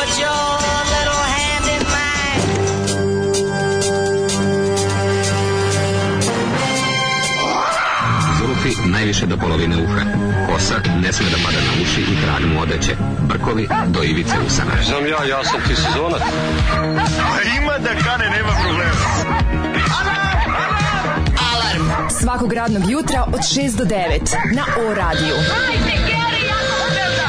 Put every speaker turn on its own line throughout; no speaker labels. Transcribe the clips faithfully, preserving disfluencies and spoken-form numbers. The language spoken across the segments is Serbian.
put your little hand in mine.
Zulufi najviše do polovine uha. Kosa ne sme da pada na uši i krag mu odeće. Brkovi do ivice usana.
Znam ja, ja sam ti sezonac.
Ima da kane, nema problema.
Alarm svakog radnog jutra od šest do devet na O radiju.
Hajde, Geri, jako se velda.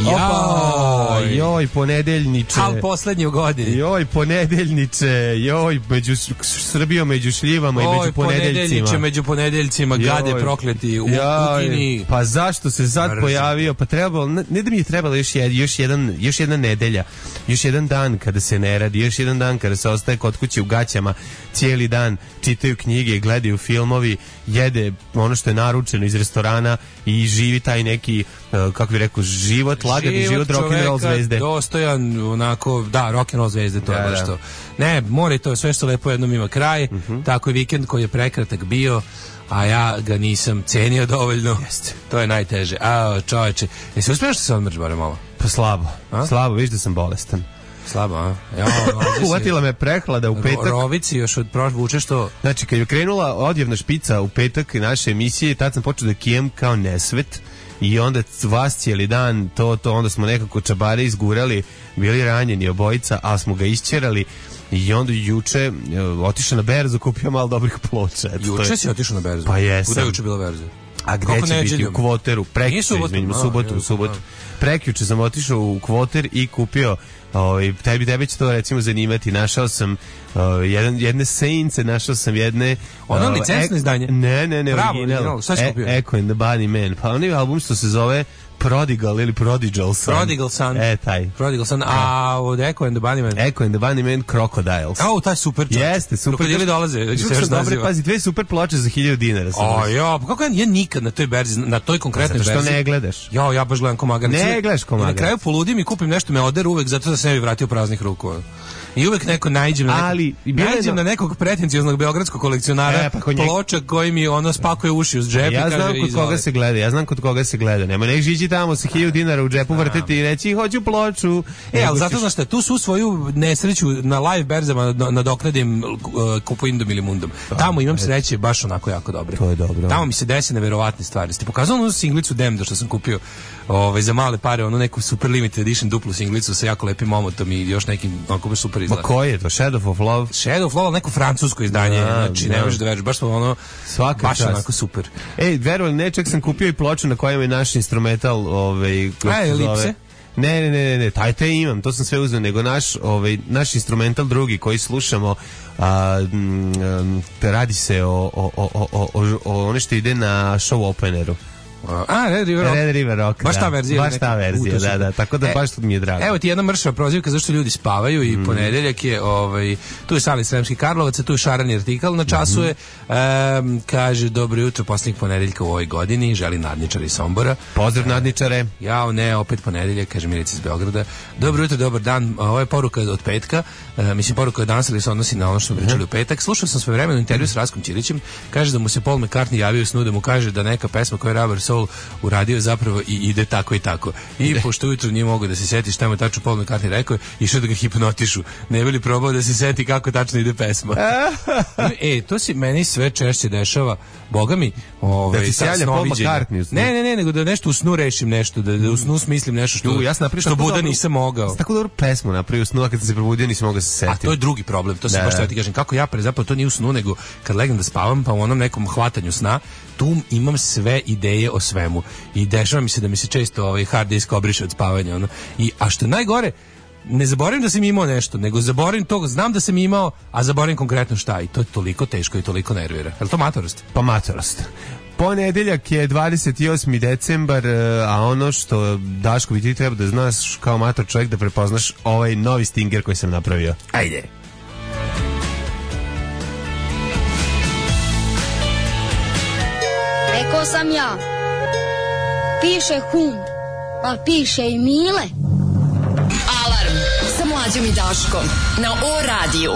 Opa, joj, ponedeljniče.
Al poslednji u godini.
Joj, ponedeljniče, joj, među Srbijom, među šljivama i među ponedeljcima.
Ponedeljniče među ponedeljcima, gade prokleti u Kukini.
Pa zašto se sad Mrzim. pojavio? Pa trebalo, ne da mi je trebalo još, jed, još, jedan, još jedna nedelja, još jedan dan kada se ne radi, još jedan dan kada se ostaje kod kuće u gaćama, cijeli dan čitaju knjige, gledaju filmovi, jede ono što je naručeno iz restorana i živi taj neki, kako bih rekao, život, lagani život rock'n'roll zvezde.
Dostojan, onako, da, rock'n'roll zvezde, to je baš to. Ne, more to, sve što lepo jednom ima kraj, uh-huh. Tako je vikend koji je prekratak bio, a ja ga nisam cenio dovoljno. Jeste. To je najteže. A, čoveče, jesi uspješno što se odmrš bare malo?
Pa slabo, a? slabo, viš da sam bolestan.
Slabo, a? Ja,
uvatila me prehlada u petak.
Rovici još od prošle vuče što...
Znači, kad je krenula odjevna špica u petak naše emisije, tad sam počeo da kijem kao nesvet. I onda vas cijeli dan, to, to, onda smo nekako čabare izgurali, bili ranjeni obojica, ali smo ga isćerali. I onda juče otišao na berzu, kupio malo dobrih ploča.
Juče si otišao na berzu?
Pa jesam.
Kuda je juče bila berza?
A gde će biti? U Kvoteru. Prekjuče, izmenim, u subotu, u subotu. Prekjuče sam otišao u Kvoter i kupio, ovaj, tebi, tebe će to recimo zanimati, našao sam uh, jedan, jedne sejnice, našao sam jedne...
Ono uh, licencno izdanje?
Ne, ne, ne,
Pravo,
original.
Šta si kupio?
E, Echo and the Bunny Man. Pa onaj album što se zove Prodigal ili Prodigal Son.
Prodigal Son.
E, taj.
Prodigal Son. A od Echo and the Bunny Man?
Echo and the Bunny Man, Crocodiles.
A, taj super čovjek.
Jeste, super.
Krokodili dolaze.
Dobre, pazi, dve super ploče za hiljadu dinara.
O, ja, pa kako ja, ja nikad na toj berzi, na toj konkretnoj berzi.
Zato što ne gledaš.
Ja, ja baš gledam ko magarac.
Ne gledaš ko magarac.
Na kraju poludim i kupim nešto, me oderu uvek zato da se ne bi vratio praznih ruku. I uvek neko naiđem na,
ali,
naiđem na nekog pretencijoznog beogradskog kolekcionara
e, pa
ploča koji mi ono spakuje uši uz džep.
Ja
i
znam
kaže,
kod koga se gleda, ja znam kod koga se gleda. Nema nek žići tamo sa hiljadu dinara u džepu vrteti i reći hoću ploču.
E, ali zato znaš šta, tu su svoju nesreću na live berzama nadoknadim uh, Kupindom ili Mundom. Tamo imam sreće baš onako jako dobre.
To je dobro.
Tamo mi se desi neverovatne stvari. Ste pokazao onu singlicu Demdo što sam kupio ovaj, za male pare, onu neku super limited edition duplu singlicu sa jako lepim omotom i još nekim onako baš super izgleda.
Ma koji je to? Shadow of Love?
Shadow of Love, neko francusko izdanje,
a,
znači ne možeš da veriš, baš smo ono
svaka
baš
čast.
Onako super.
Ej, verovali, ne, čak sam kupio i ploču na kojem je naš instrumental, ovaj,
a, Elipse?
Ne, ne, ne, ne, taj te imam, to sam sve uzeo, nego naš, ovaj, naš instrumental drugi koji slušamo, a, m, radi se o, o, o, o, o, o ono što ide na show openeru.
A, Red River Rock.
Red River Rock,
baš ta verzija.
Baš ta verzija, da, da, tako da
e,
baš mi je drago.
Evo ti jedna mršava prozivka zašto ljudi spavaju i mm. ponedeljak je, ovaj, tu je Sali Sremski Karlovac, tu je Šarani Artikal, na času je, um, kaže, dobro jutro, posljednjeg ponedeljka u ovoj godini, želi nadničari iz Sombora.
Pozdrav nadničare.
Jao, ne, opet ponedeljak, kaže Milica iz Beograda. Dobro jutro, dobar dan, ovo je poruka od petka, uh, mislim poruka od danas, ali se odnosi na ono što smo pričali mm. u petak. Slušao sam svoje vremenu intervju s Raskom Ćirićem, kaže da mu se Paul McCartney javio snu, da mu kaže da neka pesma koja je Rubber Soul uradio zapravo i ide tako i tako. I pošto ujutro nije mogo da se seti šta mu tačno Paul McCartney rekao, išao da ga hipnotišu. Ne bi li probao da se seti kako tačno ide pesma. E, to se meni sve češće dešava. Boga mi, ovaj,
da ti se javlja Paul McCartney.
Ne, ne, ne, nego da nešto u snu rešim nešto, da, da u snu smislim nešto što,
U, ja
što buda dobro, nisam mogao.
Tako dobro pesmu napravio u snu, a kad sam se probudio nisam mogao da se setim.
A to je drugi problem, to se baš što ja ti kažem. Kako ja pre, zapravo to nije u snu, nego kad legnem da spavam, pa u onom nekom hvatanju sna, tu imam sve ideje o svemu. I dešava mi se da mi se često ovaj hard disk obriše od spavanja. Ono. I, a što je najgore, ne zaboravim da sam imao nešto, nego zaboravim to, znam da sam imao, a zaboravim konkretno šta. I to je toliko teško i toliko nervira. Je li to matorost?
Pa matorost. Ponedeljak je dvadeset osmi decembar, a ono što Daško bi ti treba da znaš kao mator čovjek da prepoznaš ovaj novi stinger koji sam napravio.
Ajde.
Rekao sam ja, piše hum, pa piše i Mile.
Alarm sa Mlađom i Daškom na O radiju.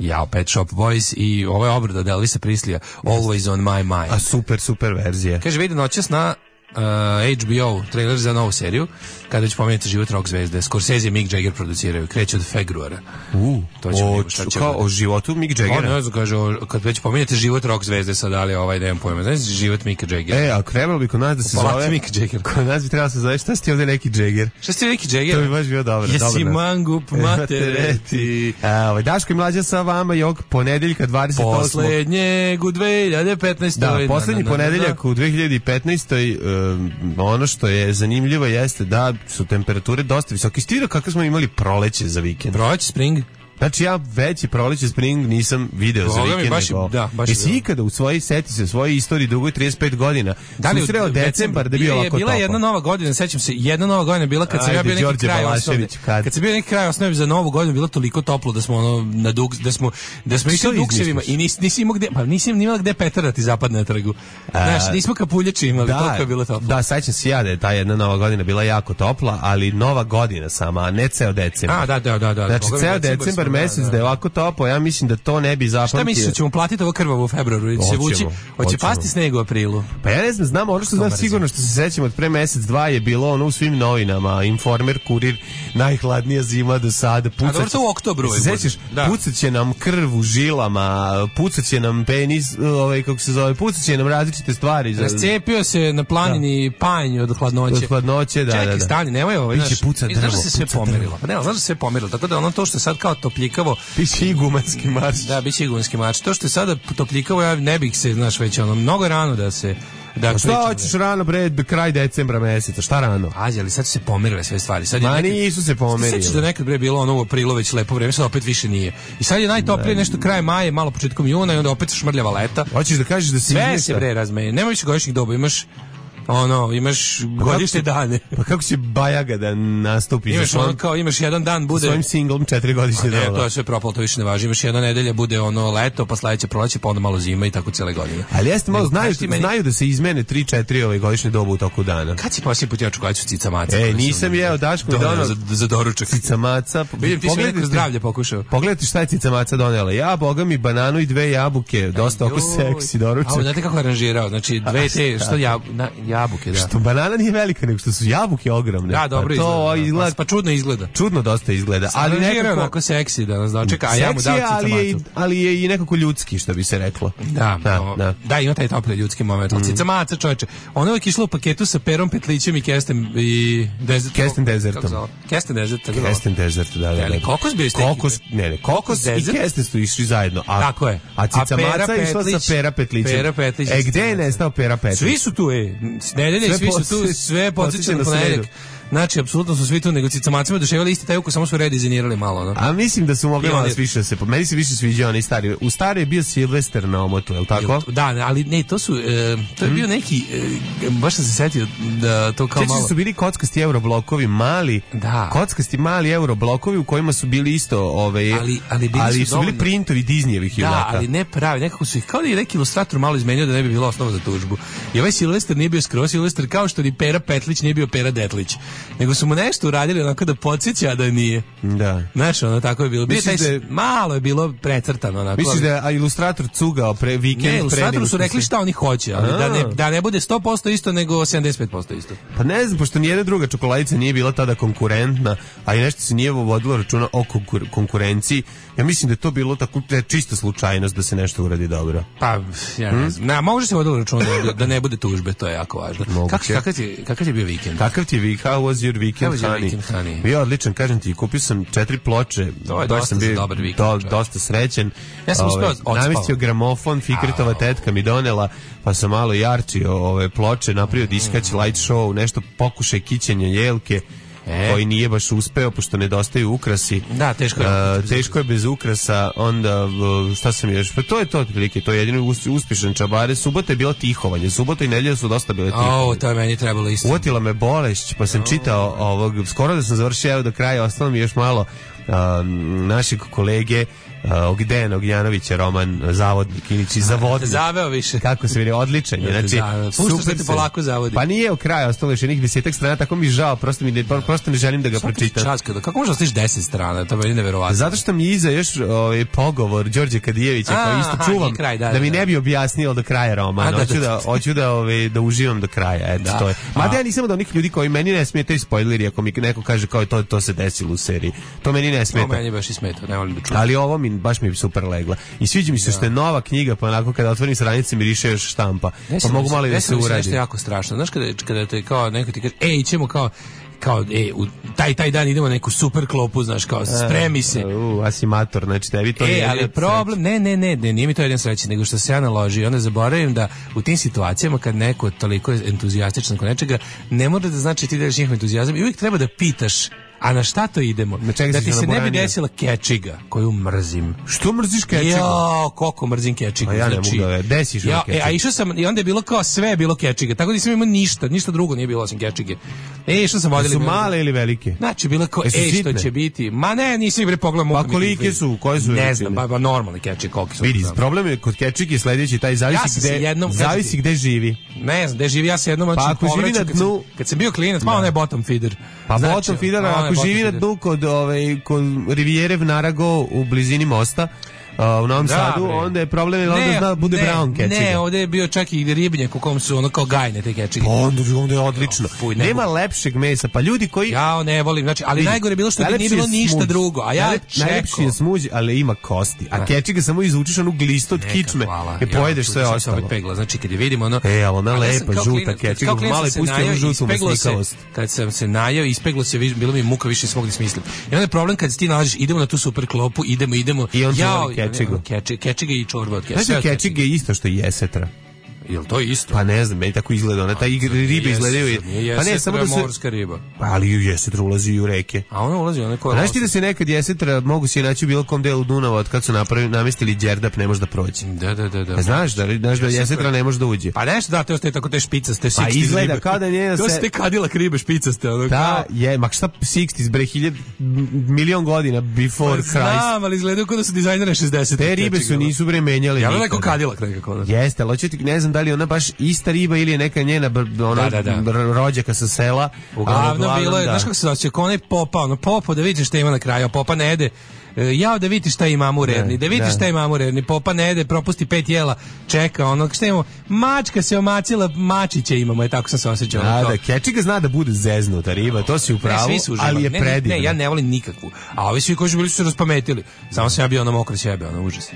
Jao, Pet Shop Boys i ovo je obrada od Elvisa Preslija, Always on my mind.
A super, super verzija.
Kaže, vidi noćas na Uh, H B O trailer za novu seriju, kada već pomenete život rock zvezde. Scorsese i Mick Jagger produciraju, kreće od februara.
Uh,
to ćemo
o,
vidjeti šta će
kao
bude.
O životu Mick Jaggera.
On ne znam, kaže, o, kad već pomenete život rock zvezde, sad ali ovaj dajem pojma. Znaš život Micka Jaggera?
E, a trebalo bi kod nas da se
Palati
zove...
Mick Jagger.
Kod nas bi trebalo se zove šta si ti ovde neki Jagger?
Šta si ti neki Jagger?
To bi baš bio dobro.
Jesi
dobro,
mangup matereti.
A, ovaj, Daško i Mlađa sa vama i ovog ponedeljka dvadeset osmog
Poslednjeg u dve hiljade petnaestoj.
Da, poslednji ponedeljak u dve hiljade petnaestoj. Um, ono što je zanimljivo jeste da su temperature dosta visoke. Stira kako smo imali proleće za vikend.
Proleće, spring.
Znači ja veći proleće spring nisam video
Boga
za
mi,
vikend.
baš je-
nego-
da, baš je
Jesi
bilo.
ikada u svojoj seti se, u svojoj istoriji dugoj trideset pet godina susreo decembar da je bio
je
ovako
bila
topan?
jedna nova godina, sećam se, jedna nova godina je bila kad sam ja
Ajde,
bio neki
Đorđe
kraj
Balašević,
osnovne.
kad?
Kad sam bio neki kraj osnovne za novu godinu, bilo toliko toplo da smo ono na dug, da smo da smo išli
Što
duksevima
izmisliš?
i nis, nisi imao gde, pa nisam ni imao gde Petar da ti zapadne na trgu. Znaš, nismo kapuljači imali, toliko je bilo toplo.
Da, sećam se ja da je ta jedna nova godina bila jako topla, ali nova godina sama, a ne ceo decembar.
A, da, da, da, da.
Znači,
Boga mi,
ceo
decembar
decembar
smo, da,
mesec
da.
da je ovako toplo, ja mislim da to ne bi zapamtio.
Šta misliš, da ćemo platiti ovo krvavo u februaru ili će se
Hoćemo,
vući? Hoće
hoćemo.
pasti sneg u aprilu?
Pa ja ne znam, znam, ono što znam
Dobar
sigurno što se sećam od pre mesec, dva je bilo ono u svim novinama, Informer, Kurir, najhladnija zima do sada.
A dobro, to u oktobru
Se
je
sećaš,
bude. Da.
pucat će nam krv u žilama, pucat će nam penis, ovaj, kako se zove, pucat će nam različite stvari. Za,
Rascijepio se na planini panj od hladnoće.
Od hladnoće, da,
Čekaj,
da, da.
stani, nemoj ovo.
Biće
Znaš,
puca
znaš da
drvo,
se sve
puca
pomerilo.
drvo.
Pa ne, znaš da se sve pomerilo. Tako da ono to što je sad kao topljikavo,
Piše igumanski marš.
da, biće igumanski mač. To što je sada topljikavo, ja ne bih se, znaš, već ono, mnogo rano da se... Da
A šta
krećemo.
hoćeš rano, bre, kraj decembra meseca, šta rano?
Pazi, ali sad su se pomerile sve stvari. Sad je
Ma
nekad-
nisu se pomerile.
Sećaš da nekad bre bilo ono u aprilu već lepo vreme, sad opet više nije. I sad je najtoplije nešto kraj maja, malo početkom juna i onda opet šmrljava leta.
Hoćeš da kažeš da se
Sve
izmešta?
se bre razmeje. Nema više godišnjih doba, imaš ono, imaš godišnje
kako će-
dane.
Pa kako će Bajaga da nastupi za
Imaš
svojim,
ono kao, imaš jedan dan bude...
svojim singlom četiri godišnje
Ne,
doba?
to je sve propalo, to više ne važi. Imaš jedna nedelja bude ono leto, pa sledeće proleće, pa onda malo zima i tako cele godine.
Ali jeste malo,
Nego,
znaju,
kaži ti meni-
znaju da se izmene tri četiri ove godišnje doba u toku dana.
Kad si posljednji put jeo čokoladicu cica maca?
E,
koju sam
nisam jeo, Daško mi
doneo
doneo
za, za doručak.
cica maca.
Vidim, ti si mi neko zdravlje pokušao.
Pogledajte šta je cica maca donela. Ja, boga mi, bananu i dve jabuke. Dosta oko
Joj.
seksi
A,
doručak.
znate kako je aranžirao? Znači, dve te, što jab, na, jabuke, da.
Što banana nije velika, nego što su jabuke ogromne.
Da, dobro
Pa to
izgleda.
izgleda.
Pa, pa čudno izgleda.
Čudno dosta izgleda. Ali
Aranžirao je
nekako...
onako seksi da nas dočeka, a ja mu
Seksi
dao
je, ali je, i-
cica macu.
ali je i nekako ljudski, što bi se reklo.
Da,
Da,
o,
da.
da, ima taj topli ljudski moment. Ali cica maca, čoveče, ona je uvijek išla u paketu sa perom, petlićem i kestem i desert.
Kesten desertom.
Kako se zove? Kesten desert, tako zove.
Kesten desert, da, da,
Je li
da.
kokos bio iz te
Kokos,
ekipe?
ne, ne, kokos i
Desert?
kesten su išli zajedno. A,
Tako je.
A cica
A Pera
maca išla
Petlić-
sa Pera Petlićem.
Pera Petlić i
E,
cica
gde je
maca.
nestao Pera Petlić?
Svi su tu, ej. S nedelje
Sve
svi su tu,
podsjeća-
sve
podsjeća
podsjeća na
na
ponedeljak.
sredu.
Znači, apsolutno su svi tu, nego cica macima doševali isti taj ukus, samo su redizajnirali malo, no.
A mislim da su mogli
I
malo
oni-
više da se... Meni se više sviđa onaj stari. U stari je bio Silvester na omotu, je li tako?
Da, ali ne, to su, e, to je bio neki, e, baš sam se setio da to kao
Sjećaš
malo...
da su bili kockasti euroblokovi, mali,
Da.
kockasti mali euroblokovi u kojima su bili isto, ove,
Ali- ali bili su
su bili
dovoljno-
printovi Disneyevih
Da,
junaka.
ali ne pravi, nekako su ih, kao da je neki ilustrator malo izmenio da ne bi bilo osnova za tužbu. I ovaj Silvester nije bio skroz Silvester, kao što ni Pera Petlić nije bio Pera Detlić. Nego su mu nešto uradili onako da podsjeća, a da nije.
Da.
Znaš, ono tako je bilo. Bio
Misliš
taj,
da je-
malo je bilo precrtano onako.
Misliš
ali-
da je a, ilustrator cugao pre vikend?
Ne,
pre
ilustratoru
nego
su
što
rekli
se-
šta oni hoće, ali da ne,
A.
da ne bude sto posto isto, nego sedamdeset pet posto isto.
Pa ne znam, pošto nijedna druga čokoladica nije bila tada konkurentna, a i nešto se nije vodilo računa o konkur- konkurenciji, ja mislim da je to bilo tako da je čista slučajnost da se nešto uradi dobro.
Pa, ja ne znam. Na, može se vodilo računa da, da ne bude tužbe, to je jako važno.
Moguće.
Kako, kakav, ti, kakav ti je bio vikend?
Kakav ti je vi, how was your weekend,
How was your
honey?
weekend, honey?
Bio odličan, kažem ti, kupio sam četiri ploče,
To je
baš
dosta
sam
za
bio
dobar vikend,
do-
čovječe.
dosta srećen.
Ja sam uspeo
Ove,
odspao.
namestio gramofon, Fikretova tetka mi donela, pa sam malo jarčio ove ploče, napravio diskać, light show, nešto pokušaj kićenja jelke,
E.
koji nije baš uspeo, pošto nedostaju ukrasi.
Da, teško je.
A, teško je bez ukrasa, onda v- šta sam još, pa to je to otprilike, to je jedino us- uspješan čabare. Subota je bilo tihovanje, subota i nedelja su dosta bile tihovanje.
O, to je meni trebalo isto.
Uvatila me bolešć, pa sam čitao ovog, skoro da sam završio evo do kraja, ostalo mi još malo um, našeg kolege Uh, Ogdena Ognjanovića, roman Zavodnik, iniči Zavodnik.
Zaveo više.
Kako se vidi, odličan je. Znači,
pušta se ti polako zavodi.
Pa nije u kraju, ostalo još jednih desetak strana, tako mi žao, prosto, mi ne, prosto ne želim da ga pročitam.
Časka, kako možda ostiš deset strana, to je neverovatno.
Zato što mi iza još ovaj, pogovor Đorđe Kadijevića, koji isto aha, čuvam, kraj, da, da, da mi ne bi objasnio do kraja romana. Hoću da, hoću da, ovaj, da uživam do kraja. Eto, da. To je. Mada ja nisam od onih ljudi koji meni ne smetaju spoileri, ako mi neko kaže kao to, to se desilo u seriji. To meni ne smeta.
To meni baš i smeta, ne volim da čujem.
Ali ovo mi baš mi super legla. I sviđa mi se što je nova knjiga, pa onako kada otvorim stranice miriše još štampa. Pa mogu malo i da se uradi.
Nešto je jako strašno. Znaš kada, kada te kao neko ti kaže, ej, ćemo kao kao ej, u taj taj dan idemo na neku super klopu, znaš, kao spremi se.
U, asimator, znači tebi to
nije. E, ali problem, ne, ne, ne, ne, nije mi to jedan sreći, nego što se ja naloži, onda zaboravim da u tim situacijama kad neko toliko je entuzijastičan kod nečega, ne mora da znači ti deliš njihov entuzijazam i uvijek treba da pitaš, a na šta to idemo? Da ti se ne bi desila kečiga, koju mrzim.
Što mrziš kečigu?
Jo, koliko mrzim kečigu.
A ja ne
znači,
mogu da desiš
ja,
kečigu.
E, a išao sam, i onda je bilo kao sve je bilo kečiga, tako da nisam imao ništa, ništa drugo nije bilo osim kečige. E, išao sam vodili.
Su male ili velike?
Znači, bilo kao, ej, što će biti? Ma ne, nisam bre pogledao.
Pa kolike su? Koje su?
Ne znam, ba, ba normalne kečige, kolike su.
Vidi, problem je kod kečige sledeći, taj zavisi gde, jednom, zavisi gde živi.
Ne znam, gde živi, ja se jednom
pa ako živi na dnu,
kad sam bio klinac, malo ne bottom feeder.
Pa bottom feeder, ako živi na dnu kod ovaj kod Rivijere Narago u blizini mosta, Uh, u Novom da, Sadu, bre. Onda je problem je onda zna bude ne, brown kečiga. Ne,
ovdje je bio čak i ribnjak u kom su ono kao gajne te kečige.
Pa onda, onda je odlično. Jo, fuj, ne Nema bu... lepšeg mesa, pa ljudi koji...
Ja ne volim, znači, ali najgore je bilo što nije bilo ništa smuđ. Drugo, a ja čekao.
Najlepši je smuđ, ali ima kosti, a kečiga samo izvučeš onu glistu od kičme i pojedeš sve ostalo.
Pegla. Znači, kad je vidimo ono...
E, ali ona lepa, žuta kečiga, malo je pustio onu žutu masnikavost.
Kad sam se najao, ispeglo se, bilo mi muka, više smog da smislim. I onda je problem kad ti nalaziš, idemo na tu super klopu, idemo, idemo.
I on voli kečigu.
Kečige i čorba od kečige.
Znači kečige je isto što i jesetra.
Jel to isto?
Pa ne znam, meni tako izgleda. Ona, ta ribe izgledaju...
Pa ne, samo da se... morska riba.
Pa ali i jesetra ulazi u reke.
A ona ulazi, ona je koja...
Znaš ti da se nekad jesetra mogu se naći u bilo kom delu Dunava od kad su napravili, namestili đerdap, ne može da prođe.
Da, da, da. da.
A znaš da, znaš da jesetra ne može da uđe.
Pa nešto da, to ostaje tako te špicaste, šezdeset
Pa izgleda kao da njena se...
To su te kadilak ribe špicaste. Ono,
da, je, mak šta šezdeset bre, hiljad, milion godina before Christ.
Znam, ali izgledaju kao da su dizajnere šezdeset.
Te ribe su nisu bre menjali.
Ja neko kadilak nekako.
Jeste, ali hoću ti, ne znam da li ona baš ista riba ili je neka njena ona da, da, da. rođaka sa sela.
Uglavnom bilo je, znaš kako se osjeća, kao onaj popa, ono popo da vidiš šta ima na kraju, a popa ne jede. Ja da vidiš šta imamo u rerni, da vidiš da. šta imamo u rerni, popa ne jede, propusti pet jela, čeka ono, šta imamo, mačka se omacila, mačiće imamo, je tako sam se osjećao.
Da, da, kečiga zna da bude zeznuta riba, to si u pravu, ali je
ne,
predivno.
Ne, ne, ja ne volim nikakvu, a ovi svi koji su bili su se raspametili, samo sam ja bio ono mokro sjebe, ono užas.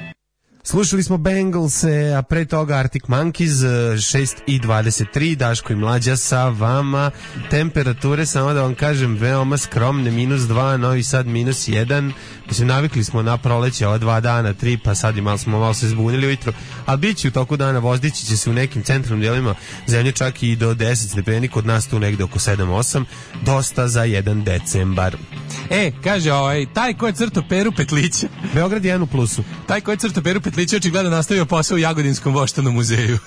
Slušali smo Bengalse, a pre toga Arctic Monkeys, šest i dvadeset tri, Daško i Mlađa sa vama. Temperature, samo da vam kažem, veoma skromne, minus dva, Novi Sad minus jedan. Mislim, navikli smo na proleće ova dva dana, tri, pa sad i malo smo malo se zbunili ujutro. Ali bit će u toku dana, vozdići će se u nekim centralnim dijelima zemlje čak i do deset stepeni, kod nas tu negde oko sedam osam. Dosta za jedan decembar.
E, kaže, ovaj, taj ko je crto Peru Petlića.
Beograd je jedan u plusu.
Taj ko je crto Peru Petlića očigledno nastavio posao u Jagodinskom voštanom muzeju.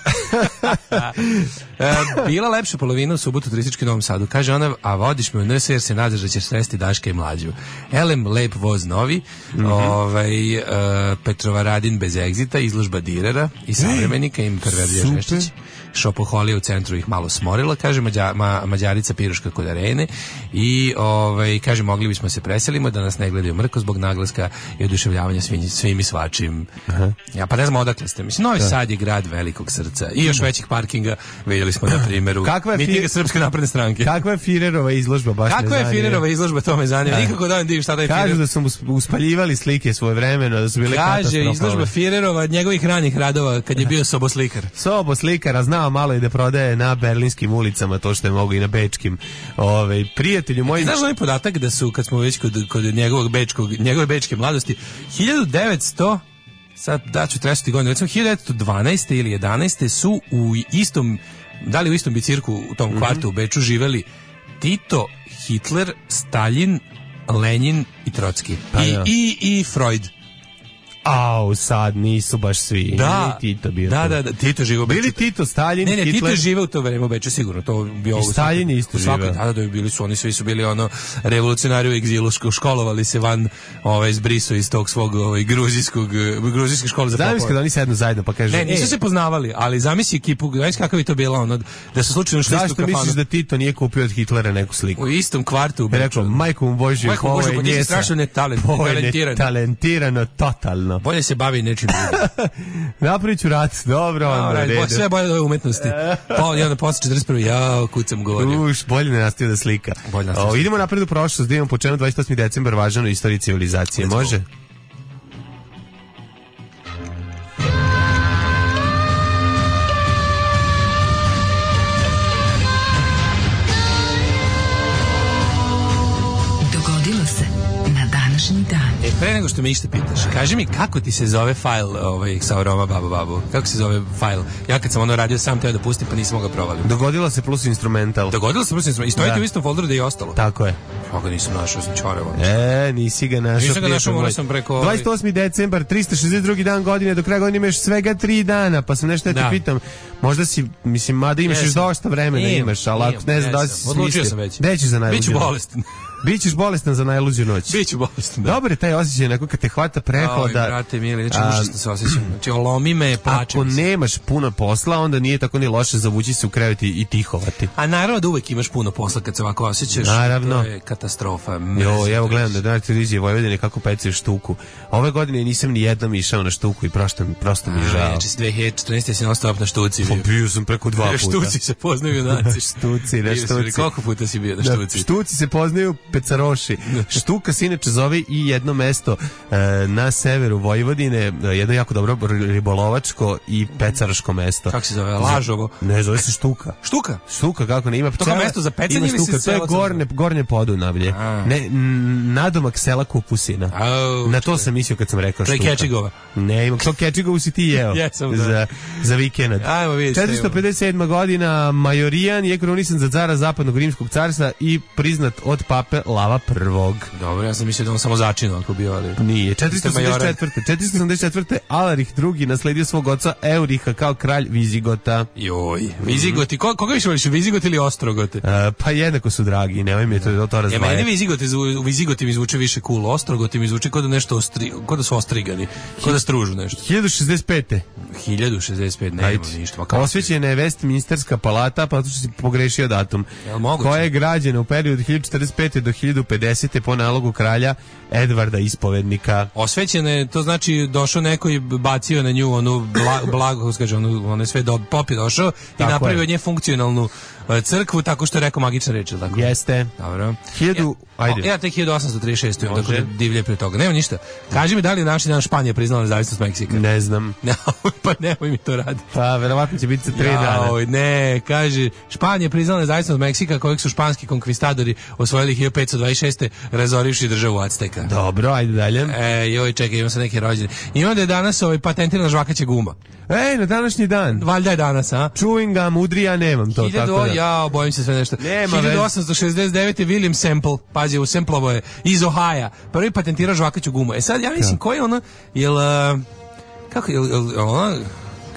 e, bila lepša polovina u subotu turistički u Novom Sadu. Kaže ona, a vodiš me u N S jer se nadaš da ćeš sresti Daška i Mlađu. Elem, lep voz novi, mm-hmm. ovaj, uh, Petrovaradin bez egzita, izložba direra i savremenika, im perverzija Žeščić. Šopoholija u centru ih malo smorila, kaže Mađa, ma, Mađarica piruška kod arene i ovaj, kaže mogli bismo se preselimo da nas ne gledaju mrko zbog naglaska i oduševljavanja svim, svim i svačim. Aha. Ja pa ne znam odakle ste. Mislim, Novi da. Sad je grad velikog srca i još da. Većih parkinga vidjeli smo na primjeru mitinga Srpske napredne stranke.
Kakva je Firerova izložba? Baš
Kakva je Firerova izložba, to me zanima. Da. Nikako da vam divim šta da je Firer.
Kažu da su uspaljivali slike svoje vremeno, da su bile katastrofalne.
Kaže, izložba Firerova njegovih ranih radova kad je bio soboslikar.
Soboslikar, a znao malo i da prodaje na berlinskim ulicama to što je mogu i na bečkim. Ove, prijatelju moji...
Znaš onaj podatak da su, kad smo već kod, kod njegovog bečkog, njegove bečke mladosti, hiljadu devetsto sad daću tresati godinu, recimo hiljadu devetsto dvanaeste ili jedanaeste su u istom, da li u istom bicirku u tom kvartu mm-hmm. u Beču živeli Tito, Hitler, Stalin, Lenin i Trotski. Pa, I, ja. i, i Freud.
Au, sad nisu baš svi.
Da,
Nije Tito bio
da,
tu.
da, da, Tito žive u Beču.
Bili Tito, Stalin,
ne, ne,
Hitler.
Tito je žive u to vreme u Beču, sigurno. To bio
I Stalin je isto živeo.
Da, da, bili su, oni svi su bili ono revolucionari u egzilu, školovali se van ovaj, zbriso iz tog svog ovaj, gruzijskog, gruzijske škole za popove.
Zamisli kada oni sednu zajedno pa kaže...
Ne, nisu
e,
se poznavali, ali zamisli ekipu, znaš kakav je to bilo, ono, da su slučajno šli istu
zašto
kafanu.
misliš da Tito nije kupio od Hitlera neku sliku?
U istom kvartu u Beču.
Rekao, majku mu Božju,
Majku mu
ovo
Božju,
je
pa ti si
njesa.
strašno netalent-
Ovo je
netalentirano.
netalentirano, totalno.
Bolje se bavi nečim drugim.
Napravit ću rat, dobro, onda,
Alright,
redu.
bo- sve bolje od ove umetnosti. Pa i onda posle četrdeset prve jao, kucam govorio.
Uš, bolje ne nastavio da slika.
Bolje nastavio
O,
da
idemo napred u prošlost, da imamo po čemu dvadeset osmi decembar važan u istoriji civilizacije.
Let's go.
Može?
Dogodilo se na današnji dan.
E, pre nego što me išta pitaš, kaži mi kako ti se zove fajl ovaj, sa Roma Babo Babo? Kako se zove fajl? Ja kad sam ono radio sam teo da pustim, pa nisam mogao provaliti.
Dogodilo se plus instrumental.
Dogodilo se prosim, i stojite
Da.
u istom folderu da je i ostalo.
Tako je.
Ja ga nisam našao, sam čorevo.
E, nisi ga našao.
Nisam ga
prijatelj
našao,
moj.
morao sam preko ovaj-
dvadeset osmi decembar, tristo šezdeset drugi dan godine, do kraja godine imaš svega tri dana, pa sam nešto da te
Da.
pitam, možda si, mislim, mada imaš još
Jesam.
dosta vremena
Imam,
imaš, ali ako
imam,
ne znam da li
jesam.
si
Odlučio
smislio.
sam već.
Gde ćeš za najluđu
Biću
noć?
bolestan.
Bićeš bolestan za najluđu noć.
Biću bolestan, da.
Dobar je taj osjećaj, neko kad te hvata
Oj,
prehoda.
brate mili, znači
A,
užasno se osjećam. Znači, lomi me, plačem
Ako
se.
nemaš puno posla, onda nije tako ni loše zavući se u krevet i i tihovati.
A naravno da uvek imaš puno posla kad se ovako osjećaš.
Naravno.
To je katastrofa.
Jo,
Mrzim
evo
to
gledam
reći.
da na televiziji Vojvodine kako pecaju štuku. Ove godine nisam ni jednom išao na štuku i prosto, prosto mi je žao.
Znači, dve hiljade četrnaeste si non stop na štuci.
Pa
bio.
bio sam preko dva puta.
Štuci se poznaju junaci.
Štuci, na
Bio si,
štuci.
Koliko puta si bio na
Da,
štuci?
štuci se poznaju pecaroši. Štuka se inače zove i jedno mesto e, na severu Vojvodine, e, jedno jako dobro ribolovačko i pecaroško mesto.
Kako se zove? Lažovo?
Ne, zove se Štuka.
Štuka?
Štuka, kako ne, ima
To kao mesto za pecanje
ima
ili se
Štuka, to je
selo crno?
gornje, gornje Podunavlje.
A.
Ne, n- nadomak sela Kupusina.
Au,
Na to sam mislio kad sam rekao
To je
Štuka.
Kečigova.
Ne, ima to Kečigovu si ti jeo.
Jesam, da.
za, za vikend.
Ajmo vidjeti šta
četiristo pedeset sedma godina Majorijan je krunisan za cara zapadnog rimskog carstva i priznat od pape Lava prvog.
Dobro, ja sam mislio da on samo začinu ako bio, ali...
Nije. četiristo osamdeset četvrte. četiristo osamdeset četvrte. Alarih drugi nasledio svog oca Euriha kao kralj Vizigota.
Joj, Vizigoti, ko, koga više voliš, Vizigot ili Ostrogote?
E, pa jednako su dragi, nemoj mi to, to
Ja, meni
razdvajati.
Vizigoti, zvu- Vizigoti mi zvuče više cool, Ostrogoti mi zvuče kao da nešto ostri, kao da su ostrigani, kao da stružu nešto.
hiljadu šezdeset pete.
hiljadu šezdeset pet, nema
Ajde.
ništa. Ma kako
Osvećena je Westminsterska palata, pa zato što si pogrešio datum.
Jel moguće?
Koja je građena u periodu hiljadu četrdeset pete do hiljadu pedesete po nalogu kralja Edvarda Ispovednika.
Osvećena je, to znači došao neko i bacio na nju onu bla, blago, kako se kaže, onu, one sve do, pop je došao i
Tako
napravio
je.
od nje funkcionalnu e, crkvu tako što je rekao magična reč, ili tako?
Jeste.
Dobro.
Hiljadu, ajde.
Ja tek hiljadu osamsto trideset šeste imam,
Može.
tako da divlje pre toga. Nema ništa. Kaži mi da li je naši dan Španija priznala nezavisnost Meksika?
Ne znam.
Pa nemoj mi to raditi.
Pa, verovatno će biti za tri dana.
Jaoj, ne, kaže, Španija je priznala nezavisnost Meksika kojeg su španski konkvistadori osvojili hiljadu petsto dvadeset šeste razorivši državu Azteka.
Dobro, ajde dalje.
E, joj, čekaj, imam sad neke rođene. Imam da je danas ovaj patentirana žvakaća guma.
Ej, na današnji dan.
Valjda je danas, a?
Chewing gum, udri, ja nemam to.
Hiljadu,
tako da.
ja, bojim se sve nešto.
Nema veze.
hiljadu osamsto šezdeset devete. William Semple, pazi, u Semplovo je, iz Ohaja, prvi patentirao žvakaću gumu. E sad, ja mislim, koji je ono, jel, uh, kako, jel, jel, jel ono,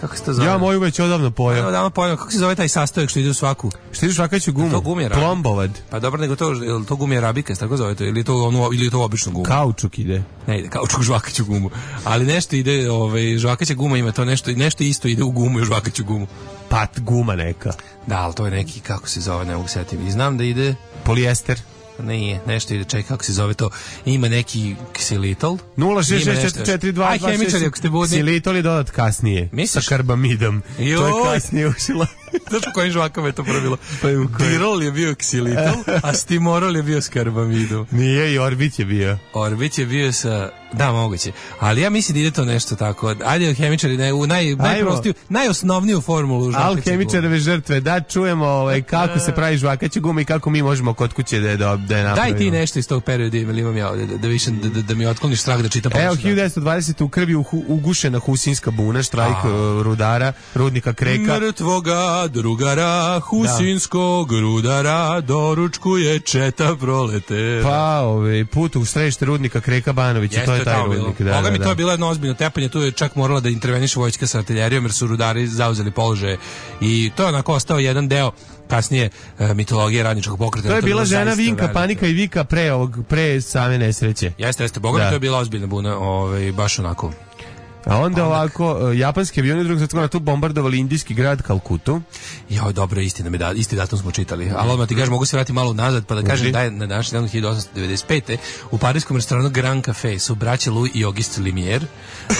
kako se to zove?
Ja moju već odavno
Evo,
pojao.
da vam pojam, kako se zove taj sastojak što ide u svaku?
Što ideš vakaću gumu?
To gumija radi.
Plombovad.
Pa dobro, nego to, jel to gumija rabika, tako zove to, ili je to, ono, ili je to obično guma?
Kaučuk ide.
Ne ide kao čuk žvakaću gumu. Ali nešto ide, ovaj, žvakaća guma ima to nešto, nešto isto ide u gumu i u žvakaću gumu.
Pat guma neka.
Da, ali to je neki, kako se zove, ne mogu setim. I znam da ide,
Polijester.
nije, nešto ide, čekaj, kako se zove to, ima neki ksilitol.
nula šest
Ima
šest
nešto
četiri četiri dva
Aj,
dva šest.
hemičari, ako ste budni.
Silitol je dodat kasnije.
Misliš?
Sa karbamidom. To je
Joj.
kasnije ušilo.
Znaš po kojim žvakama je to probilo?
Pa i u kojim?
Dirol je bio ksilitol, a stimorol je bio s karbamidom.
Nije, i Orbit je bio.
Orbić je bio sa... Da, moguće. Ali ja mislim da ide to nešto tako. Ajde, hemičari, ne, u naj, najprostiju, najosnovniju formulu žvakaće gume.
Alhemičareve žrtve, da čujemo ovaj, kako se pravi žvakaća guma i kako mi možemo kod kuće da je, da, da je napravimo.
Daj ti nešto iz tog perioda, ili imam ja ovdje, da, da, više, da, da, da mi otkloniš strah da čitam.
Evo,
ponoć.
hiljadu devetsto dvadesete. u krvi uhu- ugušena Husinska buna, štrajk uh, rudara, rudnika Kreka.
Mrtvoga dva drugara, husinskog rudara, doručkuje četa proletera.
Pa, ovaj, put u središte rudnika Kreka Banovića, to je taj rudnik. Da,
Boga mi
da,
to
da.
je bilo jedno ozbiljno tepanje, tu je čak morala da interveniše vojska sa artiljerijom, jer su rudari zauzeli položaje i to je onako ostao jedan deo kasnije e, mitologije radničkog pokreta.
To je
to
bila
bilo
žena Vinka,
veliko.
Panika i Vika pre, ovog, pre same nesreće.
Jeste, jeste, Boga mi
Da.
to je bila ozbiljna buna, ovaj, baš onako.
A onda ovako, e, japanski avioni u drugom svjetskom ratu bombardovali indijski grad Kalkutu.
Jo, dobro, istina mi da, isti datum smo čitali. Ali odmah ti kažem, mogu se vratiti malo nazad pa da kažem da je na današnji dan hiljadu osamsto devedeset pete u parijskom restoranu Grand Café su braća Louis i Auguste Lumière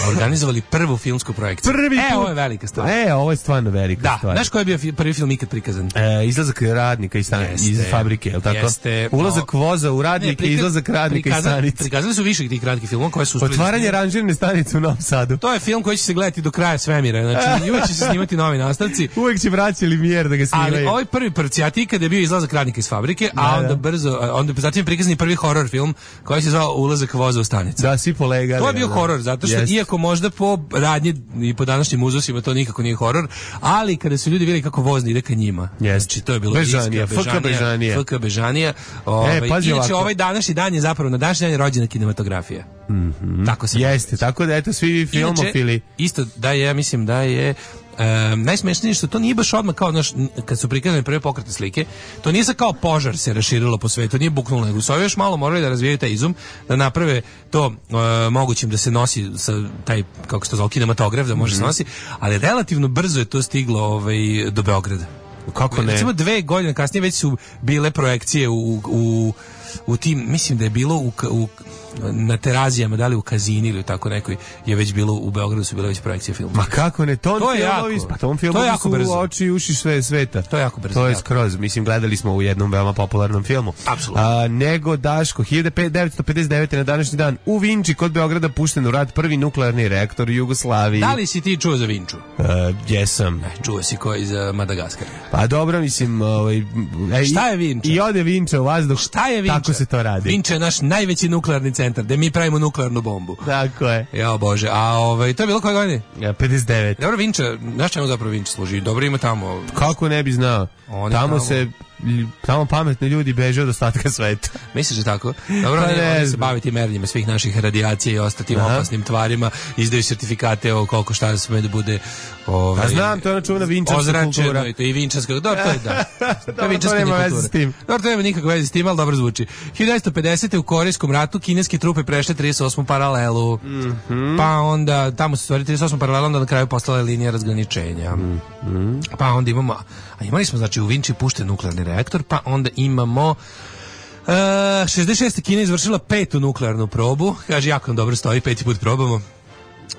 organizovali prvu filmsku projekciju.
Prvi
e,
put.
ovo je velika stvar.
E, ovo je stvarno velika
Da,
stvar.
znaš koji je bio fi- prvi film ikad prikazan?
E, izlazak radnika iz, stan-
Jeste.
iz fabrike, je li tako?
Jeste.
Ulazak voza u radnike,
Ne, prika-
izlazak radnika iz
prikazali-
stanice.
Prikazali su više tih kratkih filmova koje su uspeli-
Otvaranje ranžirne stanice u Novom Sadu.
To je film koji će se gledati do kraja svemira. Znači, uvek će se snimati novi nastavci.
Uvijek će vraćali Lumière da ga snimaju.
Ali ovaj prvi prcijati kada je bio izlazak radnika iz fabrike, a
Da,
onda
da.
brzo, a onda zatim je prikazan i prvi horor film koji se zvao Ulazak voza u stanicu.
Da, svi polegali.
To je bio
da.
horor, zato što
Jest.
iako možda po radnji i po današnjim uzusima to nikako nije horor, ali kada su ljudi vidjeli kako voz ide ka njima.
Jest.
Znači, to je bilo
Bežanija,
Irska,
F K Bežanija.
F K Bežanija. Ovaj,
pazi
inače,
ovako.
ovaj današnji dan je zapravo, na današnji dan je rođena kinematografija.
Mhm.
Tako se
Jeste, tako da eto svi filmofili.
Inače, isto da je, ja mislim da je Um, najsmešnije što to nije baš odmah kao naš, kad su prikazane prve pokretne slike, to nije sad kao požar se raširilo po svetu, nije buknulo, nego su ovi još malo morali da razvijaju taj izum, da naprave to uh, mogućim da se nosi sa taj, kako se to zove, kinematograf, da može se nosi, ali relativno brzo je to stiglo ovaj, do Beograda.
Kako ne?
Recimo dve godine kasnije već su bile projekcije u, u, u tim, mislim da je bilo u, u na Terazijama, da li u Kazini ili tako nekoj, je već bilo u Beogradu su bile već projekcije filma.
Ma kako ne, ton
To je
filmovi,
jako-
pa tom
to
filmu
je jako
su
brzo.
oči i uši sve sveta.
To je jako brzo,
To je
jako.
skroz, mislim, gledali smo u jednom veoma popularnom filmu.
Apsolutno.
A, nego, Daško, hiljadu devetsto pedeset devete. na današnji dan u Vinči kod Beograda pušten u rad prvi nuklearni reaktor u Jugoslaviji.
Da li si ti čuo za Vinču?
Uh, jesam.
Čuo si ko iz uh, Madagaskara.
Pa dobro, mislim, ovaj, ej,
Šta je Vinča?
I ode Vinča u vazduh.
Šta je Vinča?
Tako se to radi.
Vinča je naš najveći nuklearni centar, gde mi pravimo nuklearnu bombu.
Tako je.
Ja bože, a ovaj, to je bilo koje godine?
Ja, pedeset devet.
Dobro, Vinča, znaš čemu zapravo Vinča služi? Dobro ima tamo.
Kako ne bi znao?
Oni
Tamo
tamo-
se tamo pametni ljudi beže od ostatka sveta.
Misliš da tako? Dobro,
Pa
oni,
ne
oni se
znam.
baviti merenjima svih naših radijacija i ostatim
Aha.
opasnim tvarima, izdaju sertifikate o koliko šta sme da bude ovaj,
A znam, to je ona čuvena vinčarska
ozračeno
kultura.
i to i vinčarska, dobro, to je da. To
Dobro,
je vinčarska
to nema
kultura.
veze s tim.
Dobro, to nema nikakve veze s tim, ali dobro zvuči. hiljadu devetsto pedesete. u Korejskom ratu kineske trupe prešle trideset osmu paralelu.
Mhm.
Pa onda, tamo se stvari trideset osmu paralelu, onda na kraju postala je linija razgraničenja. Pa onda imamo, a imali smo znači u Vinči pušten nuklearni reaktor, pa onda imamo Uh, šezdeset šeste. Kina izvršila petu nuklearnu probu, kaže jako nam dobro stoji, peti put probamo.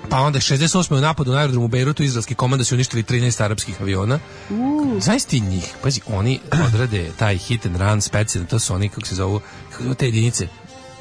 Pa onda šezdeset osme. u napadu na aerodromu u Bejrutu izraelski komanda su uništili trinaest arapskih aviona. Uh. Znaš ti njih? Pazi, oni odrade taj hit and run specijalno, to su oni, kako se zovu, kako se zovu te jedinice?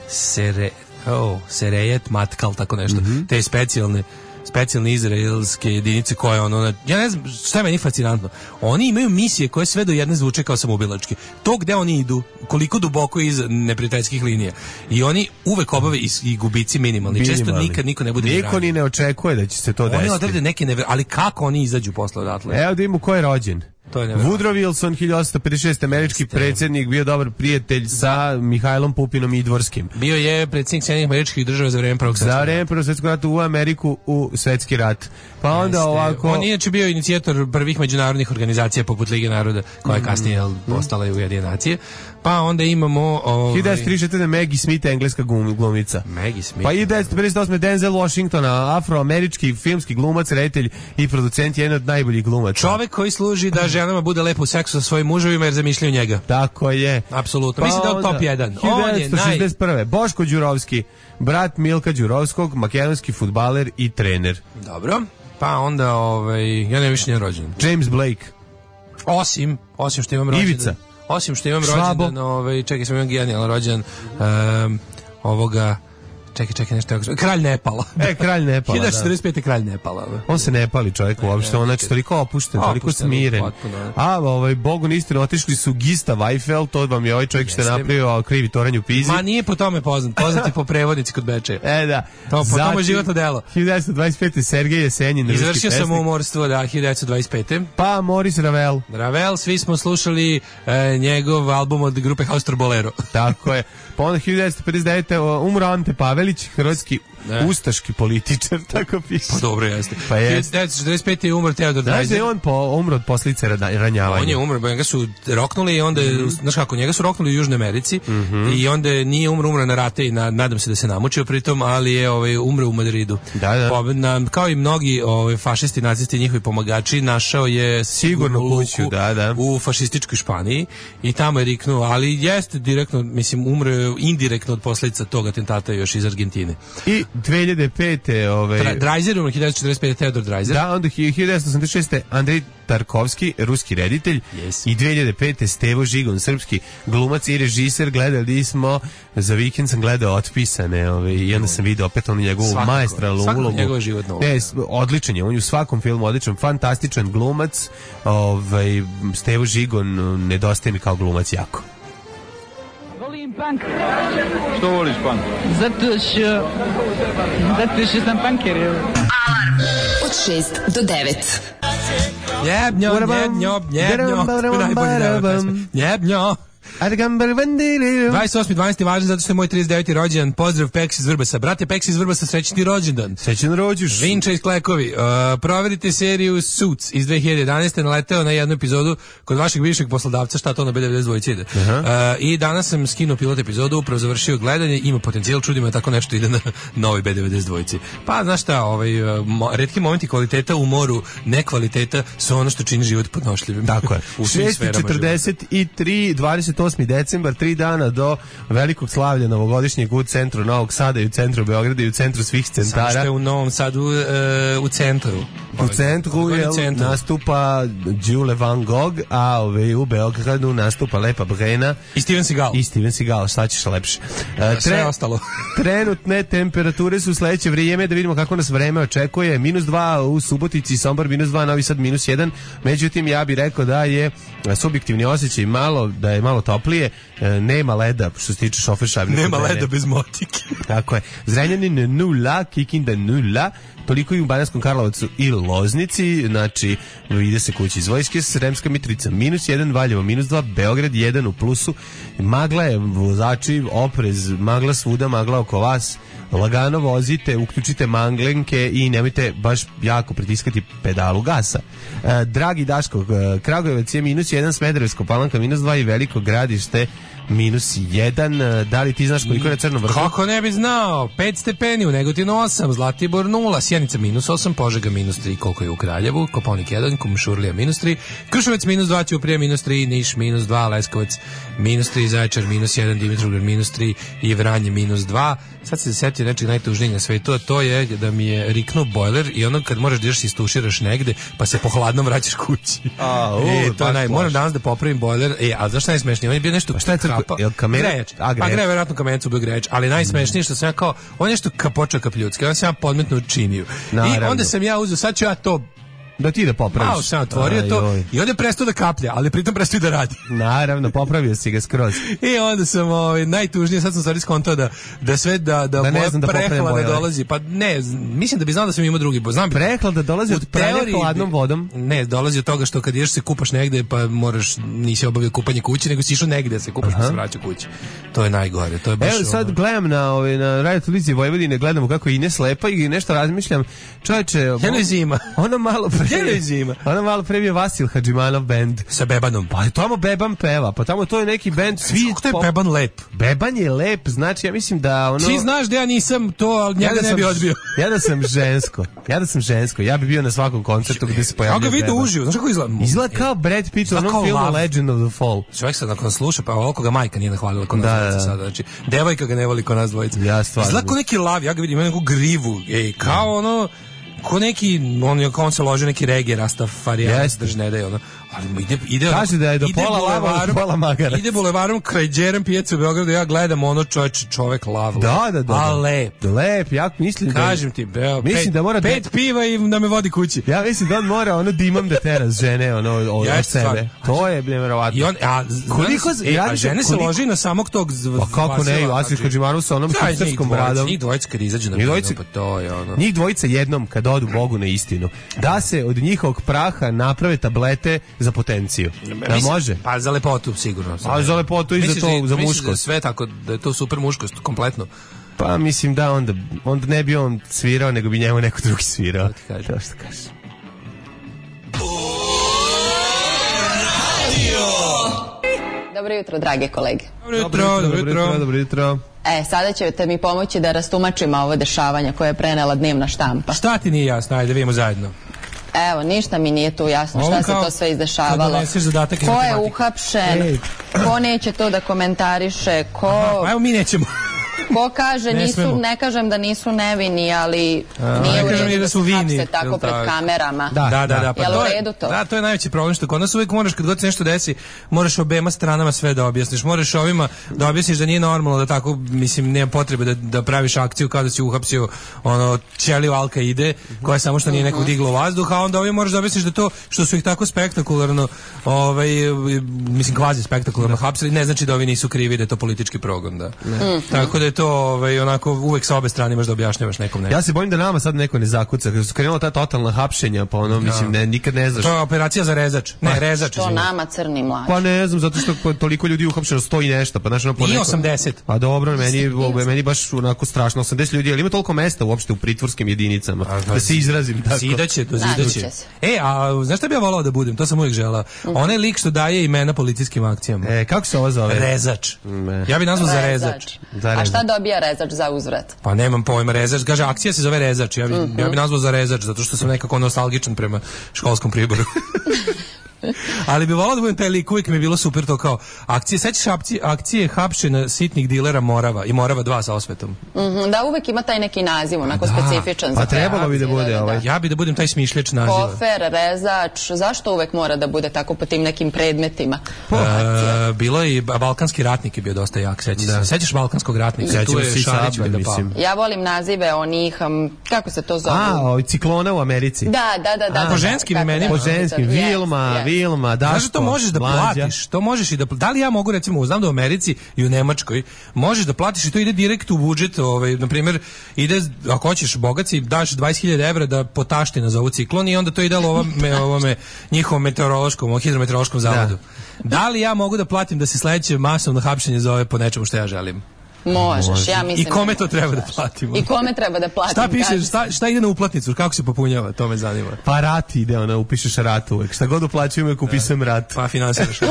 Sere, oh, Serejet, Matkal, tako nešto.
Mhm.
Te specijalne specijalne izraelske jedinice koje ono, na- ja ne znam šta je meni fascinantno. Oni imaju misije koje sve do jedne zvuče kao samoubilačke. To gde oni idu, koliko duboko iz neprijateljskih linija. I oni uvek obave i, i gubici minimalni. Često
Minimalni.
nikad niko ne bude ni
Niko
ranjen.
ni ne očekuje da će se to
Oni
desiti.
odrade neke never... ali kako oni izađu posle odatle?
Evo da imamo ko je rođen.
To je neverovatno.
Woodrow Wilson, hiljadu osamsto pedeset šeste. američki
Jeste.
predsjednik, bio dobar prijatelj sa Mihajlom Pupinom Idvorskim.
Bio je predsjednik Sjedinjenih Američkih Država za vreme Prvog
Za
svjetskog
vreme Prvog svjetskog rata u Ameriku u svetski rat. Pa onda
Jeste.
ovako...
On je inače bio inicijator prvih međunarodnih organizacija poput Lige naroda, koja je kasnije jel, postala i Ujedinjene nacije. Pa onda imamo... Ovaj,
hiljadu devetsto trideset četvrte. Maggie Smith, engleska glum- glumica.
Maggie Smith.
Pa hiljadu devetsto pedeset osme. Denzel Washington, afroamerički filmski glumac, reditelj i producent, jedan od najboljih glumaca.
Čovek koji služi da ženama bude lepo u seksu sa svojim muževima jer zamišljaju njega.
Tako je.
Apsolutno. Mislim da je on
onda,
top jedan.
hiljadu
On je
devetsto
naj...
šezdeset prve. Boško Đurovski, brat Milka Đurovskog, makedonski fudbaler i trener.
Dobro. Pa onda, ovaj, ja ne više nije rođen.
James Blake.
Osim, osim što imam rođendan.
Ivica.
Osim što imam
Švabo.
rođendan, ovaj, čekaj, sam imam genijalan rođendan um, ovoga Čekaj, čekaj, nešto. Kralj Nepala.
E, kralj Nepala,
hiljadu devetsto četrdeset pete kralj Nepala.
On se ne pali čovjek uopšte, on znači toliko opušten, toliko smiren. A ovaj Bogu istinu otišli su Gista Weifel, to vam je ovaj čovjek što je napravio krivi toranj u Pizi.
Ma nije po tome poznat, poznat je po prevodnici kod Bečeja.
E da.
To po tome životno delo.
hiljadu devetsto dvadeset pete Sergej Jesenjin, ruski pesnik.
Izvršio sam umorstvo, da, hiljadu devetsto dvadeset pete.
Pa Maurice Ravel.
Ravel, svi smo slušali e, njegov album od grupe Haustor Bolero.
Tako je. Pa onda hiljadu devetsto pedeset devete umro Ante Pavelić, hrvatski ne. ustaški političar, tako piše.
Pa dobro jeste.
Pa
hiljadu devetsto četrdeset pete je umro Theodor Dreiser.
Znaš da je on po, umro od posljedice ranjavanja?
On je umro, njega su roknuli i onda, mm-hmm. znaš kako, njega su roknuli u Južnoj Americi mm-hmm. i onda nije umro, umro na rate i na, nadam se da se namučio pritom, ali je ovaj, umro u Madridu.
Da, da.
Po, na, kao i mnogi ovaj, fašisti, nacisti i njihovi pomagači, našao je sigurno kuću
da, da.
u fašističkoj Španiji i tamo je riknuo, ali jeste direktno, mislim, umro je indirektno od posljedica tog atentata još iz Argentine.
I dve hiljade pete ovaj
Tra, Dreiser, hiljadu devetsto četrdeset pete Theodor Dreiser.
Da, onda hiljadu devetsto osamdeset šeste Andrej Tarkovski, ruski reditelj.
Yes.
I dve hiljade pete Stevo Žigon, srpski glumac i režiser. Gledali smo, za vikend sam gledao Otpisane, ovaj, i onda sam vidio opet onu njegovu maestralnu ulogu.
Svakako njegova životna uloga.
Ne, odličan je, on je u svakom filmu odličan, fantastičan glumac. Ovaj, Stevo Žigon nedostaje mi kao glumac jako.
Volim punk.
Što voliš punk?
Zato što... Zato što sam punker.
Alarm od šest do devet.
Njebnjo, njebnjo, njebnjo. Najbolji deo pesme. Njebnjo. dvadeset osmi dvanaesti važan zato što je moj trideset deveti rođendan. Pozdrav Peks iz Vrbasa. Brate Peks iz Vrbasa, srećni rođendan.
Srećan rođuš.
Vinča iz Klekovi. Uh, proverite seriju Suits iz dve hiljade jedanaeste. Naleteo na jednu epizodu kod vašeg bivšeg poslodavca, šta to na B devedeset dva ide. Uh-huh. Uh, I danas sam skinuo pilot epizodu, upravo završio gledanje, ima potencijal, čudi me tako nešto ide na novi B devedeset dva. Pa znaš šta, ovaj, mo, retki momenti kvaliteta u moru, nekvaliteta su ono što čini život podnošljivim.
Tako je. šest četrdeset tri, dvadeset osmi decembar, tri dana do velikog slavlja novogodišnjeg u centru Novog Sada i u centru Beograda i u centru svih centara.
Samo što je u Novom Sadu uh, u centru.
U centru je nastupa Đule Van Gogh, a ove, u Beogradu nastupa Lepa Brena.
I Steven Seagal.
I Steven Seagal, šta ćeš lepše. Uh,
tre, Sve ostalo.
Trenutne temperature su sledeće vrijeme, da vidimo kako nas vreme očekuje. Minus dva u Subotici, Sombor, minus dva, Novi Sad, minus jedan. Međutim, ja bih rekao da je subjektivni osjećaj malo, da je malo toplije, nema leda što se tiče šofer šavnika.
Nema leda bez motike.
Tako je. Zrenjanin nula, Kikinda nula, toliko i u Bananskom Karlovacu i Loznici, znači ide se kući iz vojske, Sremska Mitrovica minus jedan, Valjevo minus dva, Beograd jedan u plusu, magla je, vozači, oprez, magla svuda, magla oko vas, lagano vozite, uključite manglenke i nemojte baš jako pritiskati pedalu gasa. E, dragi Daško, Kragujevac je minus jedan, Smederevsko Palanka minus dva i Veliko Gradište minus jedan. Da li ti znaš koliko je na Crnom vrhu?
Kako ne bi znao? pet stepeni, u Negotinu osam, Zlatibor nula, Sjenica minus osam, Požega minus tri, koliko je u Kraljevu, Kopaonik jedan, Kumšurlija minus tri, Kruševac minus dva, Ćuprija minus tri, Niš minus dva, Leskovac minus tri, Zaječar minus jedan, Dimitrovgrad minus tri i Vranje minus dva. Sad se setio nečeg najtužnijeg na svetu, a to je da mi je riknuo bojler i ono kad možeš da ideš istuširaš negde, pa se po hladnom vraćaš kući.
A, u,
e, to naj, moram danas da popravim bojler. E, a znaš šta je najsmešnije? On je bio nešto
pa šta je
kapa.
Jel kamen?
Grejač. A, grejač. Pa grejač, verovatno kamencu bio grejač, ali najsmešnije što sam ja kao, on je nešto kapoča kapljutski, on sam ja podmetno činio. I onda sam ja uzeo, sad ću ja to
da ti da popraviš.
Malo sam otvorio aj, to oj. I onda je prestao da kaplja, ali pritom prestao i da radi.
Naravno, popravio si ga skroz.
I onda sam ovaj, najtužnije, sad sam stvari skontao da, da sve, da, da,
da moja da
prehlada dolazi. Pa ne, mislim da bi znao da sam imao drugi. Znam,
prehlada dolazi od pranja hladnom vodom?
Ne, dolazi od toga što kad ideš se kupaš negde, pa moraš, nisi obavio kupanje kući, nego si išao negde se kupaš, aha, pa se vraća kući. To je najgore. To je baš.
Evo sad ono... gledam na, ovaj, na radio televiziji Vojvodine, gledamo kako je Ines lepa i nešto razmišljam. Čovječe,
Jelo je zima.
Ona malo pre
zima.
Ona malo pre bio Vasil Hadžimanov bend
sa Bebanom.
Pa tamo Beban peva, pa tamo to je neki bend svi.
To je pop... Beban lep.
Beban je lep, znači ja mislim da ono.
Ti znaš da ja nisam to, ali njega ja ne bi odbio.
Ja da sam žensko. Ja da sam žensko. Ja bi bio na svakom koncertu gde se pojavljuje.
Kako ga vidio uživo, znaš kako izgleda?
Izgleda kao Brad Pitt u onom filmu Legend of the Fall.
Čovjek sad nakon sluša, pa oko ga majka nije nahvalila kod nas da, dvojica sada, znači devojka ga ne voli kod nas dvojica.
Ja stvarno.
Izgleda kao neki lav, ja ga vidim, ima neku grivu, ej, kao ono ko neki, on, on se loži neki reggae, Rastafarija, drž ne da je ono, Ali ide, ide,
kaže da je do pola lava, pola magara.
Ide bulevarom kraj Đerem pijace u Beogradu, ja gledam ono čovjek, čovjek lav.
Da, da, da.
A lep.
Lep, ja mislim da...
Kažem ti, beo,
mislim
pet,
da mora
pet da, piva i da me vodi kući.
Ja mislim da on mora ono dimom da tera žene ono, od,
ja
od sebe. Stvar. To je nevjerovatno.
I on, a,
koliko,
e, a žene se
koliko,
loži na samog tog zv,
pa kako ne, Asis Hadžimanov sa onom hipsterskom bradom.
Njih dvojica kad izađu na binu, pa to je ono.
Njih dvojica jednom kad odu Bogu na istinu, da se od njihovog praha naprave tablete za potenciju. Da može?
Pa za lepotu sigurno.
A za lepotu i za to, za muškost.
Da sve tako, da je to super muškost, kompletno.
Pa mislim da onda, onda ne bi on svirao, nego bi njemu neko drugi svirao.
To
što kažeš.
Dobro jutro, drage kolege.
Dobro jutro, dobro jutro.
Dobro jutro.
E, sada ćete mi pomoći da rastumačimo ovo dešavanje koje je prenela dnevna štampa.
Šta ti nije jasno? Ajde, vidimo zajedno.
Evo, ništa mi nije tu jasno šta se to sve izdešavalo. Ko je uhapšen, ko neće to da komentariše, ko...
Aha, evo mi nećemo.
Ko kaže,
ne,
nisu, ne kažem da nisu nevini, ali
a,
nije u redu
da,
da
su
se
vini,
hapse tako pred
tako
kamerama.
Da, da, da. da pa
Jel
to
u
je,
redu to?
Da, to je najveći problem, što kod nas uvijek moraš, kad god se nešto desi, moraš obema stranama sve da objasniš. Moraš ovima da objasniš da nije normalno da tako, mislim, nema potrebe da, da praviš akciju kao da si uhapsio ono, ćeliju Al-Kaide, koja samo što nije nekog diglo vazduh, a onda ovim moraš da objasniš da to što su ih tako spektakularno, ovaj, mislim, kvazi spektakularno hapsili, ne znači da ovi nisu krivi, da je to politički progon, da. Mm. Tako da je to, ovaj, onako, uvek sa obe strane imaš da objašnjavaš nekom nešto.
Ja se bojim da nama sad neko ne zakuca, kada su krenula ta totalna hapšenja, pa ono, mislim, ne, nikad ne znaš.
To je operacija za rezač. Ne, pa, rezač.
Što nama crni mlađi?
Pa ne znam, zato što toliko ljudi uhapšeno stoji nešto, pa znaš ono po neko...
I osamdeset.
Pa dobro, meni, meni baš onako strašno, osamdeset ljudi, ali ima toliko mesta uopšte u pritvorskim jedinicama, a, da se izrazim tako.
Zidaće, to zidaće. E, a znaš šta bi ja volao da budem? To sam uvijek želao. Mm-hmm. Onaj lik što daje imena policijskim akcijama.
E, kako se ovo zove?
Rezač. Ne. Ja bi nazvao za rezač.
Za rezač. A šta dobija rezač za uzvrat?
Pa nemam pojma, rezač. Kaže, akcija se zove rezač. Ja bi, mm-hmm. ja bi nazvao za rezač, zato što sam nekako nostalgičan prema školskom Priboru. Ali bi volao da budem taj lik, uvijek mi je bilo super to kao akcije, sećaš akcije, akcije hapšenja sitnih dilera Morava i Morava dva sa osvetom.
Mm-hmm, da, uvijek ima taj neki naziv, onako da, specifičan.
Pa za trebalo bi da bude da, ovaj.
Ja bi da budem taj smišljač naziva.
Kofer, rezač, zašto uvijek mora da bude tako po tim nekim predmetima?
E, bilo je i Balkanski ratnik je bio dosta jak, sećaš da. se. Sećaš Balkanskog ratnika?
Sećam se Šarić da mislim.
Ja volim nazive onih, um, kako se to zove?
A, o, ciklona u Americi.
Da, da, da. da
po ženskim imenima.
Po ženskim, Vilma, Vilma, Daško.
Znaš, to možeš da platiš, to možeš i da da li ja mogu recimo, znam da u Americi i u Nemačkoj možeš da platiš i to ide direkt u budžet, ovaj na primjer ide ako hoćeš bogaci daš dvadeset hiljada evra da potašti na ovu ciklon i onda to ide ovome ovome njihovom meteorološkom, hidrometeorološkom zavodu. Da. da li ja mogu da platim da se sledeće masovno hapšenje zove po nečemu što ja želim?
Možeš, Može. ja mislim.
I kome to treba da platimo?
I kome treba da platim?
Šta piše, šta, šta ide na uplatnicu, kako se popunjava, to me zanima.
Pa rat ide, ona, upišeš rat uvek. Šta god uplaćujem, uvek upisujem rat.
Pa finansiraš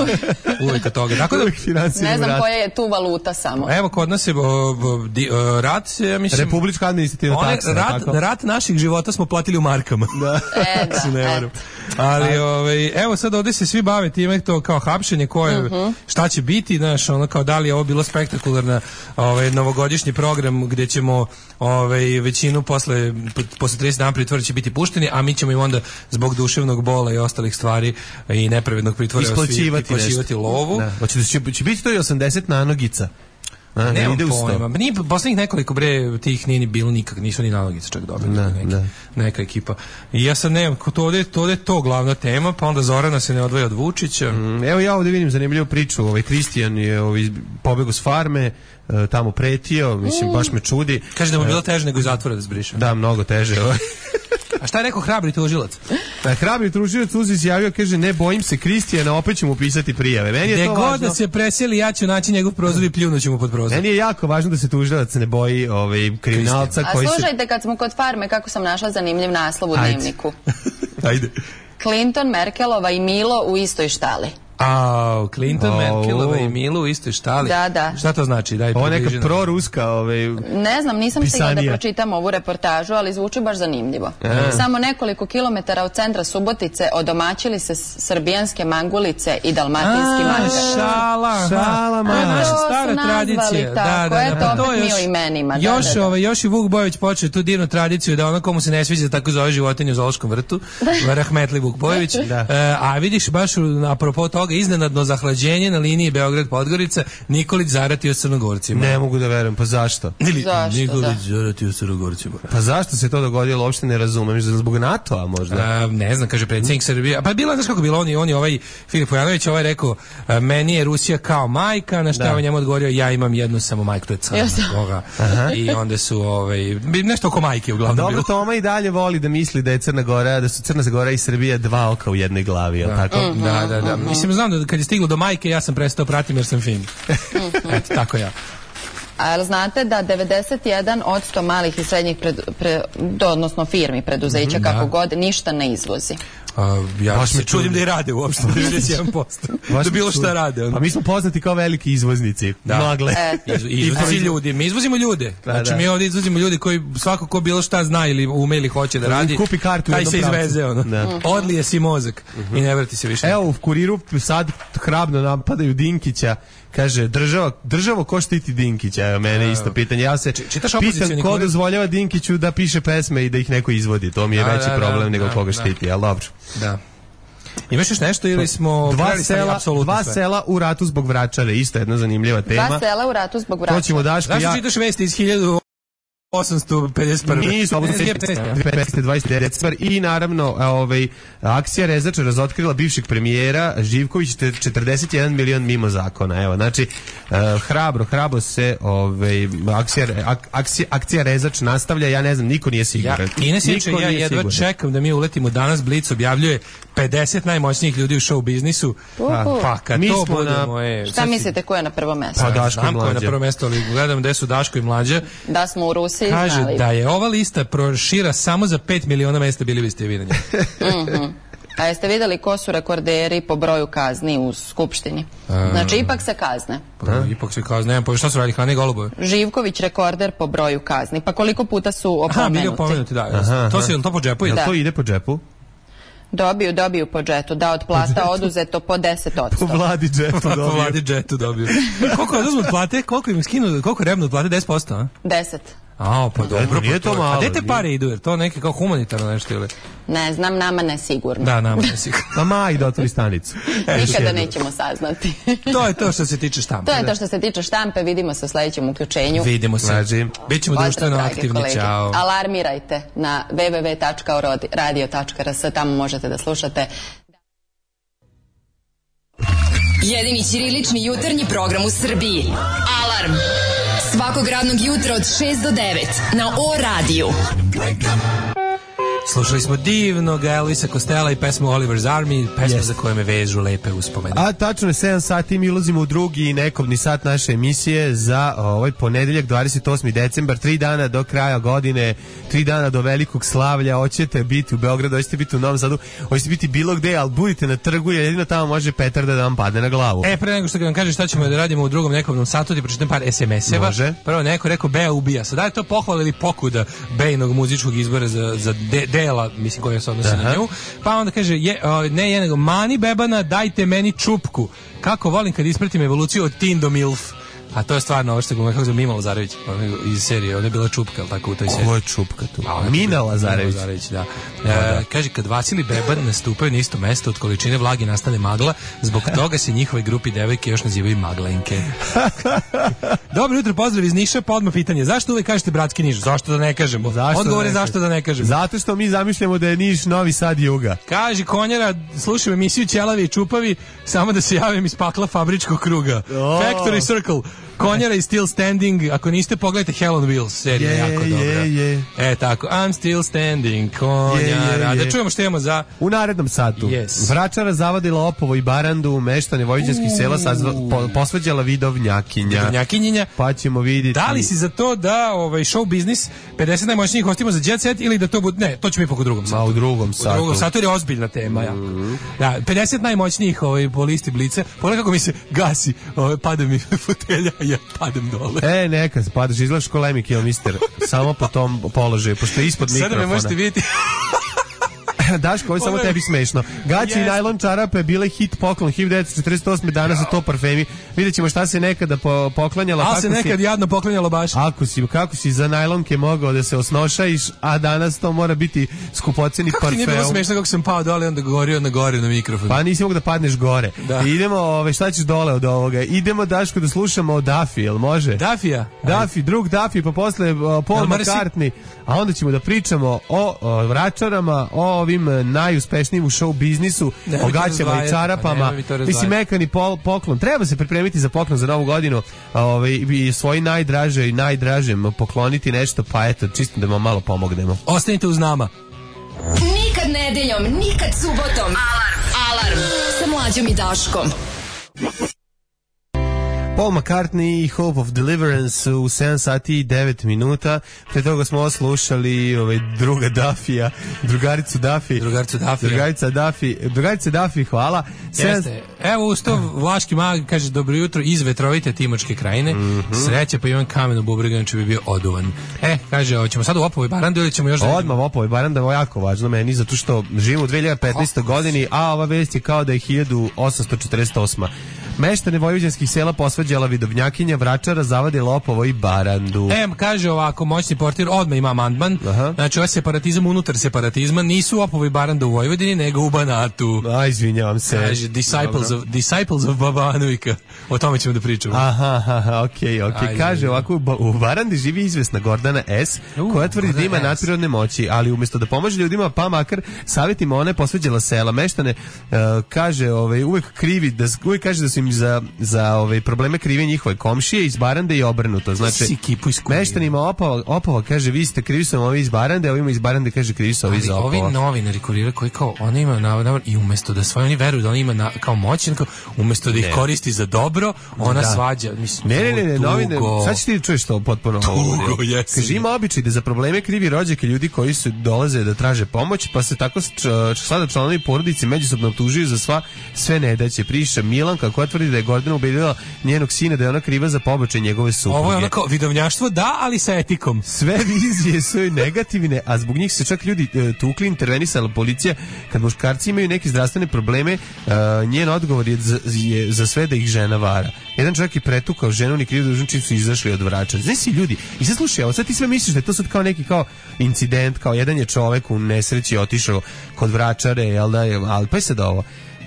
uvek od toga. Tako da,
ne znam rat. Koja je tu valuta samo.
Evo, kod nas je o, o, di, o, rat, ja mislim...
Republička administrativna taksa.
Rat, rat naših života smo platili u markama.
Da.
E, da.
ne Ali, ovaj, evo sad ovdje se svi bave time to kao hapšenje, koje, uh-huh. šta će biti, znaš, ono kao da li je ovo bilo spektakularna ovaj, novogodišnji program gdje ćemo ovaj, većinu posle, posle trideset dana pritvora će biti pušteni, a mi ćemo im onda zbog duševnog bola i ostalih stvari i nepravednog pritvora isplaćivati lovu.
Da. Hoće, će, će biti to i osamdeset nanogica. A,
ne ide pojma. Nije poslednjih nekoliko bre tih nije ni bilo nikak, nisu ni nanogice čak dobili
ne,
neki,
ne.
neka ekipa. I ja sad ne, to ovdje, to ovdje to glavna tema, pa onda Zorana se ne odvoja od Vučića.
Mm, evo ja ovdje vidim zanimljivu priču, ovaj Kristijan je ovaj pobegao s farme, tamo pretio, mislim baš me čudi.
Kaže da mu bilo teže nego iz zatvora da zbriše.
Da, mnogo teže.
A šta je rekao hrabri tužilac?
Pa hrabri tužilac uz izjavio, kaže ne bojim se Kristijana, opet ću mu pisati prijave. Meni je
de
to
god
važno.
Da se preseli, ja ću naći njegov prozor i pljunuću mu pod prozor.
Meni je jako važno da se tužilac ne boji ovaj kriminalca
a
koji se...
A slušajte, kad smo kod farme, kako sam našla zanimljiv naslov u
Ajde.
Dnevniku.
Ajde.
Clinton, Merkelova i Milo u istoj štali.
A, Clinton, oh, Merkelova i Milu u istoj štali.
Da, da.
Šta to znači? Daj,
ovo neka proruska ovaj,
ne znam, nisam stigla da pročitam ovu reportažu, ali zvuči baš zanimljivo. E. Samo nekoliko kilometara od centra Subotice odomaćili se srbijanske mangulice i dalmatinski mangar.
Šala,
šala, ma.
To je naša stara tradicija.
Da, da,
da,
da, to opet mi o imenima.
Još,
da, da, da.
Ovaj, još i Vuk Bojević počeo tu divnu tradiciju da ono komu se ne sviđa tako zove životinju u zoološkom vrtu. Rahmetli Vuk Bojević. Da. E, a vidiš baš apropo toga iznenadno zahlađenje na liniji Beograd-Podgorica, Nikolić zaratio Crnogorcima.
Ne mogu da verujem, pa zašto?
Zašto,
Nikolić
da.
zaratio Crnogorcima.
Pa zašto se to dogodilo, uopšte ne razumem, zbog NATO-a možda?
A, ne znam, kaže predsjednik Srbije. Pa bilo, znaš kako bilo, on i on i ovaj Filip Vujanović ovaj rekao, a, meni je Rusija kao majka, na šta on njemu odgovorio, ja imam jednu samo majku, to je Crna Gora. I onda su ovaj, nešto oko majke uglavnom
dobro,
bilo.
Dobro, Toma i dalje voli da misli da je Crna Gora, da su Crna Gora i Srbija dva oka u jednoj glavi, je li tako?
Mm-hmm. Da, da, da. Mislim, znam da kad je stiglo do majke, ja sam prestao pratim jer sam fin. Eto, tako ja.
A znate da devedeset jedan posto malih i srednjih pred, pre, do, odnosno firmi, preduzeća, mm-hmm, kako da. God, ništa ne izvozi.
A, ja baš me čudim da i rade uopšte devedeset jedan posto. Da bilo šta rade.
Pa mi smo poznati kao veliki izvoznici.
Da.
Magle.
E.
Izvozi ljudi. Mi izvozimo ljude. Znači da. Mi ovdje izvozimo ljudi koji svako ko bilo šta zna ili ume ili hoće da radi.
Kupi kartu
taj se izveze ono. Da. Odlije si mozak uh-huh. i ne vrati se više.
Evo u Kuriru sad hrabno napadaju Dinkića. Kaže, država, državo ko štiti Dinkića? Evo, mene isto pitanje. Ja se pitam ko dozvoljava Dinkiću da piše pesme i da ih neko izvodi. To mi je da, veći da, problem da, nego da, koga da. štiti, ali dobro.
Da. Imaš još nešto ili smo
dva sela, dva sela u ratu zbog Vračare, isto jedna zanimljiva tema.
Dva sela u ratu zbog Vračare.
To ćemo Daško ja.
Zašto čitaš vesti iz hiljadu osamsto pedeset prve.
Nisu, dvadeset decembar i naravno ovaj, akcija Rezač razotkrila bivšeg premijera Živković četrdeset jedan milion mimo zakona. Evo, znači, uh, hrabro, hrabro se ovaj, akcija, ak, akcija, akcija Rezač nastavlja, ja ne znam, niko nije siguran.
Ja, Ines Ječe, ja jedva siguran. Čekam da mi uletimo danas, Blic objavljuje pedeset najmoćnijih ljudi u show biznisu. Pa, pa kad mi to bude na... moje...
Šta mislite ko je na prvo mesto?
Pa Daško i Mlađa. Znam ko je na prvo mesto, ali gledam gde su Daško i Mlađa.
Da smo u Rusiji
kaže
znali.
Da je ova lista prošira samo za pet miliona mesta, bili biste vidjeli.
Mhm. A jeste vidjeli ko su rekorderi po broju kazni u Skupštini? Znači, ipak se kazne.
Pa, ipak se kazne. Nemam pojma šta su radili, Hane Golubove?
Živković rekorder po broju kazni. Pa koliko puta su opomenuti?
Aha, bili opomenuti, da. Aha, to, se, to po džepu?
Jel
da.
To ide po džepu?
Dobiju, dobiju po džetu. Da, od plata oduzeto po deset odsto.
Po vladi džetu dobiju.
Po vladi džetu dobiju. Koliko oduzmu od plate? Koliko im skinu? Koliko rebnu od plate? deset posto, a?
deset.
A, pa dobro,
nije to malo.
A gde te pare idu? Jer to neke kao humanitarno nešto ili?
Ne znam, nama ne sigurno.
Da, nama ne sigurno.
A ma i da otvori stanicu.
Nikada nećemo saznati.
To je to što se tiče štampe.
To je to što se tiče štampe. Vidimo se u sledećem uključenju.
Vidimo se. Bićemo društveno aktivni. Ćao.
Alarmirajte na w w w tačka radio tačka r s. Tamo možete da slušate.
Jedini ćirilični jutarnji program u Srbiji. Alarm. Svakog radnog jutra od šest do devet na O radiju.
Slušali smo divnog Elvisa Costello i pesmu Oliver's Army, pesma yes. za koje me vežu lepe uspomene.
A tačno je sedam sati, mi ulazimo u drugi nekobni sat naše emisije za ovaj ponedeljak, dvadeset osmi decembar, tri dana do kraja godine, tri dana do velikog slavlja. Hoćete biti u Beogradu, hoćete biti u Novom Sadu, hoćete biti bilo gde, ali budite na trgu, jer jedino tamo može petarda da vam padne na glavu.
E, pre nego što vam kažem šta ćemo da radimo u drugom nekobnom satu, ti pročitam par es em eseva.
Može.
Prvo neko rekao Bea ubija. Sad da je to pohvala ili pokuda Bejnog muzičkog izbora za, za de, dela, mislim, koja se odnosi na nju. Pa onda kaže, je, o, ne je nego, mani bebana, dajte meni čupku. Kako volim kad ispratim evoluciju od teen do milf. A to je stvarno ovo što je kako zove Mima Lazarević iz serije, ona je bila čupka, ali tako u toj seriji.
Ovo je čupka tu? A, Mina Lazarević.
Lazarević, da. E, da. Kaže, kad Vasil i Beban nastupaju na isto mesto, od količine vlage nastane magla, zbog toga se njihove grupi devojke još nazivaju maglenke. Dobro jutro, pozdrav iz Niša, pa odmah pitanje, zašto uvijek kažete bratski Niš? Zašto da ne kažemo? Odgovor je zašto da ne kažemo.
Zato što mi zamišljamo da je Niš Novi Sad juga.
Kaže Konjara, slušam emisiju Ćelavi i Čupavi, samo da se javim iz pakla fabričkog kruga. Oh. Factory Circle. Konjara i Still Standing, ako niste, pogledajte Hell on Wheels, serija je
yeah,
jako dobra.
Yeah, yeah.
E, tako, I'm still standing, Konjara. Yeah, yeah, yeah. Da čujemo što imamo za...
U narednom satu.
Yes.
Vračara zavadila Opovo i Barandu, meštane vojvođanskih sela sazva, po, posvađala vidovnjakinja.
Vidovnjakinjenja.
Pa ćemo vidjeti.
Da li si za to da ovaj show biznis pedeset najmoćnijih hostimo za Jet Set ili da to bude... Ne, to ćemo ipak u drugom satu.
Ma, u drugom satu.
U drugom satu je ozbiljna tema. Mm -hmm. Da, pedeset najmoćnijih ovaj, po listi Blice. Pogledaj kako mi se gasi, ovaj, pada mi fotelja, ja padam dole.
E, neka, padaš, izgledaš ko Lemmy Kilmister, samo po tom položaju, pošto je ispod mikrofona.
Sada me možete vidjeti.
Daško, ovo je samo tebi smešno. Gaći yes. i najlon čarape bile hit poklon hiljadu devetsto četrdeset osme Danas su to parfemi. Vidjet ćemo šta se nekada po, poklanjala.
A se nekad si, jadno poklanjalo baš.
Ako si, kako si za najlonke mogao da se osnošajiš, a danas to mora biti skupoceni parfem. Kako ti nije
bilo smešno kako sam pao dole, onda govorio na gore na mikrofon.
Pa nisi mogu da padneš gore. Da. Idemo, ove, šta ćeš dole od ovoga? Idemo, Daško, da slušamo o Duffy, jel može?
Duffy-a?
Duffy, drug Duffy, pa posle uh, Paul McCartney. A onda ćemo da pričamo o, o vračarama, o ovim najuspešnijim u show biznisu, ne, o gaćama i čarapama. Mislim, mekani pol, poklon. Treba se pripremiti za poklon za novu godinu, ovaj, i svoji najdraže i najdražem pokloniti nešto, pa eto, čisto da vam malo pomognemo.
Ostanite uz nama.
Nikad nedeljom, nikad subotom. Alarm, alarm, sa Mlađom i Daškom.
Paul McCartney i Hope of Deliverance u sedam sati i devet minuta. Pre toga smo oslušali ovaj, druga Duffy-a, drugaricu Duffy.
Drugaricu Duffy.
Drugarica Duffy. Drugarica Duffy, hvala.
Jeste. Sedam... Evo usto Vlaški mag kaže dobro jutro iz vetrovite Timočke krajine. Mm -hmm. Sreće, pa imam kamen u bubregu, če bi bio oduvan. E, kaže, hoćemo sad u Opovo i Barandu ili ćemo još...
Odmah u Opovo i Barandu, ovo je jako važno meni, zato što živimo u dve hiljade petnaestoj. godini, a ova vest je kao da je hiljadu osamsto četrdeset osma. Meštane vojvođanskih sela posvađala vidovnjakinja, vračara zavadila Opovo i Barandu.
E, kaže ovako, moćni portir odmah ima amandman. Znači, ovaj separatizam unutar separatizma nisu Opovo i Baranda u Vojvodini, nego u Banatu.
A, izvinjavam se.
Kaže, disciples of, disciples of Baba Anuika. O tome ćemo da pričamo.
Aha, aha, okej, okay, okej. Okay. Kaže ovako, u Barandi živi izvesna Gordana S, uh, koja tvrdi da ima nadprirodne moći, ali umjesto da pomaže ljudima, pa makar savjetima one posvađala sela. Meštane, uh, kaže, ovaj, uvek krivi, da, uvek kaže da su im za, za ovaj, probleme krive njihove komšije iz Barande i obrnuto. Znači, meštanima Opova, Opova kaže, vi ste krivi su ovi iz Barande, a ovima iz Barande kaže krivi su ovi iz Opova.
Ovi novinari kuriraju koji kao, oni imaju navodno, i umjesto da svoje, oni veruju da oni ima na, kao moć, umjesto da ih ne. koristi za dobro, ona da. svađa. Mislim,
ne, ne, ne, ne, novine, sad ćeš ti čuješ to potpuno.
Tugo, jesi.
Kaže, ima običaj da za probleme krivi rođake ljudi koji su dolaze da traže pomoć, pa se tako sada članovi porodice međusobno optužuju za sva sve nedaće. Priša Milanka koja tvrdi da je Gordana ubedila njenog sina da je ona kriva za pobačaj njegove supruge.
Ovo je onako vidovnjaštvo, da, ali sa etikom.
Sve vizije su negativne, a zbog njih se čak ljudi e, tukli, intervenisala policija. Kad muškarci imaju neke zdravstvene probleme, e, njen odgovor je za, je za sve da ih žena vara. Jedan čovjek je pretukao ženu, ni krivo dužan čim su izašli od vrača. Znaš si ljudi, i sad slušaj, ovo sad ti sve misliš da je to sad kao neki kao incident, kao jedan je čovjek u nesreći otišao kod vračare, jel da je, ali pa je sad ovo.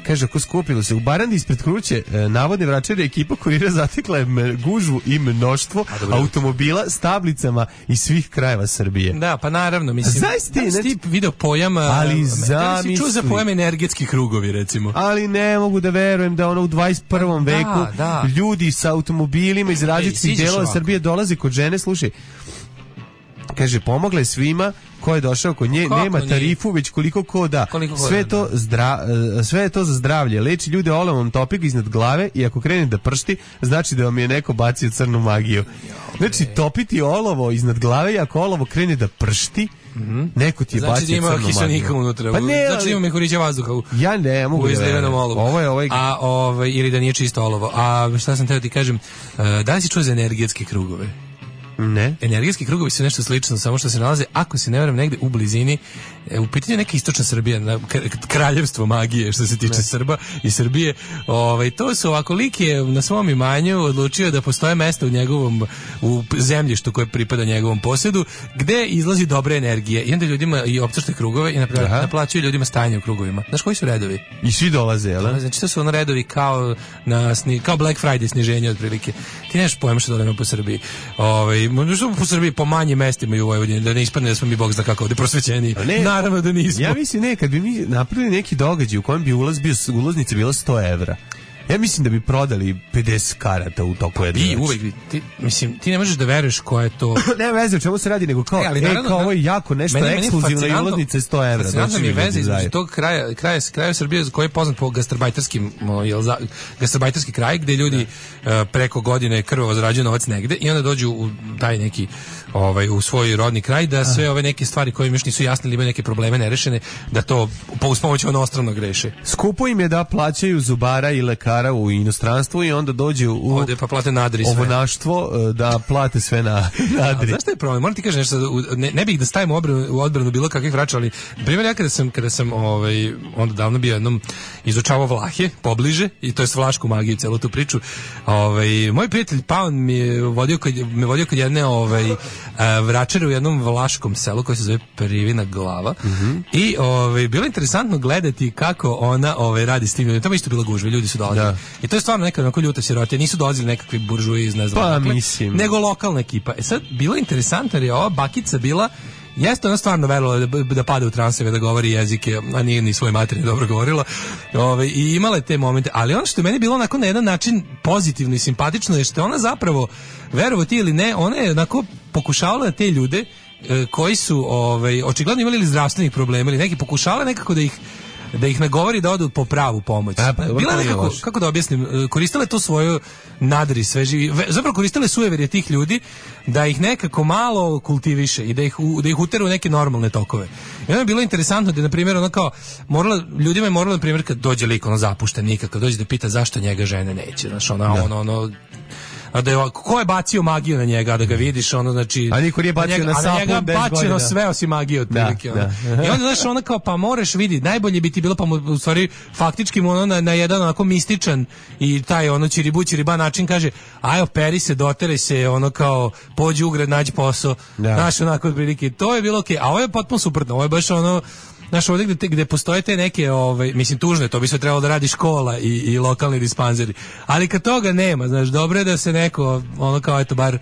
Kaže, ako skupilo se u Barandi ispred kuće e, navodne vračare, ekipa kurira zatekla je gužvu i mnoštvo automobila s tablicama iz svih krajeva Srbije.
Da, pa naravno, mislim.
Zaista
ti, ti video pojam,
ali da
si čuo za pojam energetski krugovi, recimo.
Ali ne mogu da verujem da ono u dvadeset prvom da, veku da. ljudi sa automobilima iz različitih delova Srbije dolaze kod žene, slušaj. Kaže, pomogla je svima ko je došao kod nje, kako nema tarifu, već koliko ko da. Koliko sve, da. To zdra, sve je to za zdravlje. Leči ljude olovom topik iznad glave i ako krene da pršti, znači da vam je neko bacio crnu magiju. Znači, topiti olovo iznad glave i ako olovo krene da pršti, mm-hmm. neko ti je
znači
bacio crnu magiju.
Znači da ima kiselnika unutra. Pa ne, znači da ima mehurića vazduha u,
ja ne mogu
u izlivenom olovu.
Ovo je ovaj...
A, ovaj, ili da nije čisto olovo. A šta sam teo ti kažem, da li si čuo za energetske krugove?
Ne.
Energetski krugovi su nešto slično, samo što se nalaze, ako se ne varam, negde u blizini, u pitanju neka istočna Srbija, na kraljevstvo magije što se tiče ne. Srba i Srbije. Ovaj, to su ovako, lik je na svom imanju odlučio da postoje mesta u njegovom, u zemljištu koje pripada njegovom posjedu, gde izlazi dobra energija. I onda ljudima i optašte krugove i naplaćuju ljudima stajanje u krugovima. Znaš koji su redovi?
I svi dolaze, jel?
Znači to su ono redovi kao, na, kao Black Friday sniženje otprilike. Ti nemaš pojma što dolema po Srbiji. Ovaj, možda po Srbiji po manjim mestima i u Vojvodini, da ne ispadne da smo mi bog zna kako ovde prosvećeni. Naravno da nismo.
Ja mislim ne, kad bi mi napravili neki događaj u kojem bi ulaz bio, ulaznica bila sto evra. Ja mislim da bi prodali pedeset karata u toku jedne
I uvek, ti, mislim, ti ne možeš da veruješ ko je to...
ne veze o čemu se radi, nego kao, e, ali, naravno, e, kao ovo je jako nešto meni, ekskluzivno i ulaznice sto evra.
Fascinantno mi je veze između tog kraja, kraja, kraja Srbije koji je poznat po gastarbajterskim, jel, za, gastarbajterski kraj, gde ljudi uh, preko godine krvavo zarađuju novac negde i onda dođu u taj neki, ovaj, u svoj rodni kraj, da sve ove neke stvari koje im još nisu jasne ili imaju neke probleme nerešene, da to po uz pomoć onostrano greše.
Skupo im je da plaćaju zubara i lekara u inostranstvu i onda dođu u
ovde pa plate nadri sve.
Ovonaštvo da plate sve na nadri.
Zašto je problem? Moram ti kažem nešto, ne, ne bih da stavimo odbranu, u odbranu bilo kakvih vraća, ali primjer ja kada sam, kada sam ovaj, onda davno bio jednom izučavao Vlahe pobliže, i to je s vlašku magiju, celu tu priču, ovaj, moj prijatelj Paun mi je vodio kod, me vodio kod jedne ovaj, vračare u jednom vlaškom selu koji se zove Privina Glava, mm-hmm. i ovaj, bilo interesantno gledati kako ona ovaj, radi s tim ljudima. Tamo isto bilo gužve, ljudi su dolazili. Da. I to je stvarno neka onako ljuta sirotija, nisu dolazili nekakvi buržuji iz ne znam,
pa,
dakle,
mislim.
nego lokalna ekipa. E sad, bilo je interesantno jer je ova bakica bila, jeste ona stvarno verovala da, da pada u transeve, da govori jezike, a nije ni svoje materije dobro govorila, ove, i imala je te momente, ali ono što je meni bilo onako na jedan način pozitivno i simpatično je što ona zapravo, verovo ti ili ne, ona je onako pokušavala da te ljude e, koji su ovaj, očigledno imali ili zdravstvenih problema ili neki, pokušavala nekako da ih da ih nagovori da odu po pravu pomoć. A, pa, bila je nekako, kako da objasnim, koristile to svoju nadri sveži, zapravo koristile sujeverje tih ljudi da ih nekako malo kultiviše i da ih, da ih uteru u neke normalne tokove. I ono je bilo interesantno da, na primjer, ono kao, morala, ljudima je moralo, na primjer, kad dođe lik, ono zapušten nikak, kad dođe da pita zašto njega žene neće, znaš, ono, da. ono, ono, a da je, ko je bacio magiju na njega, da ga vidiš, ono, znači,
a niko nije bacio na sapu,
a na njega bačeno sve osim magije od prilike, da, da. I onda, znaš, ona kao, pa moraš vidi, najbolje bi ti bilo, pa mu, u stvari, faktički mu ono na, na jedan onako mističan i taj, ono, čiribu, čiriba način kaže, aj, operi se, doteraj se, ono, kao, pođi u grad, nađi posao, da. Znaš, onako, od prilike, to je bilo okej, okay. A ovo je potpuno suprotno, ovo je baš ono, znaš, ovdje gde, gde postoje te neke, ovaj, mislim, tužne, to bi se trebalo da radi škola i, i lokalni dispanzeri, ali kad toga nema, znaš, dobro je da se neko, ono kao, eto, bar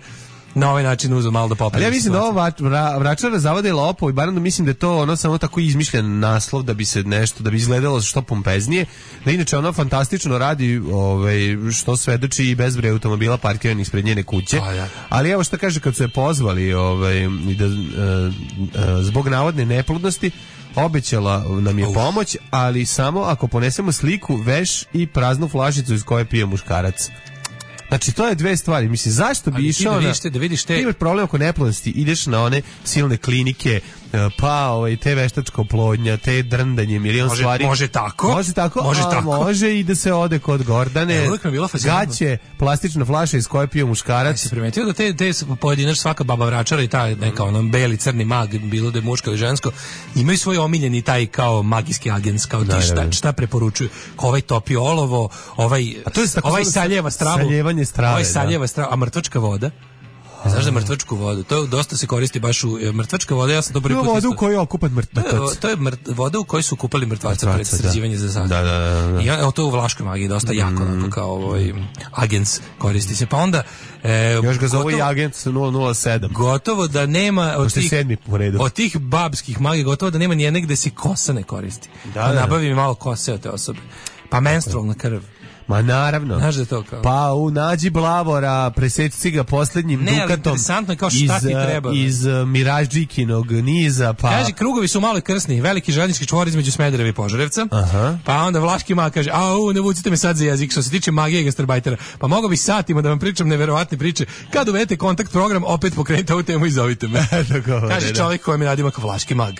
na ovaj način uzeo malo da popravi.
Ali ja mislim situacija. Da ovo vra, vračara zavode lopov i barem da mislim da je to ono samo tako izmišljen naslov da bi se nešto, da bi izgledalo što pompeznije, da inače ono fantastično radi, ovaj, što svedoči i bezbroj automobila parkiranih ispred njene kuće. A, ja. Ali evo što kaže, kad su je pozvali, ovaj, da, e, e, zbog navodne neplodnosti, obećala nam je pomoć, ali samo ako ponesemo sliku, veš i praznu flašicu iz koje pije muškarac. Znači, to je dve stvari. Mislim, zašto bi išao
da
na...
Vidiš te, da vidiš te...
Imaš problem oko neplodnosti, ideš na one silne klinike, pa ovaj, te veštačka oplodnja, te drndanje, milion
može,
stvari.
Može tako.
Može tako,
može,
a,
tako.
Može i da se ode kod Gordane. Gaće, plastična flaša iz koje pije muškarac.
Se primetio da te, te pojedinač, svaka baba vračara i ta neka ono beli, crni mag, bilo da je muško ili žensko, imaju svoj omiljeni taj kao magijski agens, kao ti šta, šta preporučuju. Ovaj topi olovo, ovaj, a to je ovaj saljeva stravu.
Saljevanje strave.
Ovaj saljeva stravu, a mrtvačka voda. Znaš da mrtvačku vodu, to dosta se koristi baš u mrtvačka voda, ja sam to prvi put.
Voda u kojoj je okupan mrtvac.
To je, to je mrt, voda u kojoj su kupali mrtvaca pred sređivanje za sad.
Da, da, da, da.
I evo to u vlaškoj magiji dosta mm. jako, onako kao ovaj agens koristi se. Pa onda
e, još ga zove i agent nula nula sedam.
Gotovo da nema od tih,
po redu.
od tih babskih magija, gotovo da nema ni jedne gde se kosa ne koristi. Da, da, da. Nabavi mi malo kose od te osobe. Pa menstrualna krv.
Ma naravno.
Znaš da to kao?
Pa u nađi Blavora, preseci ga poslednjim
ne,
dukatom.
Ne, interesantno je kao šta
iz,
ti treba.
Iz uh, Miražđikinog niza, pa...
Kaže, krugovi su malo krsni, veliki željeznički čvor između Smedereva i Požarevca. Aha. Pa onda vlaški mag kaže, au, ne vucite me sad za jezik, što se tiče magije i gastarbajtera. Pa mogo bi satima da vam pričam neverovatne priče. Kad uvedete kontakt program, opet pokrenite ovu temu i zovite me. Kaže čovjek koji mi radima kao vlaški mag.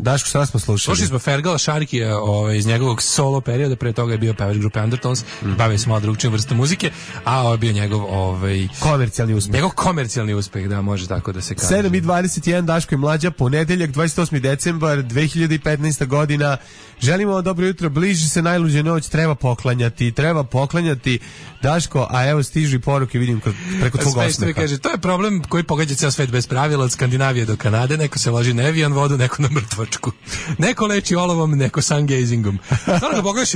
Daško, šta smo slušali?
Slušali smo Fergala Šarkija ovaj, iz njegovog solo perioda, pre toga je bio pevač grupe Undertones, mm. bavio se malo drugčijom vrstom muzike, a ovo je bio njegov ovaj,
komercijalni uspeh.
Njegov komercijalni uspeh, da, može tako da se kaže.
sedam i dvadeset jedan, Daško i Mlađa, ponedeljak, dvadeset osmi decembar dve hiljade petnaesta godina. Želimo dobro jutro, bliži se najluđa noć, treba poklanjati, treba poklanjati, Daško, a evo stižu i poruke, vidim preko tvog osmeha.
Kaže, to je problem koji pogađa ceo svet bez pravila, od Skandinavije do Kanade, neko se loži na Evian vodu, neko na mrtvačku. Neko leči olovom, neko sungazingom. Stvarno da pogledaš,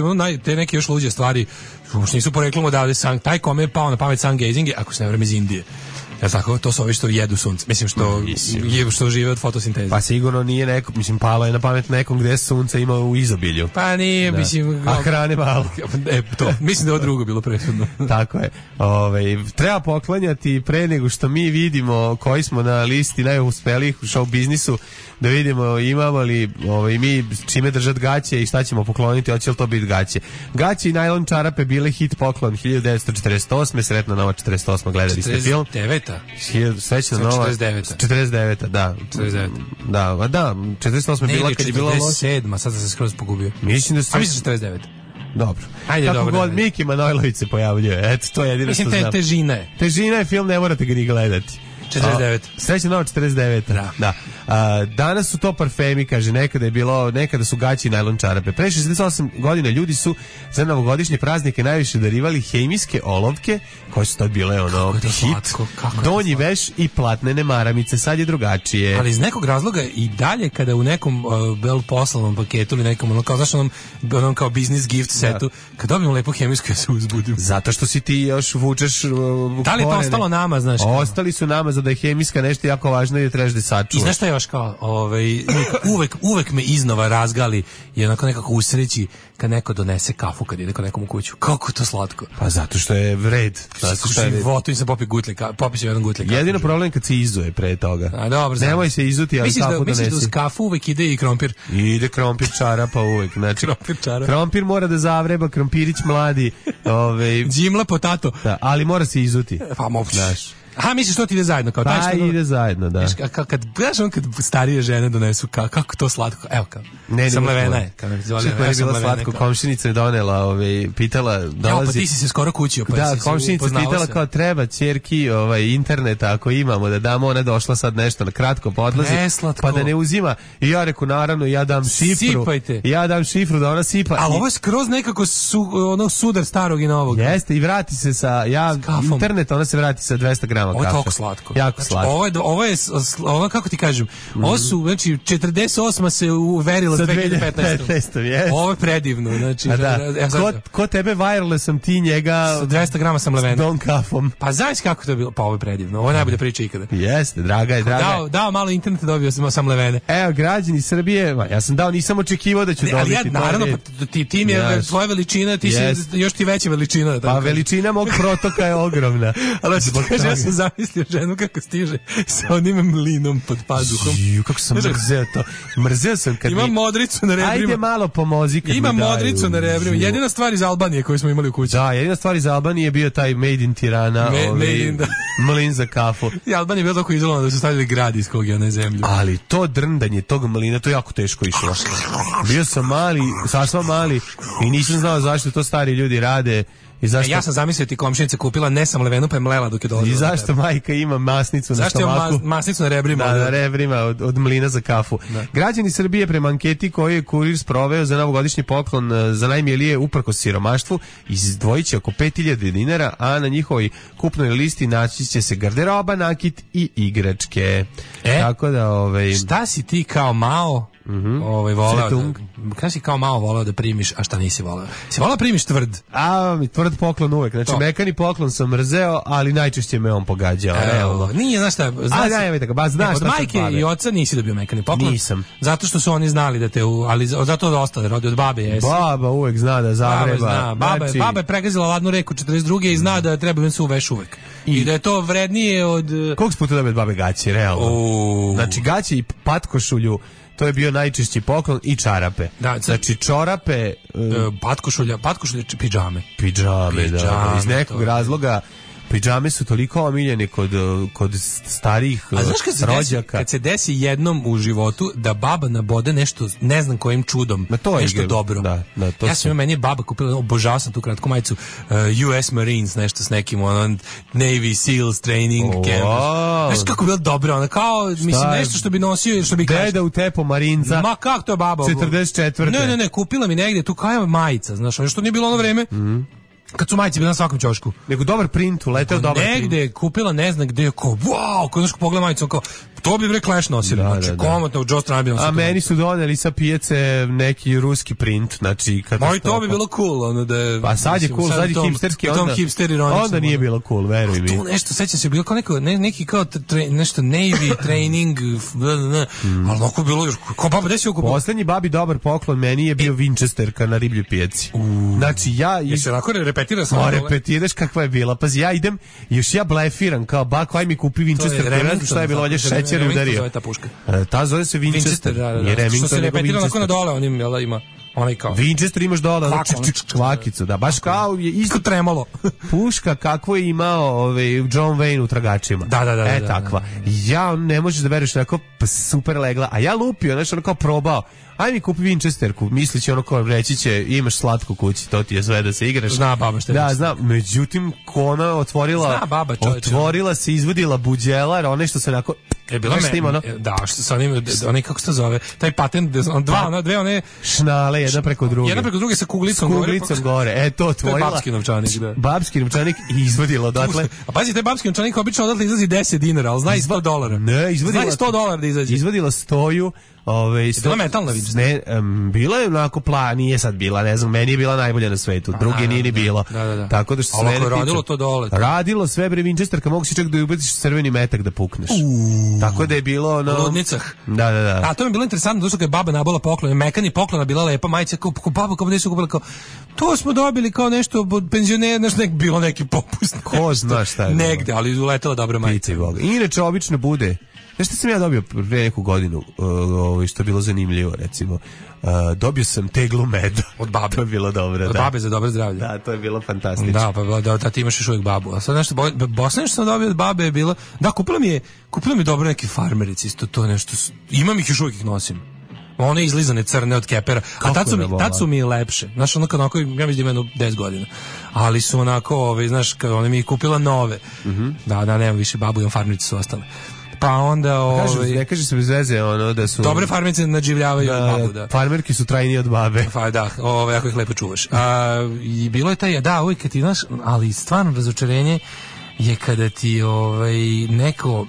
te neke još luđe stvari, uopšte nisu poreklom odavde, taj kome je pao na pamet sungazing je, ako se ne vreme, iz Indije. Ja tako, to su ovi što jedu sunce. Mislim što je što žive od fotosinteze.
Pa sigurno nije neko, mislim palo je na pamet nekom gde sunce ima u izobilju.
Pa nije,
da.
mislim,
a hrane malo.
E, to, mislim da je ovo drugo bilo presudno.
Tako je. Ovaj treba poklanjati pre nego što mi vidimo koji smo na listi najuspelijih u show biznisu, da vidimo imamo li ovaj mi čime držati gaće i šta ćemo pokloniti, hoće li to biti gaće. Gaće i najlon čarape bile hit poklon hiljadu devetsto četrdeset osme, sretna nova četrdeset osma, gledali ste film.
četrdeset deveta
Srećna nova
četrdeset deveta
četrdeset deveta da.
četrdeset deveta
Da, da, četrdeset osma bila kad je bilo
četrdeset sedma, sad sam se skroz pogubio.
Mislim da se...
A mislim četrdeset deveta
Dobro.
Ajde,
kako
dobro,
god
ne,
Miki Manojlović se pojavljuje. Eto, to je jedino
mislim,
što znam.
Mislim, te, težina je.
Težina je film, ne morate ga ni gledati.
četrdeset deveta
Srećna nova četrdeset deveta Da. da. A, danas su to parfemi, kaže, nekada je bilo, nekada su gaći i najlon čarape. Pre šezdeset osam godina ljudi su za novogodišnje praznike najviše darivali hemijske olovke, koje su tad bile ono hit,
slatko,
donji veš i platnene maramice. Sad je drugačije.
Ali iz nekog razloga i dalje kada u nekom uh, bel poslovnom paketu ili nekom ono kao znaš onom, onom kao business gift setu, da. Kad dobijem lepo hemijsku ja se uzbudim.
Zato što si ti još vučeš uh,
da li je to ostalo nama, znaš?
Ostali su nama, za da je hemijska nešto jako važno i da trebaš da sačuvaš.
I znaš šta je još kao, ovaj, uvek, uvek me iznova razgali i onako nekako usreći kad neko donese kafu kad ide kod nekom u kuću. Kako je to slatko?
Pa zato što je vred.
Zato što je vred. U životu im se popi gutlje, popi se jedan gutlje kafu.
Jedino problem kad se izuje pre toga.
A, dobro,
nemoj se izuti, ali
misliš
kafu
da,
donesi.
Misliš da uz kafu uvek ide i krompir?
Ide krompir čarapa uvek. Znači,
krompir čarapa.
Krompir mora da zavreba, krompirić mladi. Ove,
Džimla potato.
Da, ali mora se izuti.
Pa moguće. Aha, misliš to ti ide zajedno kao
pa
taj što
ide zajedno, da.
Viš, kad kad gledaš on kad starije žene donesu ka, kako to slatko. Evo kao.
Ne,
sam levena je. Kao
zoli, ja je bila slatko, komšinica je donela, ovaj pitala, dolazi.
Ja, pa ti si se skoro kućio, pa
da,
si
komšinica pitala se. Kao treba ćerki, ovaj internet ako imamo da damo, ona došla sad nešto na kratko podlazi, pa da ne uzima. I ja reku naravno ja dam šifru.
Sipajte.
Ja dam šifru da ona sipa.
Ali ovo je skroz nekako su, ono sudar starog i novog.
Jeste, i vrati se sa ja internet, ona se vrati sa dvesta grama kafe.
Ovo je slatko.
Jako slatko.
Ovo je, ovo je, ovo kako ti kažem, mm. ovo su, znači, četrdeset osma se uverila s dve hiljade petnaeste.
Yes.
Ovo je predivno, znači.
A da, ja, ko, ko tebe wireless sam ti njega...
S dvesta grama sam levena.
S don kafom.
Pa znaš kako to je bilo? Pa ovo je predivno, ovo je najbolja priča ikada.
Jeste, draga je, draga je.
Dao, dao malo interneta, dobio sam, sam levene.
Evo, građani Srbije, ja sam dao, nisam očekivao da ću ne, dobiti.
Ali ja, naravno, pa ti, tim je yes. tvoja veličina, ti yes. si još ti veća veličina.
Pa veličina mog protoka je ogromna.
Ali kaže, ja sam zamislio ženu kako stiže sa onim mlinom pod pazuhom.
Ju, kako sam mrzeo to. Mrzeo sam kad
ima
mi...
modricu na rebrima.
Ajde malo pomozi kad
ima
mi daju.
Modricu na rebrima. Jedina stvar iz Albanije koju smo imali u kući.
Da, jedina stvar iz Albanije je bio taj Made in Tirana,
Me,
ovaj,
made in, da.
mlin za kafu.
I Albanija je bila tako izolovana da su stavili grad iz kog je ona zemlju.
Ali to drndanje tog mlina, to je jako teško išlo. Bio sam mali, sasva mali i nisam znao zašto to stari ljudi rade. I zašto...
E, ja sam zamislio ti komšinica kupila ne sam levenu pa je mlela dok je dolazila.
I zašto majka ima masnicu
zašto
na stomaku?
Zašto ima masnicu na rebrima?
Da, na rebrima od, od mlina za kafu. Da. Građani Srbije prema anketi koju je Kurir sproveo za novogodišnji poklon za najmilije uprkos siromaštvu izdvojit će oko pet hiljada dinara, a na njihovoj kupnoj listi naći će se garderoba, nakit i igračke.
E,
tako da, ovaj...
šta si ti kao Mao
Mm-hmm.
ovaj voleo da, kada si kao malo voleo da primiš, a šta nisi voleo? Si voleo primiš tvrd?
A, mi tvrd poklon uvek. Znači, to. Mekani poklon sam mrzeo, ali najčešće me on pogađao.
Evo, nije, znaš šta, znaš,
a, ne, tako, ba, znaš
od majke i oca nisi dobio mekani poklon.
Nisam.
Zato što su oni znali da te, u, ali zato da ostale rodi od babe jesi.
Baba uvek zna da zavreba.
Baba, zna. Baba,
znači...
baba je pregazila ladnu reku četrdeset druge i zna da treba im se uveš uvek. I, I da je to vrednije od...
Koliko puta dobio od babe gaći, realno?
O...
Znači, gaći i patkošulju, to je bio najčešći poklon i čarape.
Da,
znači čorape,
uh, patkošulja, patkošulja, pidžame.
Pidžame, da, da. Iz nekog razloga pidžame su toliko omiljene kod, kod starijih rođaka. A znaš kad se, desi,
kad se desi jednom u životu da baba nabode nešto, ne znam kojim čudom,
to
nešto
je,
dobro.
Da, da, to
ja sam, meni je baba kupila, obožavao sam tu kratku majicu uh, U S Marines, nešto s nekim, ono, Navy Seals training
oh,
camp.
Wow.
Znaš kako je bilo dobro, ono, kao,
šta
mislim, nešto što bi nosio, što bi
kašta. Deda u tepo Marinca.
Ma kako to je baba?
četrdeset četvrte
Ne, ne, ne, kupila mi negdje tu kao majica, znaš, ono što nije bilo ono vreme.
Mm.
kad su majice bile na svakom ćošku.
Nego dobar print, uleteo dobar print.
Negde je kupila, ne znam gde, kao, wow, kao znaš, pogleda majicu, kao, to bi bre Clash nosili,
da,
znači,
da, da.
komotno u Joe Strump bi nosili.
A meni su doneli sa pijace neki ruski print, znači katastrofa.
Moj to bi bilo cool, ono da je...
Pa sad je cool, sad je hipsterski, onda, onda nije bilo cool, veruj mi.
Tu nešto, sećam se, bilo kao neko, ne, neki kao tre, nešto Navy, training, bla, bla, bla, mm. ali onako bilo još, kao baba, gde si okupio?
Poslednji babi dobar poklon meni je bio Winchesterka na ribljoj pijaci. Uh. Znači ja...
Jesi onako repetira sam?
Ma repetiraš kakva je bila, pazi ja idem, još ja blefiram, kao bak, aj mi kupi Winchester, ne znam šta je bilo, ovdje šećer udario. Ta zove se Winchester.
Winchester, da, da, da. Što se repetira onako na dole, onim, jel, ima onaj kao.
Winchester imaš dole, kvakicu, da, baš kao je isto
tremalo.
Puška kakvo je imao ovaj John Wayne u Tragačima.
Da, da, da.
E,
da,
takva.
Da, da, da.
Ja ne možeš da veruješ, onako super legla, a ja lupio, znači ono kao probao. Aj mi kupi Winchesterku, mislići ono kao reći će imaš slatku kući, to ti je sve da se igraš.
Zna baba što je.
Da, zna, međutim ona otvorila,
zna baba, čovječe.
Otvorila se, izvodila buđelar, one što se onako
je bila me, ono? Da, što sa onim, oni kako se to zove, taj patent, on dva, ona, dve one
šnale, jedna preko druge.
Jedna preko druge sa kuglicom,
s kuglicom gore. gore. E, to otvorila.
To je babski novčanik, da.
Babski novčanik i izvodila odatle.
A pazi, taj babski novčanik obično odatle izlazi deset dinara, ali zna i sto dolara.
Ne, izvodila.
Zna i sto dolara da izađe.
Izvodila stoju. Ove,
sto... bila metalna vidiš?
Ne, um, bila je onako pla, nije sad bila, ne znam, meni je bila najbolja na svetu, drugi nije ni bilo.
Da, da, da.
Tako da što
se mene radilo to dole.
Radilo sve bre Winchesterka, mogu si čak da ubaciš crveni metak da pukneš. Uuu. Tako da je bilo no.
Ludnicah.
Da, da, da.
A to mi je bilo interesantno, zato što je baba nabala poklon, mekani poklona bila lepa majica, kao ko baba kao da su kupila kao to smo dobili kao nešto od penzionera, nešto nek bilo neki popust.
Ko zna šta je.
Negde, ali uletela dobra majica.
Inače obično bude. Znaš šta sam ja dobio pre neku godinu, uh, što je bilo zanimljivo, recimo, uh, dobio sam teglu meda.
Od babe.
To je bilo dobro,
od
da.
Od babe za dobro zdravlje.
Da, to je bilo fantastično.
Da, pa da, da ti imaš još uvijek babu. A sad nešto, Bosna što sam dobio od babe je bilo, da, kupila mi je, kupila mi je dobro neki farmerici, isto to nešto, imam ih još uvijek ih nosim. One izlizane crne od kepera, a tad su, mi, tad su mi lepše. Znaš, onako, onako, ja mislim da imam deset godina. Ali su onako, ove, znaš, ona mi je kupila nove. Mm-hmm. Da, da, nemam više babu, imam farmerici su ostale. Pa onda ovaj
kaže, ne kaže se bez veze ono da su
dobre farmerice nadživljavaju da, babu, da.
Farmerki su trajnije od babe.
Pa da, ovaj ako ih lepo čuvaš. A i bilo je taj da, uvijek kad ti znaš, ali stvarno razočarenje je kada ti ovaj neko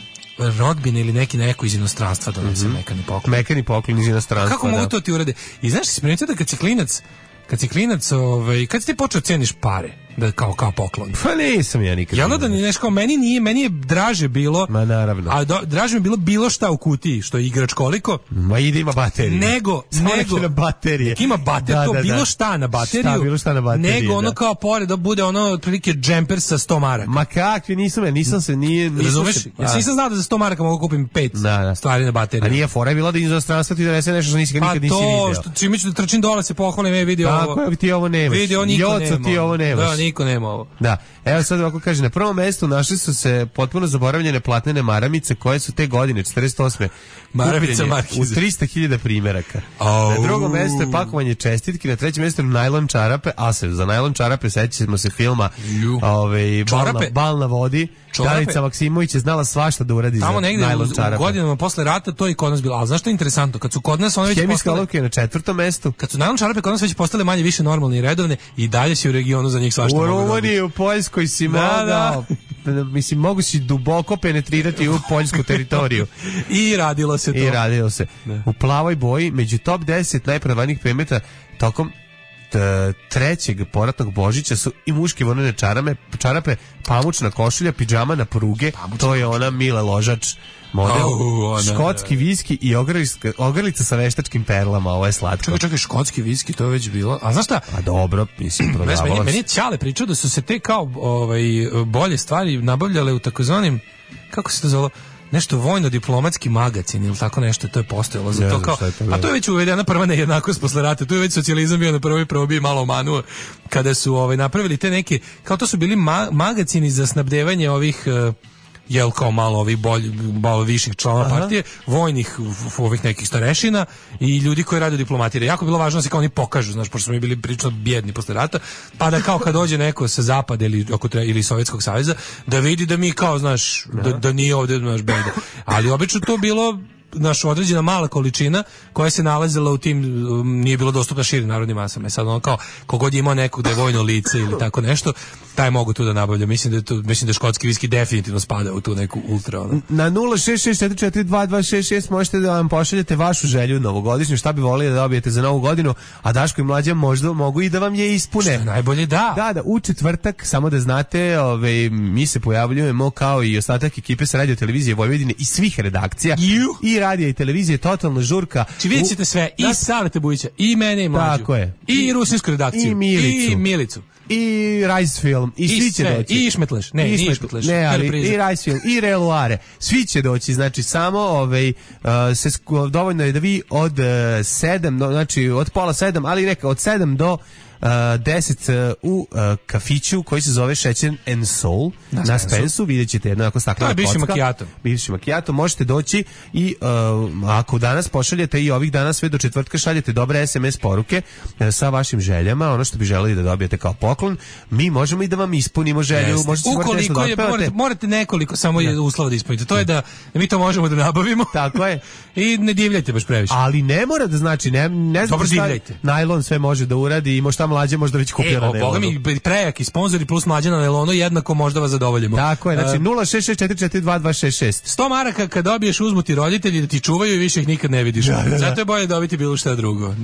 rodbina ili neki neko iz inostranstva donese mm-hmm. mekani poklon.
Mekani poklon iz inostranstva.
Kako da. Mogu to ti urade? I znaš, si primetio da kad si klinac, kad si klinac, ovaj, kad si ti počeo ceniš pare? Da kao kao poklon.
Pa nisam ja nikad.
Jel da ni nešto, meni nije, meni je draže bilo.
Ma naravno.
A do, draže mi je bilo bilo šta u kutiji, što je igrač koliko.
Ma ide ima bateriju.
Nego, nego
na baterije.
Ima bateriju,
da,
to
da,
bilo
da.
šta na bateriju.
Šta bilo šta na bateriju.
Nego ono
da.
kao pored da bude ono otprilike džemper sa sto maraka.
Ma kakvi, nisam, nisam se nije, nisam
razumeš?
Se,
ja nisam znao da za sto maraka mogu kupim pet da, da. stvari na bateriju.
A nije fora je bila da iz inostranstva ti donese nešto što nisi nikad nisi video.
Pa to, čime ću da trčim dole se pohvalim, ej vidi ovo.
Tako, ti ovo nemaš.
Vidi, niko nema.
Ti ovo nemaš.
Da, niko nema ovo.
Da, evo sad ovako kaže, na prvom mestu našli su se potpuno zaboravljene platnene maramice koje su te godine, četrdeset osme
Maramica
u trista hiljada primjeraka.
Oh.
Na drugom mestu je pakovanje čestitki, na trećem mestu najlon čarape, a se za najlon čarape sećamo se filma ovaj, bal, na, bal na vodi. Danica Maksimović je znala svašta da uradi
tamo
za
negdje
najlon
u,
čarape.
U godinama posle rata to je kod nas bilo. Ali znaš što je interesantno? Kad su kod nas one već
hemijska
postale...
olovka je na četvrtom mestu.
Kad su najlon čarape kod nas već postale manje više normalne i redovne i dalje si u regionu za njih svašta
u
mogu
Rumuniji, u Poljskoj si
da,
mogao, da. mislim, mogu si duboko penetrirati u poljsku teritoriju.
I radilo se to.
I radilo se. Da. U plavoj boji, među top deset najprodavanijih predmeta tokom trećeg poratnog Božića su i muške vonene čarame, čarape, pamučna košulja, pidžama na pruge, pamučna to je ona Mile Ložač model, oh, škotski viski i ogrlica, ogrlica sa veštačkim perlama, ovo je slatko.
Čekaj, čekaj, škotski viski, to je već bilo. A znaš šta?
A dobro, mislim, prodavalo
meni, meni je Ćale pričao da su se te kao ovaj, bolje stvari nabavljale u takozvanim, kako se to zove, nešto vojno-diplomatski magazin ili tako nešto, to je postojalo za to kao, a to je već uvedena prva nejednakost posle rata, tu je već socijalizam bio na prvoj probi malo omanuo, kada su ovaj, napravili te neke, kao to su bili ma magazini za snabdevanje ovih uh, jel kao malo ovih bolj, malo viših članova partije, vojnih ovih nekih starešina i ljudi koji rade u diplomatiji. Jako je bilo važno da se kao oni pokažu, znaš, pošto smo mi bili prilično bjedni posle rata, pa da kao kad dođe neko sa zapada ili, ili Sovjetskog saveza, da vidi da mi kao, znaš, da, da nije ovdje, znaš, beda. Ali obično to bilo naš određena mala količina koja se nalazila u tim, um, nije bilo dostupna širim narodnim masama. Sad ono kao, kogod je imao nekog da je vojno lice ili tako nešto, taj mogu tu da nabavlja. Mislim da je tu, mislim da škotski viski definitivno spada u tu neku ultra. Ono.
Na nula šest šest četiri četiri dva dva šest šest možete da vam pošaljete vašu želju novogodišnju, šta bi volili da dobijete za novu godinu, a Daško i Mlađa možda mogu i da vam je ispune.
Što najbolje da.
Da, da, u četvrtak, samo da znate, ove, mi se pojavljujemo kao i ostatak ekipe sa Radio Televizije Vojvodine i svih redakcija. You? I radija i televizije, totalna žurka.
Či vidjet ćete sve, i da, Salete Bujića, i mene i Mlađu.
Tako je.
I Rusinsku redakciju.
I Milicu.
I Milicu.
I Rice Film, i, i svi će
sve,
doći.
I Išmetleš, ne,
I
nije Išmetleš.
Ne, ali i Rice Film, i Reluare. Svi će doći, znači samo ovaj, uh, se, dovoljno je da vi od uh, sedam, znači od pola sedam, ali neka od sedam do Uh, deset uh, u uh, kafiću koji se zove Šećer and Soul na, na Spensu, vidjet ćete jedno ako staklena kocka.
Bivši makijato.
Bivši makijato, možete doći i uh, ako danas pošaljete i ovih dana sve do četvrtka šaljete dobre es em es poruke uh, sa vašim željama, ono što bi želeli da dobijete kao poklon, mi možemo i da vam ispunimo želju. Možete
ukoliko je, morate, morate nekoliko samo ne. uslova da ispunite. To ne. je da mi to možemo da nabavimo.
Tako je.
I ne divljajte baš previše.
Ali ne mora da znači, ne, ne znam šta, najlon sve može da uradi i možda Mlađe možda već kupio e, na nelonu. Boga mi prejaki sponzori plus Mlađa na nelonu jednako možda vas zadovoljimo. Tako je, znači
uh,
nula šest šest četiri četiri dva dva šest šest.
sto maraka kad dobiješ uzmu ti roditelji da ti čuvaju i više ih nikad ne vidiš. Da, da, da. Zato je bolje dobiti bilo šta drugo.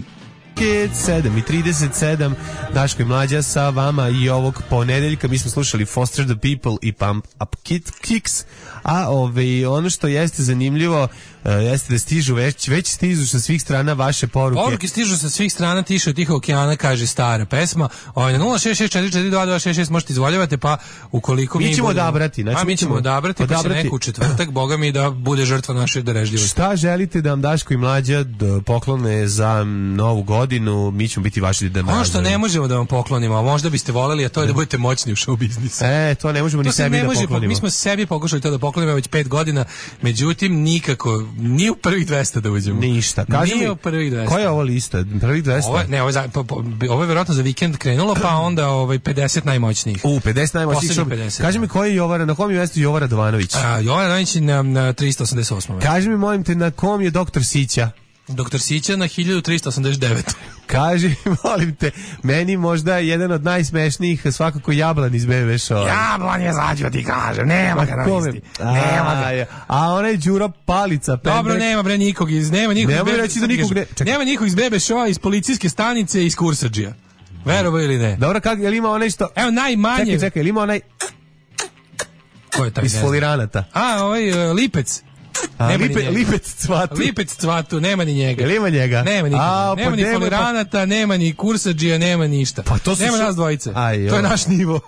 sedam i trideset sedam, Daško i Mlađa sa vama i ovog ponedeljka. Mi smo slušali Foster the People i Pump Up Kicks, a ove, ono što jeste zanimljivo uh, jeste da stižu već, već stižu sa svih strana vaše poruke.
Poruke stižu sa svih strana, tiše od Tihog okeana, kaže stara pesma. Ovaj na nula šest šest četiri četiri dva dva šest šest možete izvoljavate, pa ukoliko
mi,
mi
ćemo
budemo,
odabrati, znači
a mi ćemo odabrati, odabrati. Pa će neku četvrtak, boga mi da bude žrtva naše darežljivosti.
Šta želite da vam Daško i Mlađa poklone za novu godinu, mi ćemo biti vaši da
ono što ne možemo da vam poklonimo, a možda biste voleli, a to je da budete moćni u show biznisu.
E, to ne možemo to ni sebi da
može,
poklonimo.
Mi smo sebi pokušali to da poklonimo već pet godina, međutim nikako, ni u prvih dvesta da uđemo.
Ništa. Kaži mi,
u prvih dvesta.
koja je ovo lista? Prvih dvesta?
Ovo, ne, ovo je, za, po, po, ovo je vjerojatno za vikend krenulo, pa onda ovaj pedeset najmoćnijih.
U, pedeset najmoćnijih. pedeset, Kaži mi koji je Jovara, na kom je mjestu Jovara Radovanović?
A, Jovara Radovanović na, na tristo osamdeset osam.
Kaži mi, molim te, na kom je doktor Sića?
Doktor Sića na hiljadu tristo osamdeset devet.
Kaži, molim te, meni možda jedan od najsmešnijih svakako Jablan iz be be Show.
Jablan je zađo, ti kažem, nema ga na listi. Nema ga.
A onaj Đuro Palica.
Pendrek. Dobro, nema bre nikog iz, nema nikog
nema iz reći da nikog ne,
nema nikog iz be be Showa, iz policijske stanice, iz Kursadžija. Verovo ili ne?
Dobro, kak, je li ima onaj što...
Evo, najmanje...
Čekaj, čekaj, je li ima onaj...
Ko je taj?
Iz Foliranata.
A, ovaj uh, Lipec.
A, lipe, lipec cvatu.
Lipec cvatu, nema ni njega.
Jel ima njega?
Nema nikog.
A,
nema
pa
ni
nema,
Foliranata, pa... nema ni Kursadžija, nema ništa.
Pa to su
nema
š...
nas dvojice.
Aj,
to je naš nivo.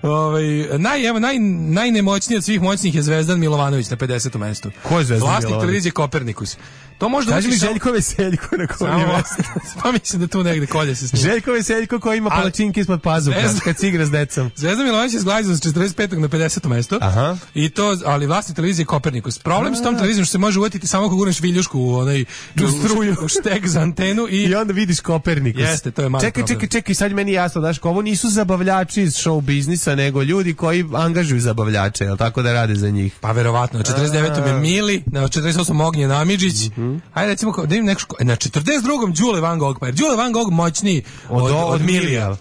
ovaj naj, evo, naj, najnemoćniji od svih moćnih je Zvezdan Milovanović na pedesetom mestu.
Ko je Zvezdan Milovanović?
Vlasnik televizije Kopernikus. To možda
kaži mi Željko Veseljko na kom je mesto.
Pa mislim da tu negde kolje se snima.
Željko Veseljko koji ima palačinke ispod pazuha kad se igra s decom.
Zvezdan Milovanović je zglajzao s četrdeset petog na pedeseto mesto.
Aha.
I to, ali vlasnik televizije Kopernikus. Problem s tom televizijom što se može uvatiti samo ako gurneš viljušku u onaj u struju, u štek za antenu i
i onda vidiš Kopernikus.
Jeste, to je malo.
Čekaj, čekaj, čekaj, sad meni jasno, daš, ovo nisu zabavljači iz show biznisa, nego ljudi koji angažuju zabavljače, jel tako da rade za njih?
Pa verovatno, na četrdeset devetom je Mili, na četrdeset osmom Ognjen Amidžić. Mm -hmm. Ajde recimo da im neko na četrdeset drugom Đule Van Gogh, pa Đule Van Gogh moćniji od, od, od, od Milija.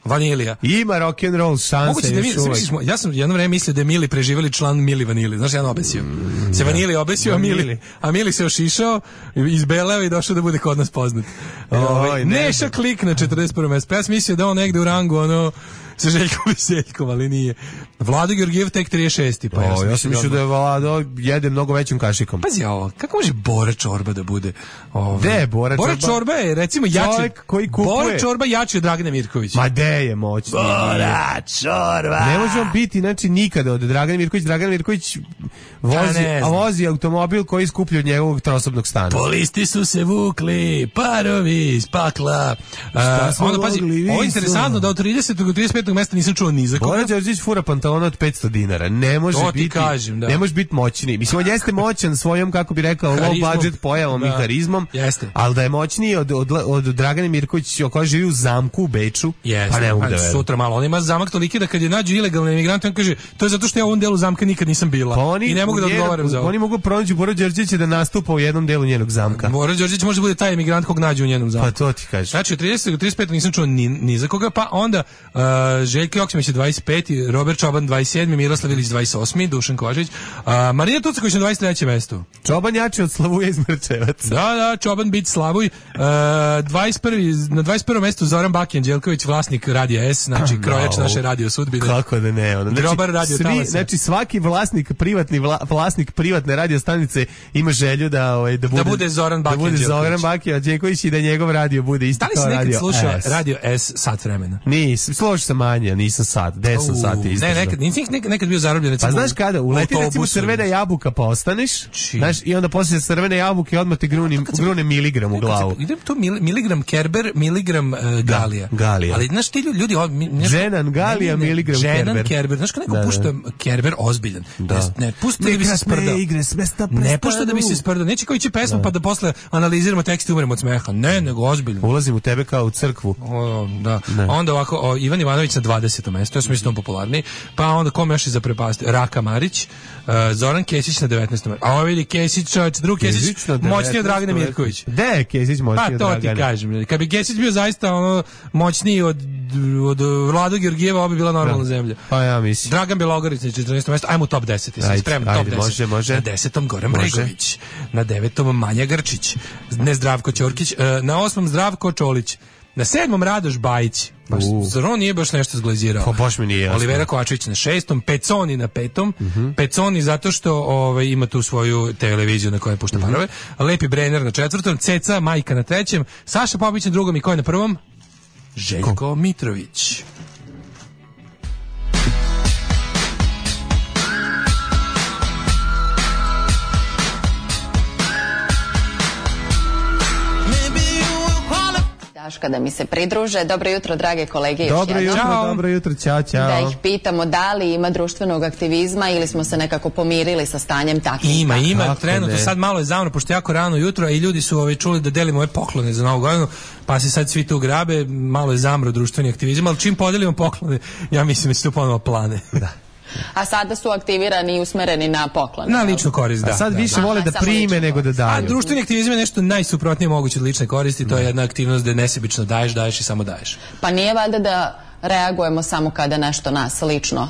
Vanilija.
Ima rock and roll šanse
da
još uvijek.
Ja sam jedno vreme mislio da je Mili preživeli član Mili Vanili. Znaš, jedan obesio. Mm, se Vanili obesio, a Mili, a Mili se ošišao, izbeleo i došao da bude kod nas poznat. Oj, Neša Klik na četrdeset prvom mestu. Ja sam mislio da on negde u rangu, ono, sa Željkom Veseljkom, ali nije. Vlado Georgijev tek trideset šesti. Pa
o, ja sam mislio da je Vlado jede mnogo većim kašikom.
Pazi ovo, kako može Bora Čorba da bude?
Gde je Bora Čorba?
Bora Čorba je, recimo, jači.
Koji kupuje.
Bora Čorba jači od Dragana Mirkovića.
Ma de je moćni.
Bora Čorba.
Ne može on biti, znači, nikada od Dragana Mirković. Dragan Mirković vozi, a vozi automobil koji je skuplji od njegovog trosobnog stana.
Polisti su se vukli, parovi iz pakla. Uh, onda pazi, ovo je interesantno da od tridesetog do trideset petog petog mesta nisam čuo ni za koga.
Bora Đorđević fura pantalona od petsto dinara. Ne može
To ti
biti,
kažem, da.
ne može biti moćniji. Mislim, on jeste moćan svojom, kako bi rekao, low budget pojavom
da.
i harizmom,
Jeste.
ali da je moćniji od, od, od Dragane Mirković, koja živi u zamku u Beču,
Jeste.
pa ne mogu
Pa
da verujem.
sutra malo, on ima zamak toliki da kad je nađu ilegalne emigrante, on kaže, to je zato što ja u ovom delu zamka nikad nisam bila.
Pa oni,
i ne mogu da
njena-
odgovaram za ovo.
Oni mogu pronaći Boru Đorđevića da nastupa u jednom delu njenog zamka.
Bora Đorđević može bude taj emigrant kog nađu u njenom zamku.
Pa to ti kažeš.
Znači, od tridesetog do trideset petog nisam čuo ni, ni za koga, pa onda uh, Željko Joksimović je dvadeset peti, Robert Čoban dvadeset sedmi, Miroslav Ilić dvadeset osmi, Dušan Kovačić, uh, Marina Tucaković na dvadeset trećem mestu.
Čoban jači od Slavuja iz Mrčevaca.
Da, da, Čoban bit Slavuj. Uh, dvadeset prvi, na dvadeset prvom mestu Zoran Bakijan Đelković, vlasnik Radija S, znači krojač
No.
naše radio sudbine.
Kako da ne, ono.
Grobar radio
svi,
talasa.
znači svaki vlasnik privatni vla, vlasnik privatne radio stanice ima želju da ovaj da bude,
bude Zoran
da
Bakijan
bude
Đelković.
Zoran Bakijan Đelković i da njegov radio bude isto
Da li
kao
si nekad
radio
slušao
S.
Radio S sat vremena?
Nisam, složio sam manje, nisam sat, deset sati izdržao.
Ne, nekad, nisi nekad, nekad bio zarobljen, recimo,
Pa znaš kada, uleti
u
recimo
autobusu.
crvena jabuka pa ostaneš,
Či.
znaš, i onda poslije crvene jabuke odmah te gruni, grune miligram u glavu.
Idem to mil, miligram Kerber, miligram uh, Galija.
Galija.
Ali znaš ti ljudi, ljudi o, mi, nešto-
Ženan Galija,
ne, ne,
miligram
Ženan
Kerber.
Kerber. Znaš kad neko
Da, da.
pušta Kerber ozbiljan.
Da.
Ne, ne pušta da bi se
Nekratne
sprdao.
igre s mesta
Ne pušta da bi se
prestanu.
sprdao. Neće kao ići pesmu pa da posle analiziramo tekst i umremo od smeha. Ne, nego ozbiljno.
Ulazim u tebe kao u crkvu.
O, da. Onda ovako, o, Ivan Ivanović na dvadesetom mestu, ja sam mislim popularniji. Pa onda kome još je za prepasti? Raka Marić, uh, Zoran Kesić na devetnaestom mestu. A ovo vidi Kesić, čovječ, drug Kesić,
na
moćniji od Dragane
devetnaestom
Mirković.
Gde je Kesić moćniji
Pa
od
to ti
Dragane?
kažem. Kad bi Kesić bio zaista ono moćniji od, od Vlado Georgijeva, ovo bi bila normalna
Da.
zemlja.
Pa ja mislim.
Dragan Bjelogorić na četrnaestom mestu, ajmo u top deset. Jesi
Ajde,
spreman?
ajde,
Top deset.
može, može.
Na desetom Goran
Može.
Bregović. Na devetom Manja Grčić. Ne Zdravko Ćorkić. E, Na osmom Zdravko Čolić. Na sedmom Radoš Bajić. Baš,
U.
zar on nije baš nešto zglazirao?
Pa baš mi nije jasno.
Olivera Kovačević na šestom, Peconi na petom. Peconi zato što ovaj, ima tu svoju televiziju na kojoj pušta parove. Lepi Brenner na četvrtom, Ceca Majka na trećem, Saša Popović na drugom i ko je na prvom? Željko Mitrović.
Daška da mi se pridruže. Dobro jutro, drage kolege, još
Dobro
jednom.
jutro,
Ćao.
dobro jutro, ćao, ćao.
Da ih pitamo da li ima društvenog aktivizma ili smo se nekako pomirili sa stanjem takvim.
Ima, ima,
Kako
trenutno
ne?
sad malo je zavno, pošto je jako rano jutro, a i ljudi su ovaj, čuli da delimo ove poklone za novu godinu, pa se sad svi tu grabe, malo je zamro društveni aktivizam, ali čim podelimo poklone, ja mislim da će to ponovo plane. Da.
A sada su aktivirani i usmereni na poklone.
Na ličnu korist, da.
A sad
da.
više
Aha,
vole da
samo
prime
lično
nego da
A
daju.
društveni aktivizam je nešto najsuprotnije moguće od lične koristi, to je jedna aktivnost gde nesebično daješ, daješ i samo daješ.
Pa nije valjda da reagujemo samo kada nešto nas lično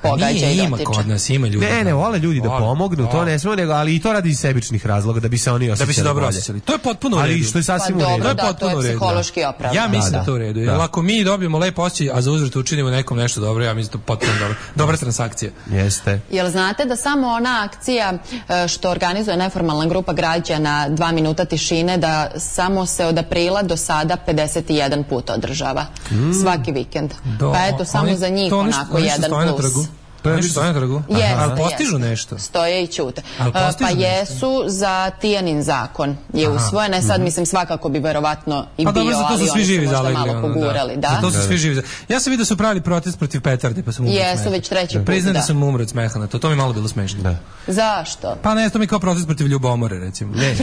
pogađa
Nije,
i
ima
dotiče.
kod nas, ima ljudi.
Ne, ne, vole ljudi da
Vole,
pomognu, to
vole.
ne smemo, nego, ali i to radi iz sebičnih razloga, da bi se oni osjećali
Da bi se dobro
bolje.
osjećali. To je potpuno u
Ali
redu.
što je sasvim
Pa
u redu.
dobro,
To je
da, to
potpuno
je
u redu.
psihološki opravdano.
Ja mislim da,
Da,
da to je u redu. Jer
da.
ako mi dobijemo lep osjećaj, a za uzvrat učinimo nekom nešto dobro, ja mislim da je to potpuno dobro. Dobra transakcija.
Jeste.
Jel znate da samo ona akcija e, što organizuje neformalna grupa građana dva minuta tišine, da samo se od aprila do sada pedeset jedan put održava. Svaki vikend.
Do-
Pa eto, samo
oni-
za njih
to oni što-
onako
oni što
jedan
stoje na
plus.
trgu? To je nešto stoje na trgu?
Jeste,
Ali postižu
jeste.
nešto?
Stoje i ćute.
Ali
E,
postižu
Pa
nešto?
jesu za Tijanin zakon je usvojen. E sad, mislim, svakako bi verovatno i
Pa
bio,
dobro, za to
ali
su svi
oni su
živi
možda
zalegli.
malo
ono,
pogurali. Da.
Za to su svi živi. za- Ja sam vidio da su pravili protest protiv petarde, pa sam umro od
Jesu,
smeha.
već treći put,
Priznam da
da.
sam umro od smeha na to. To mi je malo bilo smešno. Da.
Zašto?
Pa ne, to mi je kao protest protiv ljubomore, recimo. Ne.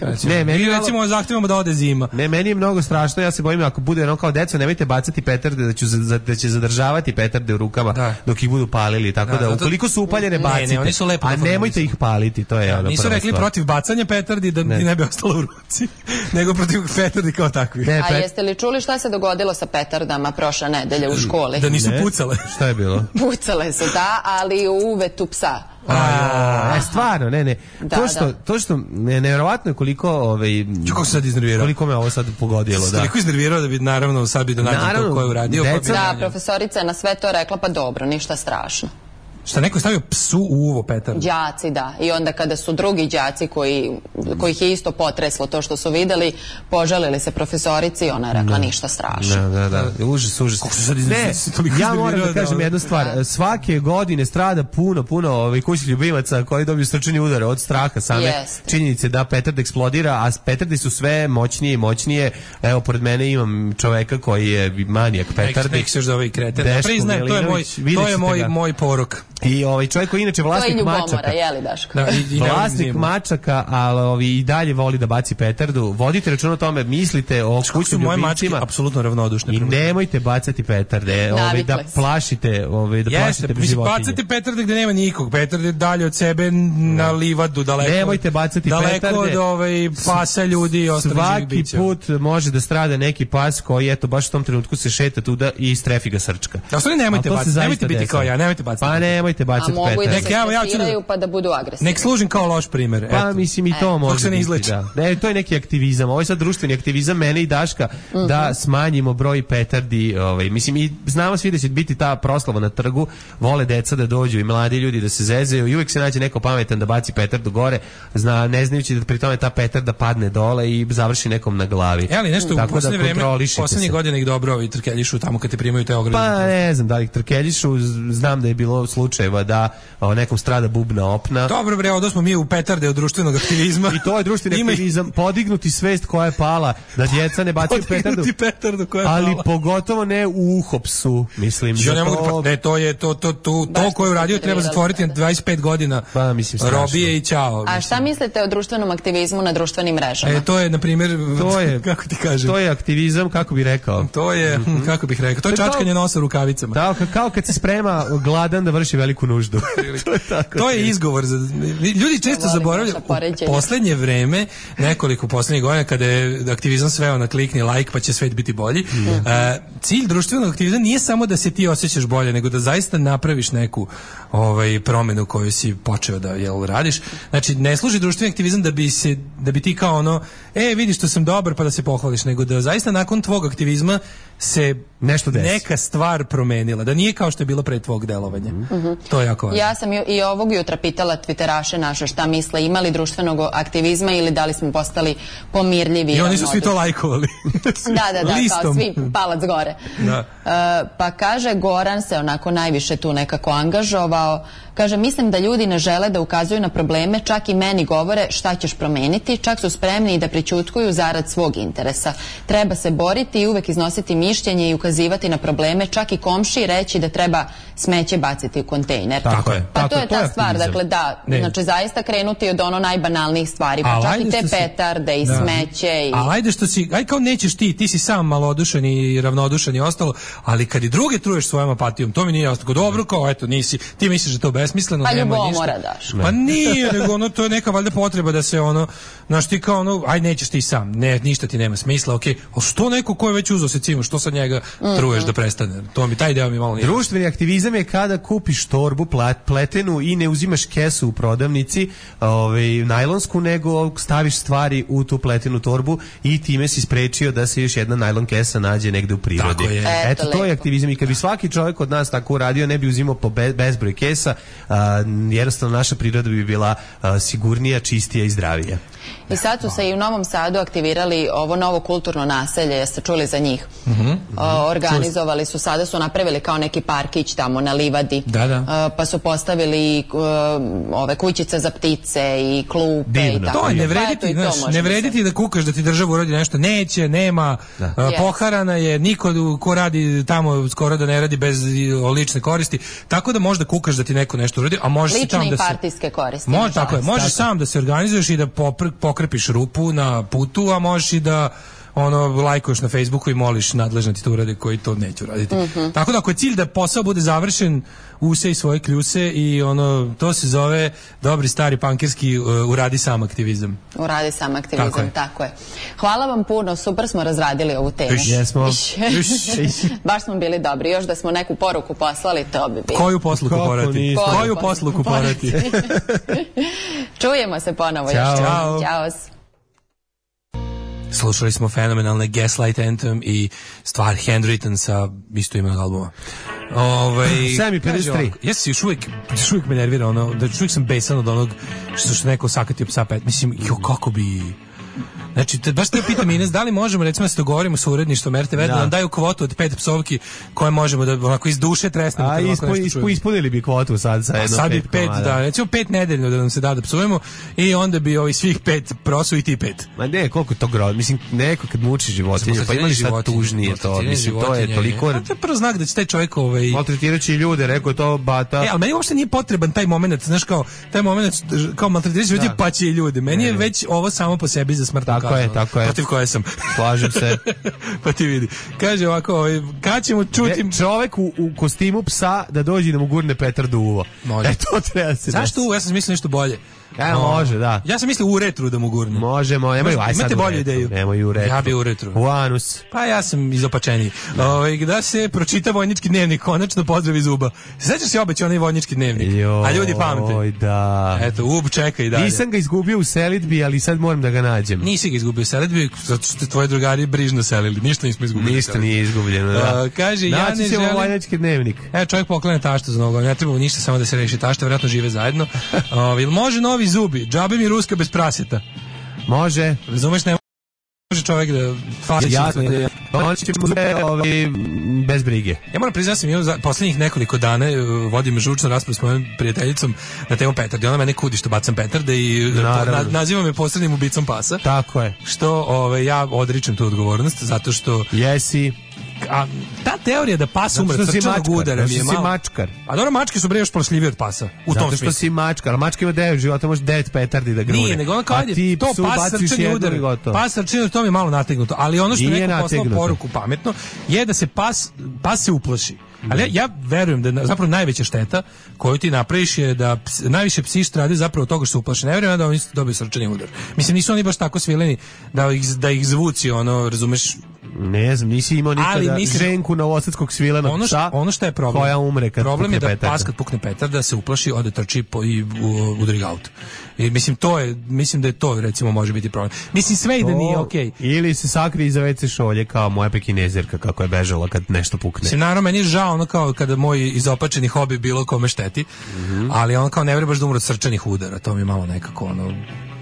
Recimo.
Ne, meni
Ili
malo-
recimo zahtevamo da ode zima.
Ne, meni je mnogo strašno, ja se bojim ako bude ono kao deco, nemojte bacati petarde, da, ću, za- da će zadržavati petarde u rukama
Da.
dok ih budu palili, tako
Da,
da,
zato-
ukoliko su upaljene
Ne,
bacite,
ne, oni su lepo
a
naformulisani.
nemojte ih paliti, to je ono
Nisu
prva
rekli
stvar.
protiv bacanja petardi da
Ne.
ti ne bi ostalo u ruci, nego protiv petardi kao takvih.
Ne,
A
pet-
jeste li čuli šta se dogodilo sa petardama prošle nedelje u školi?
Da nisu
ne.
pucale.
Šta je bilo?
Pucale su, da, ali u uvetu psa.
A, e, stvarno, ne, ne.
Da,
to što,
da.
to što, ne, nevjerovatno je koliko, ovaj,
Ču, kako se sad iznervirao?
koliko me ovo sad pogodilo,
Se
da.
toliko iznervirao da bi naravno sad bi da nađem
Naravno,
to ko je uradio. pa bi
deca-
Da,
nađem.
profesorica je na sve to rekla, pa dobro, ništa strašno.
Šta neko je stavio psu u uvo petardu?
Đaci, da. I onda kada su drugi đaci koji, kojih je isto potreslo to što su videli, požalili se profesorici, ona je rekla ništa strašno.
Da, da, da. Užas, užas. Ne, ja moram da kažem jednu stvar. Svake godine strada puno, puno ovih kućnih ljubimaca koji dobiju srčani udar od straha same činjenice da petard eksplodira, a petardi su sve moćnije i moćnije. Evo, pored mene imam čoveka koji je manijak petardi.
Nek se još da ovaj kreten. Priznajem, to je moj, to je moj, moj porok.
I ovaj čovjek koji inače vlasnik
ljubomora,
mačaka.
Jeli, Daško?
Da, i, i vlasnik mačaka, ali ovi i dalje voli da baci petardu. Vodite račun o tome, mislite o kućnim
moje
ljubimcima.
Mačke apsolutno ravnodušne.
I nemojte bacati petarde, ovaj da plašite, ovaj da plašite životinje.
Bacate petarde gde nema nikog. Petarde dalje od sebe na livadu, daleko.
Nemojte bacati
daleko
petarde.
Daleko od ovaj pasa, ljudi i ostalih živih bića.
Svaki put može da strada neki pas koji eto baš u tom trenutku se šeta tuda i strefi ga srčka.
Da, stvarno nemojte bacati, nemojte biti kao ja, nemojte bacati.
Pa nemojte bacati petarde.
Nek ja ja ću pa da budu agresivni.
Nek služim kao loš primer.
Pa mislim i to e. može biti, da. Ne, to je neki aktivizam. Ovo je sad društveni aktivizam mene i Daška mm-hmm. da smanjimo broj petardi, ovaj mislim i znamo svi da će biti ta proslava na trgu, vole deca da dođu i mladi ljudi da se zezaju i uvek se nađe neko pametan da baci petardu gore, zna ne znajući da pri tome ta petarda padne dole i završi nekom na glavi.
E, ali nešto u poslednje vreme, poslednjih godina ih dobro ovi trkeljišu tamo kad te primaju te ograde.
Pa ne znam da li ih trkeljišu, znam da je bilo slučajeva da o, nekom strada bubna opna.
Dobro bre, odo smo mi u petarde od društvenog aktivizma.
I to je društveni aktivizam, podignuti svest koja je pala, da djeca ne bacaju petardu.
petardu koja je
ali
pala.
Pogotovo ne u uhopsu, mislim.
Ja ne mogu to... Ne, to je to to to to koje je uradio treba zatvoriti na dvadeset pet godina.
Pa mislim strašno.
Robije i ćao.
A šta mislite o društvenom aktivizmu na društvenim mrežama?
E, to je na primjer,
to je
kako ti kažem.
To je aktivizam, kako bi rekao.
To je, mm-hmm. kako bih rekao, to je čačkanje nosa rukavicama.
Da, kao kad se sprema gladan da vrši veliku nuždu.
to je tako. To je izgovor za ljudi često zaboravljaju u poslednje vreme, nekoliko poslednjih godina kada je aktivizam sveo na klikni like pa će svet biti bolji. Mm. Uh, cilj društvenog aktivizma nije samo da se ti osjećaš bolje, nego da zaista napraviš neku ovaj promenu koju si počeo da jel radiš. Znači ne služi društveni aktivizam da bi se da bi ti kao ono, e vidiš što sam dobar pa da se pohvališ, nego da zaista nakon tvog aktivizma se
nešto desi.
Neka stvar promenila, da nije kao što je bilo pre tvog delovanja. Mm-hmm. To je jako važno.
Ja sam i ovog jutra pitala Twitteraše naše šta misle, imali društvenog aktivizma ili da li smo postali pomirljivi.
I oni su svi to lajkovali.
da, da, da, Listom. Kao svi palac gore. Da. Uh, pa kaže, Goran se onako najviše tu nekako angažovao. Kaže, mislim da ljudi ne žele da ukazuju na probleme, čak i meni govore šta ćeš promeniti, čak su spremni i da pričutkuju zarad svog interesa. Treba se boriti i uvek iznositi mišljenje i ukazivati na probleme, čak i komšiji reći da treba smeće baciti u kontejner.
Tako je.
Pa
tako,
to je ta
to
stvar,
aktivizam.
Dakle da, ne. Znači zaista krenuti od ono najbanalnijih stvari, pa čak i te petarde si... i da. Smeće. I...
Ali ajde što si, aj kao nećeš ti, ti si sam malodušan i ravnodušan i ostalo, ali kad i druge truješ svojom apatijom, to mi nije ostalo. Dobro, kao eto, nisi, ti misliš da to besmisleno,
pa
nema ništa.
ljubomora daš.
Pa nije, nego ono, to je neka valjda potreba da se ono, znaš ti kao ono, aj nećeš ti sam, ne, ništa ti nema smisla, okej, okay. Ali što neko ko je već uzeo se cimu, što sa njega mm-hmm. truješ da prestane? To mi, taj deo mi malo nije.
Društveni aktivizam je kada kupiš torbu plat, pletenu i ne uzimaš kesu u prodavnici, ovaj, najlonsku, nego staviš stvari u tu pletenu torbu i time si sprečio da se još jedna najlon kesa nađe negde u prirodi.
Tako je.
Eto, Eto to je aktivizam i kad bi svaki čovjek od nas tako uradio, ne bi uzimao po be, bezbroj kesa, a, jednostavno naša priroda bi bila a, sigurnija, čistija i zdravija.
I sad su se i u Novom Sadu aktivirali ovo novo kulturno naselje, jeste čuli za njih? Mm-hmm. O, organizovali su, sada su napravili kao neki parkić tamo na livadi,
da, da.
O, pa su postavili o, ove kućice za ptice i klupe.
Divno.
I tako.
To je, ne vrediti, znaš, ne vrediti da kukaš da ti država uradi nešto, neće, nema, da. A, poharana je, niko ko radi tamo skoro da ne radi bez lične koristi, tako da možda kukaš da ti neko nešto uradi, a možeš
lične
sam
i
da se...
partijske koristi.
Može, tako je, možeš sam da se organizuješ i da popr, pokrepiš rupu na putu, a možeš i da ono lajkuješ na Facebooku i moliš nadležne ti to urade koji to neću raditi. Mm-hmm. Tako da ako je cilj da posao bude završen, usej svoje kljuse i ono, to se zove dobri stari pankirski uh, uradi sam aktivizam.
Uradi sam aktivizam, tako je. Tako je. Hvala vam puno, super smo razradili ovu temu.
Iš, jesmo.
Iš. Baš smo bili dobri, još da smo neku poruku poslali, to bi bilo.
Koju posluku porati? Koju posluku porati?
Čujemo se ponovo.
Ćao.
Još.
Ćao.
Ćao.
Slušali smo fenomenalne Gaslight Anthem i stvar Handwritten sa istoimenog albuma. Ovaj
sedam i pedeset tri.
Ja se još uvijek, još uvijek me nervira ono, da još uvijek sam besan od onog što što neko sakatio psa pet. Mislim, jo, kako bi... Znači, te, baš te pitam Ines, da li možemo recimo da se dogovorimo sa uredništvom er te ve da, da nam daju kvotu od pet psovki koje možemo da onako iz duše tresnemo.
A ispo, ispo, ispunili bi kvotu sad sa jedno
sad
pet,
bi pet, da, recimo pet nedeljno da nam se da da psujemo i onda bi ovi svih pet prosu i ti pet.
Ma ne, koliko to grozno, mislim, neko kad muči životinje, pa ima li šta tužnije to, mislim, to je toliko...
A to je prvo znak da će taj čovjek ovaj...
maltretirajući ljude, rekao to bata...
E, ali meni uopšte nije potreban taj moment, znaš, kao, taj moment, kao maltretirajući ljudi, pa će i ljude. Meni je već ovo samo po sebi za smrtnu kaznu.
Tako je, tako je.
Protiv koje sam.
Slažem se.
Pa ti vidi. Kaže ovako, ovaj, kad ćemo čuti...
Ne, čovek u, u kostimu psa da dođe da mu gurne Petar do uvo.
Može.
E, to treba se...
Zašto uvo? Ja sam mislio nešto bolje.
E, no, može, da.
Ja sam mislio u retru da mu gurne.
Možemo, nemaju, aj sad
imate bolju ideju.
Nemaju u retru.
Ja bi u retru.
U anus.
Pa ja sam izopačeniji. Ovaj da se pročita vojnički dnevnik, konačno pozdrav iz Uba. Sećaš se obećao onaj vojnički dnevnik?
Jo,
a ljudi pamte.
Oj, da.
Eto, Ub čeka i dalje.
Nisam ga izgubio u selidbi, ali sad moram da ga nađem.
Nisi ga izgubio u selidbi, zato što ste tvoji drugari brižno selili. Ništa nismo izgubili.
Ništa nije izgubljeno, da.
Uh, kaže, ja ne želim...
vojnički dnevnik.
E, čovjek poklanja tašta za nogu, ne treba ništa, samo da se reši tašta, vjerojatno žive zajedno. Uh, ili može novi zubi? Džabe mi ruska bez praseta.
Može.
Razumeš, ne može čovjek da fasi.
Jasno, on će mu ovi bez brige.
Ja moram priznati, sam imao poslednjih nekoliko dana vodim žučnu raspravu s mojom prijateljicom na temu petarde. Ona mene kudi što bacam petarde i na, naziva me posrednim ubicom pasa.
Tako je.
Što ove, ja odričem tu odgovornost, zato što...
Jesi...
A ta teorija da pas umre od srčanog udara mi je malo...
mačkar.
A dobro, mačke su bre još prošljivije od pasa. U
zato
tom
što
smislu.
Si mačkar, ali mačka ima devet života, može devet petardi da grune.
Nije, nego ono kao ajde, to pas srčani udar. Pas srčani udar, to mi je malo nategnuto. Ali ono što
nije
neko poslao poruku pametno je da se pas, pas se uplaši. Ali ja, ja verujem da zapravo najveća šteta koju ti napraviš je da ps, najviše psi strade zapravo od toga što su uplašeni. Ne vjerujem da oni dobiju srčani udar. Mislim, nisu oni baš tako svileni da ih, da ih zvuci, ono, razumeš.
Ne znam, nisi imao nikada mislim, ženku novosadskog svilenog
ono
psa
ono što je problem,
koja umre kad
problem je da
petarda.
Pas kad pukne petarda da se uplaši, ode trči po, i udari ga auto. I mislim to je, mislim da je to recimo može biti problem. Mislim sve i da nije okej. Okay.
Ili se sakrije iza ve ce šolje kao moja pekinezerka kako je bežala kad nešto pukne.
Mislim naravno meni je žao ono kao kada moj izopačeni hobi bilo kome šteti, mm-hmm. ali on kao ne vjeruje baš da umre od srčanih udara, to mi je malo nekako ono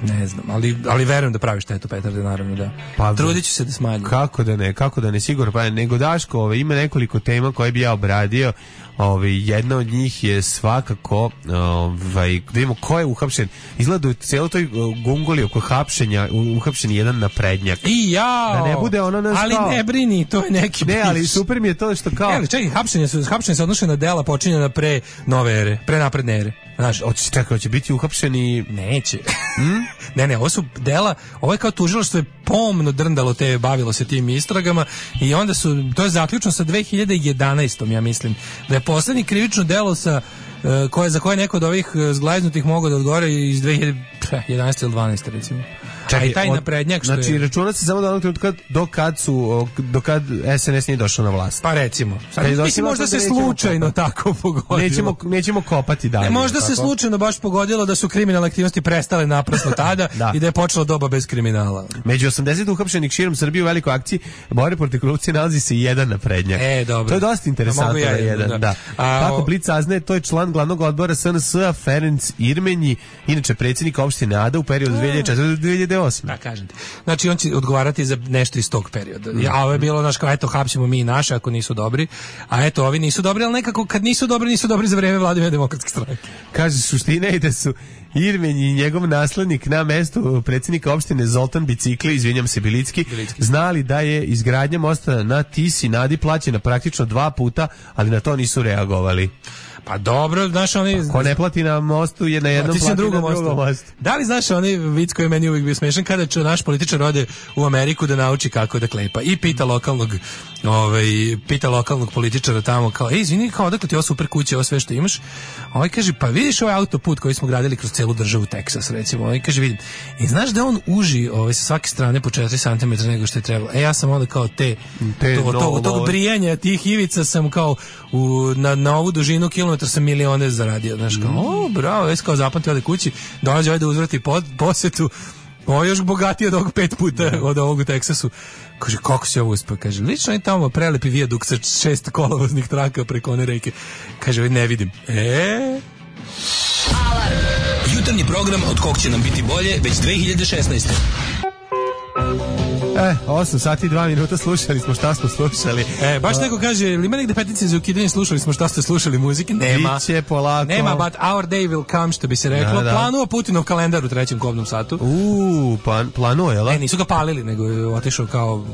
ne znam, ali, ali verujem da pravi štetu petarde, naravno da. Pa, trudit ću se da smanjim.
Kako da ne, kako da ne, sigurno, pa nego Daško, ove, ima nekoliko tema koje bi ja obradio. Ove, jedna od njih je svakako, ovaj, da vidimo ko je uhapšen. Izgleda u cijeloj toj gungoli oko hapšenja, uhapšen jedan naprednjak.
I ja.
Da ne bude ono nas
ali
kao...
ne brini, to je neki
Ne, ali super mi je to što kao...
Ne, čekaj, hapšenje su, hapšenje se odnoše na dela počinjena pre nove ere, pre napredne ere.
Znaš, hoće čekaj, hoće biti uhapšeni...
Neće. Hmm? ne, ne, ovo su dela, ovo je kao tužilaštvo je pomno drndalo te, bavilo se tim istragama i onda su, to je zaključno sa dve hiljade jedanaestom ja mislim, da je poslednji krivično delo sa uh, koje, za koje neko od ovih zglaznutih mogao da odgovore iz dve hiljade jedanaeste ili dvanaeste recimo. Čekaj, a i taj od, naprednjak što
znači,
je...
računa se samo do onog trenutka do kad su, do kad es en es nije došao na vlast.
Pa recimo. Sad, mislim, možda se slučajno kopati. Tako pogodilo.
Nećemo, nećemo kopati dalje.
Ne, možda se tako? Slučajno baš pogodilo da su kriminalne aktivnosti prestale naprasno tada da. I da je počela doba bez kriminala.
Među osamdeset uhapšenih širom Srbije u velikoj akciji borbe protiv korupcije nalazi se i jedan naprednjak.
E, dobro.
To je dosta interesantno ja, da jedan. Da. Da. A, Kako Blic saznaje, to je član glavnog odbora es en es-a Ferenc Irmenji, inače predsjednik opštine Ada u periodu dve hiljade četvrte do dve hiljade osme.
Da, kažem ti. Znači, on će odgovarati za nešto iz tog perioda. Mm. A ovo je bilo, znaš, kao, eto, hapsimo mi i naše ako nisu dobri, a eto, ovi nisu dobri, ali nekako kad nisu dobri, nisu dobri za vreme Vladimira demokratske stranke.
Kaže, suština je da su Irmenj i njegov naslednik na mestu predsjednika opštine Zoltan Bicikli, izvinjam se Bilicki, Bilicki, znali da je izgradnja mosta na Tisi na Adi plaćena praktično dva puta, ali na to nisu reagovali.
Pa dobro, znaš oni...
Ko ne plati na mostu je na jednom plati na drugom mostu. mostu.
Da li znaš oni vic koji je meni uvijek bio smešan kada će naš političar ode u Ameriku da nauči kako da klepa i pita lokalnog ovaj, pita lokalnog političara tamo kao, ej, izvini, kao odakle ti ovo super kuće, ovo sve što imaš? Ovaj kaže, pa vidiš ovaj autoput koji smo gradili kroz celu državu Teksas, recimo. Ovaj kaže, vidim. I znaš da on uži ovaj, sa svake strane po četiri centimetra nego što je trebalo. E, ja sam onda kao te, te to, no, to, tog no. brijanja tih ivica sam kao u, na, na ovu dužinu kilometra sam milione zaradio. Znaš, kao, o, bravo, već kao zapamtio ode kući, dolazi ovaj da uzvrati pod, posetu Ovo je još bogatiji od ovog pet puta od ovog u Teksasu. Kaže, kako se ovo uspio? Kaže, lično je tamo prelepi vijadukt sa šest kolovoznih traka preko one reke. Kaže, ne vidim. E...
Alarm. Jutarnji program od kog će nam biti bolje već dve hiljade šesnaeste.
E, osam sati i dva minuta slušali smo šta smo slušali.
E, baš neko kaže, ili ima negde petice za ukidanje, slušali smo šta ste slušali muzike? Nema.
Biće polako.
Nema, but our day will come, što bi se reklo. Da, da. Planuo Putinov kalendar u trećem kobnom satu.
Uuu, plan, planuo, jel?
Ne, nisu ga palili, nego je otišao kao...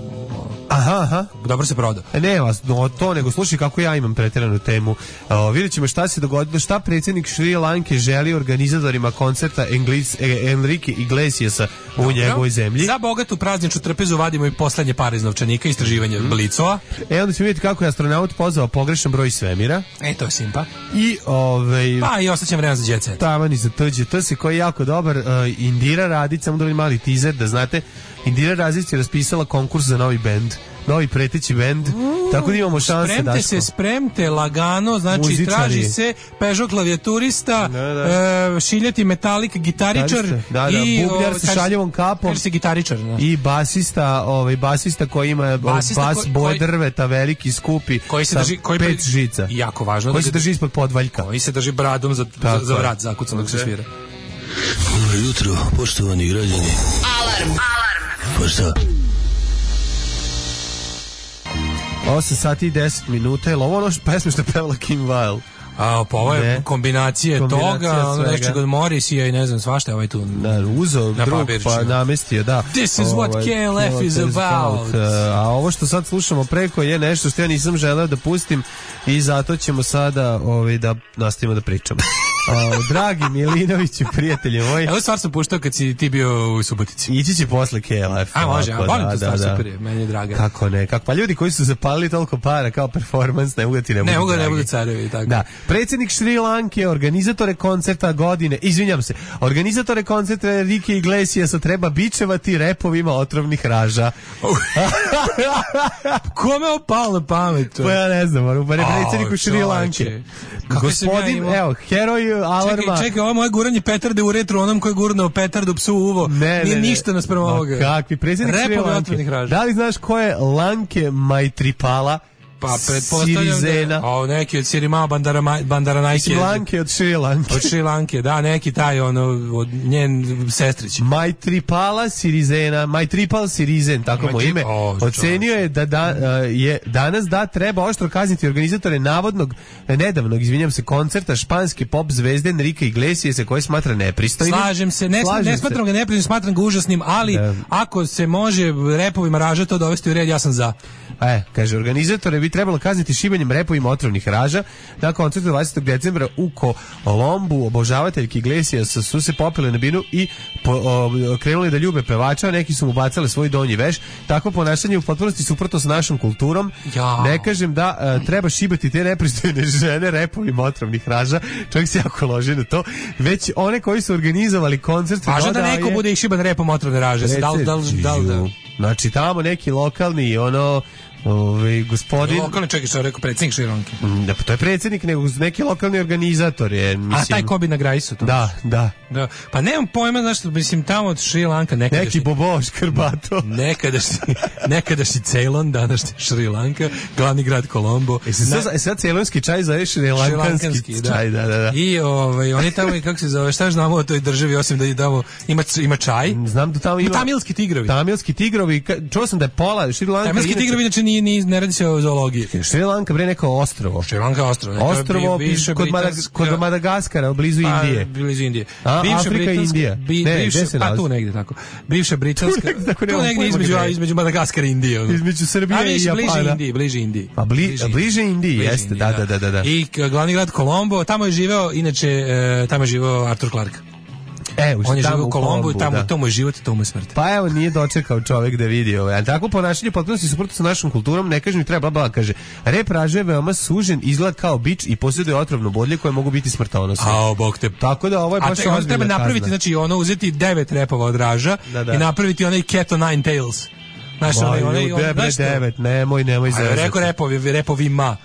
Aha, aha.
Dobro se prodao.
E, ne vas, no, to nego slušaj kako ja imam preteranu temu. O, vidjet ćemo šta se dogodilo, šta predsjednik Šri Lanke želi organizatorima koncerta Englis, e, Enrique Iglesiasa u Dobro. njegovoj zemlji.
Za bogatu prazničnu trpezu vadimo i poslednje pare iz novčanika, istraživanje mm. Blicova.
E, onda ćemo vidjeti kako je astronaut pozvao pogrešan broj svemira.
E, to je simpa.
I, ovaj...
Pa, i ostaćem vremena za Jet Set.
Taman i za T J S koji je jako dobar. Uh, Indira Radić, samo da mali teaser, da znate, Indira Radić je raspisala konkurs za novi bend. Novi preteći bend, uh, tako da imamo šanse.
Spremte
Daško.
se, spremte lagano, znači Muzičari. Traži se Peugeot klavijaturista, da, da. E, šiljati metalik gitaričar
da, da.
i
bubljar sa šaljevom kapom
se gitaričar, da.
I basista, ovaj basista koji ima basista bas ko, boje drveta, veliki, skupi,
koji se drži, koji
pet žica.
Jako važno,
koji da se drži ispod podvaljka.
Koji se drži bradom za za, za vrat zakucanog se svira.
Dobro jutro, poštovani građani.
Alarm. Alarm.
Pa šta?
osam sati i deset minuta, je li ovo ono pesme što je pevala Kim Wilde?
A, pa ovo je kombinacije, kombinacija toga, ono nešto od Morrisija i ne znam svašta je ovaj tu.
Da, uzeo drug pa namestio, da.
This is what K L F is about.
A ovo što sad slušamo preko je nešto što ja nisam želeo da pustim i zato ćemo sada ovaj, da nastavimo da pričamo. O, dragi Milinoviću, prijatelji moji.
Evo stvar sam puštao kad si ti bio u Subotici.
Ići će posle K L F.
A može, a volim tu stvar, super je, meni je draga.
Kako ne, kako, pa ljudi koji su zapalili toliko para kao performans, ne mogu da ti ne budu
Ne mogu da ne budu carevi, tako.
Da, predsjednik Šri Lanke, organizatore koncerta godine, izvinjam se, organizatore koncerta Enrique Iglesiasa treba bičevati repovima otrovnih raža.
Kome je opalo na pamet?
Pa ja ne znam, ali je predsjednik Šri Lanke. Gospodin, ja evo, heroj alarma.
Čekaj, čekaj, ovo moje guranje petarde u retro, onom koji je gurnuo petardu psu u uvo. Ne, nije ne, ništa naspram ovoga.
Kakvi, predsjednik Šri Lanke. Da li znaš ko je Lanke Maitripala?
Pa pretpostavljam da, o, neki od Sirima Bandaranajke.
Lanke od Šri Lanke.
Od Šri Lanke, da, neki taj, ono, od njen sestrić.
Maitripala Sirizena, Maitripal Sirizen, tako mu ime, oh, ocenio je da, da je danas da treba oštro kazniti organizatore navodnog, nedavnog, izvinjam se, koncerta španske pop zvezde Enrique Iglesiasa koji smatra nepristojnim.
Slažem se, ne, Slažem ne smatram se. ga nepristojnim, smatram ga užasnim, ali da. Ako se može repovima raža to dovesti u red, ja sam za.
E, kaže, organizatore bi trebalo kazniti šibanjem repovima otrovnih raža. Na koncertu dvadesetog decembra u Kolombu obožavateljki Iglesiasa su se popile na binu i po, o, krenuli da ljube pevača, a neki su mu bacali svoj donji veš. Takvo ponašanje u potpunosti suprotno sa našom kulturom. Ja. Ne kažem da a, treba šibati te nepristojne žene repovima otrovnih raža. Čovjek se jako loži na to. Već one koji su organizovali koncert...
Važno da neko je, bude ih šiban repom otrovne raže. Da li, da li, da li, da li.
Znači tamo neki lokalni ono ovaj gospodin
lokalni, čekaj, što je rekao predsjednik Šri Lanke.
Da, pa to je predsjednik, nego neki lokalni organizator je, mislim.
A taj ko bi na Grajsu to?
Da, da.
Da. Pa nemam pojma, znaš, mislim tamo od Šri Lanka nekadašnji
neki Bobo Škrbato.
Nekadašnji, nekadašnji Ceylon, današnji Šri Lanka, glavni grad Kolombo.
E sad, na... sad ceylonski čaj zove Šri Lankanski čaj, da, da, da.
I ovaj oni tamo i kako se zove, šta znamo o toj državi osim da tamo ima ima čaj?
Znam da tamo ima
tamilski tigrovi.
Tamilski tigrovi, čuo sam da je pola Šri Lanka.
Tamilski tigrovi inače ni ni ne radi se o zoologiji.
Šri Lanka bre neko ostrvo.
Šri Lanka ostrvo.
Ostrvo kod kod Madagaskara, blizu Indije.
Blizu Indije.
Bivša Britanska,
bi, ne, bivša, pa tu negdje tako. Bivša britanska, tu, tu negdje između, između Madagaskara i Indije. Ono.
Između Srbije a, viš, i Japana.
Bliže Indiji, bliže Indiji.
Pa bli, bliže, bliže Indiji, bliže jeste, Indiji, da, da, da, da.
I glavni grad Kolombo, tamo je živeo, inače, e, tamo je živeo Arthur Clarke.
E,
on je živio u Kolombu i tamo da. To mu je život i to mu je smrt.
Pa evo, nije dočekao čovjek da vidi ovaj. A tako ponašanje potpuno se suprotno sa našom kulturom, ne kaže mi treba bla, kaže. Rep raže je veoma sužen, izgleda kao bič i posjeduje otrovno bodlje koje mogu biti smrtonosne.
A, bog te.
Tako da ovo je baš ozbiljna.
A treba napraviti, kazna. Znači, ono uzeti devet repova od raža da, da. I napraviti onaj Cat o Nine Tails. Znaš, onaj, onaj, onaj,
devet, nemoj, nemoj za.
Rekao repovi, repovima.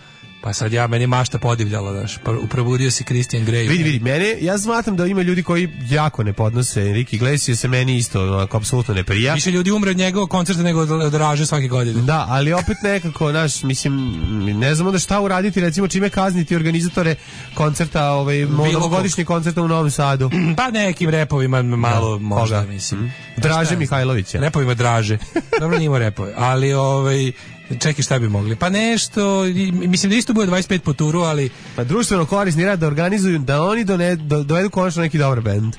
Pa sad ja, meni mašta podivljala, daš, probudio si Christian Grey.
Vidi, vidi, mene, ja smatram da ima ljudi koji jako ne podnose Enrique Iglesias, se meni isto, ako apsolutno ne prija.
Više ljudi umre od njegovog koncerta nego od Draže svake godine.
Da, ali opet nekako, naš, mislim, ne znam onda šta uraditi, recimo čime kazniti organizatore koncerta, ovaj, novogodišnji koncerta u Novom Sadu.
Pa nekim repovima malo, da, možda, koga? Mislim.
Mm. Draže Mihajlovića.
Repovima Draže. Dobro, njima repove, ali ovaj... Čekaj, šta bi mogli? Pa nešto, mislim da isto bude dvadeset pet po turu, ali... Pa
društveno korisni rad da organizuju, da oni done, do, dovedu konačno neki dobar bend.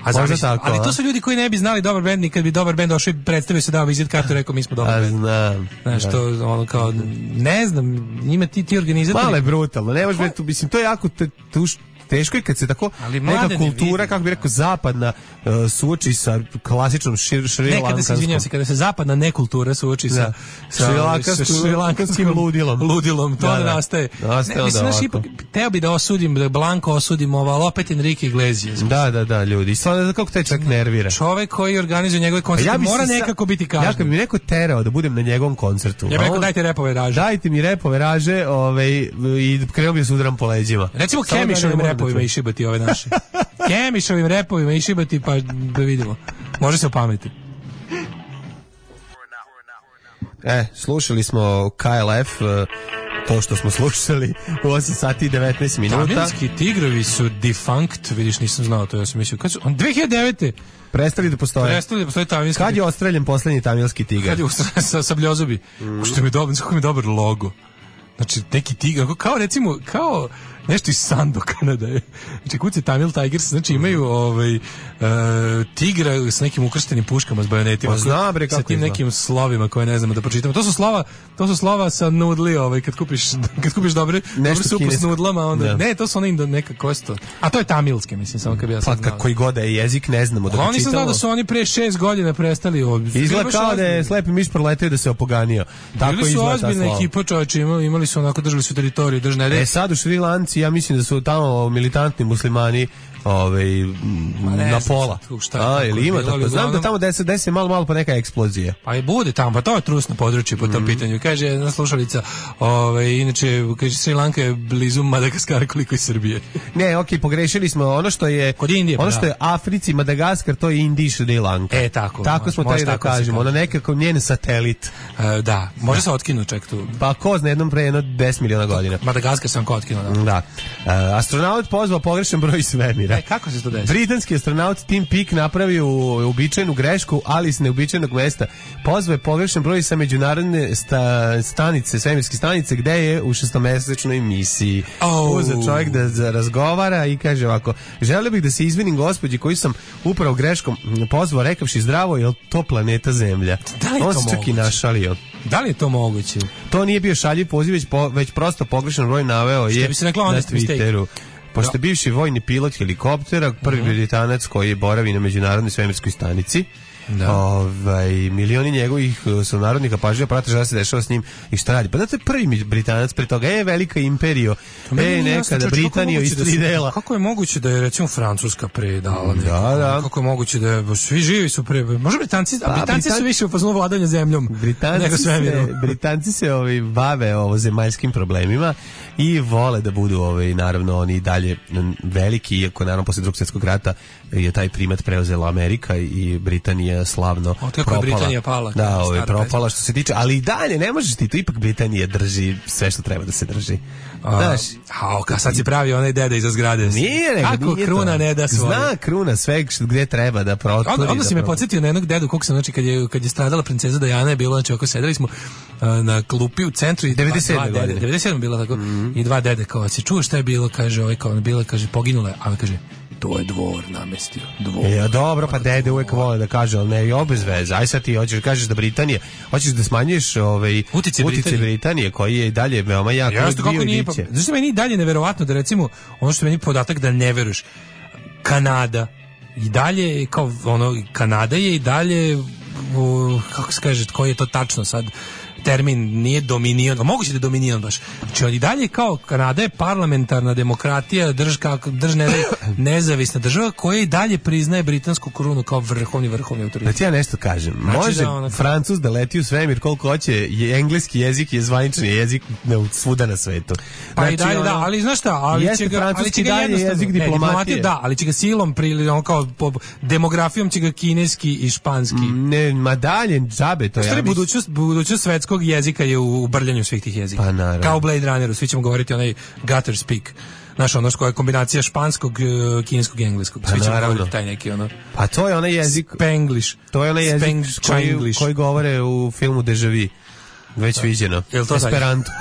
A zamisli, tako, ali to su ljudi koji ne bi znali dobar bend, nikad bi dobar bend došao i predstavio se, dao vizit kartu, rekao mi smo dobar bend.
Znam.
Znaš, to ono kao, ne znam, njima ti, ti organizatori...
Malo je brutalno, ne možeš, mislim, to je jako tuš, teško je kad se tako neka kultura, kako bi rekao, zapadna uh, suoči sa klasičnom šir, šrilankanskom.
Nekada se, izvinjam se, kada se zapadna nekultura suoči sa,
da.
sa, sa šrilankanskim
ludilom.
ludilom, to da, da. nastaje.
nastaje
ne, mislim, naš, ipak, teo bi da osudim, da blanko osudim ovo, ali opet Enrique Iglesias.
Da, da, da, ljudi. Stvarno, kako te čak nervira.
Čovek koji organizuje njegove koncerte ja mora nekako biti kažnjen.
Ja kad bi mi neko terao da budem na njegovom koncertu.
Ja bih rekao, dajte repove raže.
Dajte mi repove raže, ovaj, i krenuo bi se udram po leđima.
Recimo Kemišovim repovima i šibati ove naše. Kemišovim repovima i šibati, pa da vidimo. Može se opameti.
E, slušali smo K L F, to što smo slušali u osam sati i devetnaest minuta.
Tamilski tigrovi su defunct, vidiš, nisam znao to, ja sam mislio. Kad su, on dve hiljade devete
prestali da postoje.
Prestali da postoje tamilski.
Kad je ostreljen poslednji tamilski tigar?
Kad je ostreljen sa sabljozubi. Mm. Što mi je dobar, kako mi je dobar logo. Znači, neki tigar, kao recimo, kao nešto iz Sandokana da je. Znači, kuće Tamil Tigers, znači imaju ovaj, uh, tigra s nekim ukrštenim puškama s bajonetima.
Zna, bre, kako
sa tim nekim slovima koje ne znamo da pročitamo. To su slova, to su slova sa nudli, ovaj, kad kupiš, kad kupiš dobre, dobre supu s nudlama, onda, da. Ne, to su one indo, neka kosto. A to je tamilske, mislim, samo kad bi ja sad
znao. Pa koji god je jezik, ne znamo da ga čitamo.
Oni sam znao da su oni pre šest godina prestali.
Izgleda kao da je slepi miš proletio da se opoganio. Tako
bili su ozbiljna ekipa, čovječe, imali, imali su onako, držali su teritoriju, držne red.
E sad u Šri Lanci, ja mislim da su tamo militantni muslimani ovaj na pola. A, ili ima tako. Znam da tamo desi desi malo malo pa neka eksplozija.
Pa i bude tamo, pa to je trusno područje po tom mm. pitanju. Kaže jedna slušalica, ovaj inače kaže Sri Lanka je blizu Madagaskara koliko i Srbije.
Ne, okej, okay, pogrešili smo ono što je
kod Indije,
ono
pa,
što
da.
je Africi, Madagaskar, to je Indija, Sri Lanka.
E tako.
Tako smo taj da kažemo, ono nekako njen satelit.
E, da, može se otkinu ček tu.
Pa ko zna jednom pre jedno deset miliona godina.
Madagaskar sam ko otkinuo, da.
Da. E, astronaut pozvao pogrešan broj svemira.
E, kako se to desi?
Britanski astronaut Tim Peake napravio uobičajenu grešku, ali s neobičajnog mesta. Pozvao je pogrešan broj sa međunarodne sta, stanice, svemirske stanice, gde je u šestomesečnoj misiji.
Oh.
Uzeo čovjek da, da razgovara i kaže ovako: želio bih da se izvinim gospođi koju sam upravo greškom pozvao, rekavši zdravo, je to planeta Zemlja.
Da li je
on
to
se čak
moguće?
i našalio.
Da li je to moguće?
To nije bio šaljiv poziv, već, po, već prosto pogrešan broj naveo je
bi se rekla
na Twitteru. Pošto je bivši vojni pilot helikoptera, prvi uh-huh. Britanac koji boravi na međunarodnoj svemirskoj stanici. Da. Ovaj, milioni njegovih sunarodnika pažljivo prate šta se dešava s njim i šta radi. Pa da to je prvi Britanac, pre toga je velika imperija. E, nekada Britanija iz tri dela.
Kako je moguće da je recimo Francuska predala neko?
Da, da.
Kako je moguće da je, svi živi su pre... Može Britanci, a Britanci Britan... su više u fazonu vladanja zemljom.
Britanci se, Britanci se ovaj, bave ovo zemaljskim problemima i vole da budu ovaj, naravno oni dalje veliki, iako naravno posle drugog svjetskog rata je taj primat preuzela Amerika i Britanija slavno propala.
Britanija pala.
Da, ovaj, propala što se tiče, ali i dalje ne možeš ti, to ipak Britanija drži sve što treba da se drži. Znaš,
a ka sad si pravi onaj deda iza zgrade.
Nije, nego
kako nije kruna to. Ne da svoje.
Zna kruna sve gdje treba da proturi.
Onda, onda si me podsjetio na jednog dedu, koliko sam, znači, kad je, kad je stradala princeza Diana, je bilo, znači, oko sedeli smo uh, na klupi u centru i
devedeset sedme godine.
devedeset sedme bila tako, mm-hmm. i dva dede, kao, si čuo šta je bilo, kaže, ovaj, kao, bila, kaže, poginula je, a on kaže, to je dvor namestio. Dvor.
E, dobro, pa dede uvek vole da kaže, ali ne, i obez veze. Aj sad ti hoćeš da kažeš da Britanija, hoćeš da smanjiš ovaj,
utice
Britanije. Britanije, koji je dalje veoma jak.
Ja što kako nije, pa, zašto meni dalje neverovatno da recimo, ono što meni podatak da ne veruješ, Kanada, i dalje, kao ono, Kanada je i dalje, u, kako se kaže, koji je to tačno sad, termin nije dominion, a moguće da je dominion baš. Znači on i dalje kao Kanada je parlamentarna demokratija, drž kako drž ne, nezavisna država koja i dalje priznaje britansku korunu kao vrhovni vrhovni autoritet.
Da ti ja nešto kažem.
Znači
Može
da ona-
Francuz da leti u svemir koliko hoće, je engleski jezik je zvanični jezik na svuda na svetu.
Pa i
Znači,
dalje, da,
ono-
ali znaš šta, ali
Jeste
će ga, ali
francuski
će ga
dalje
jednostavno,
jezik
ne,
diplomatije.
da, ali će ga silom prili, ono kao po demografijom će ga kineski i španski.
Ne, ma dalje, džabe to
Stvari,
ja mislim.
budućnost, budućnost svetskog jezika je u, u brljanju svih tih jezika.
Pa naravno.
Kao u Blade Runneru, svi ćemo govoriti onaj gutter speak. Znaš, ono što je kombinacija španskog, eh, kineskog i engleskog.
Pa
Svi ćemo
naravno.
govoriti taj neki ono...
Pa to je onaj jezik,
Spanglish.
to je onaj jezik
Spang-
koji,
Chinglish.
koji govore u filmu Deja Vu. Već viđeno.
Jel to taj?
Esperanto.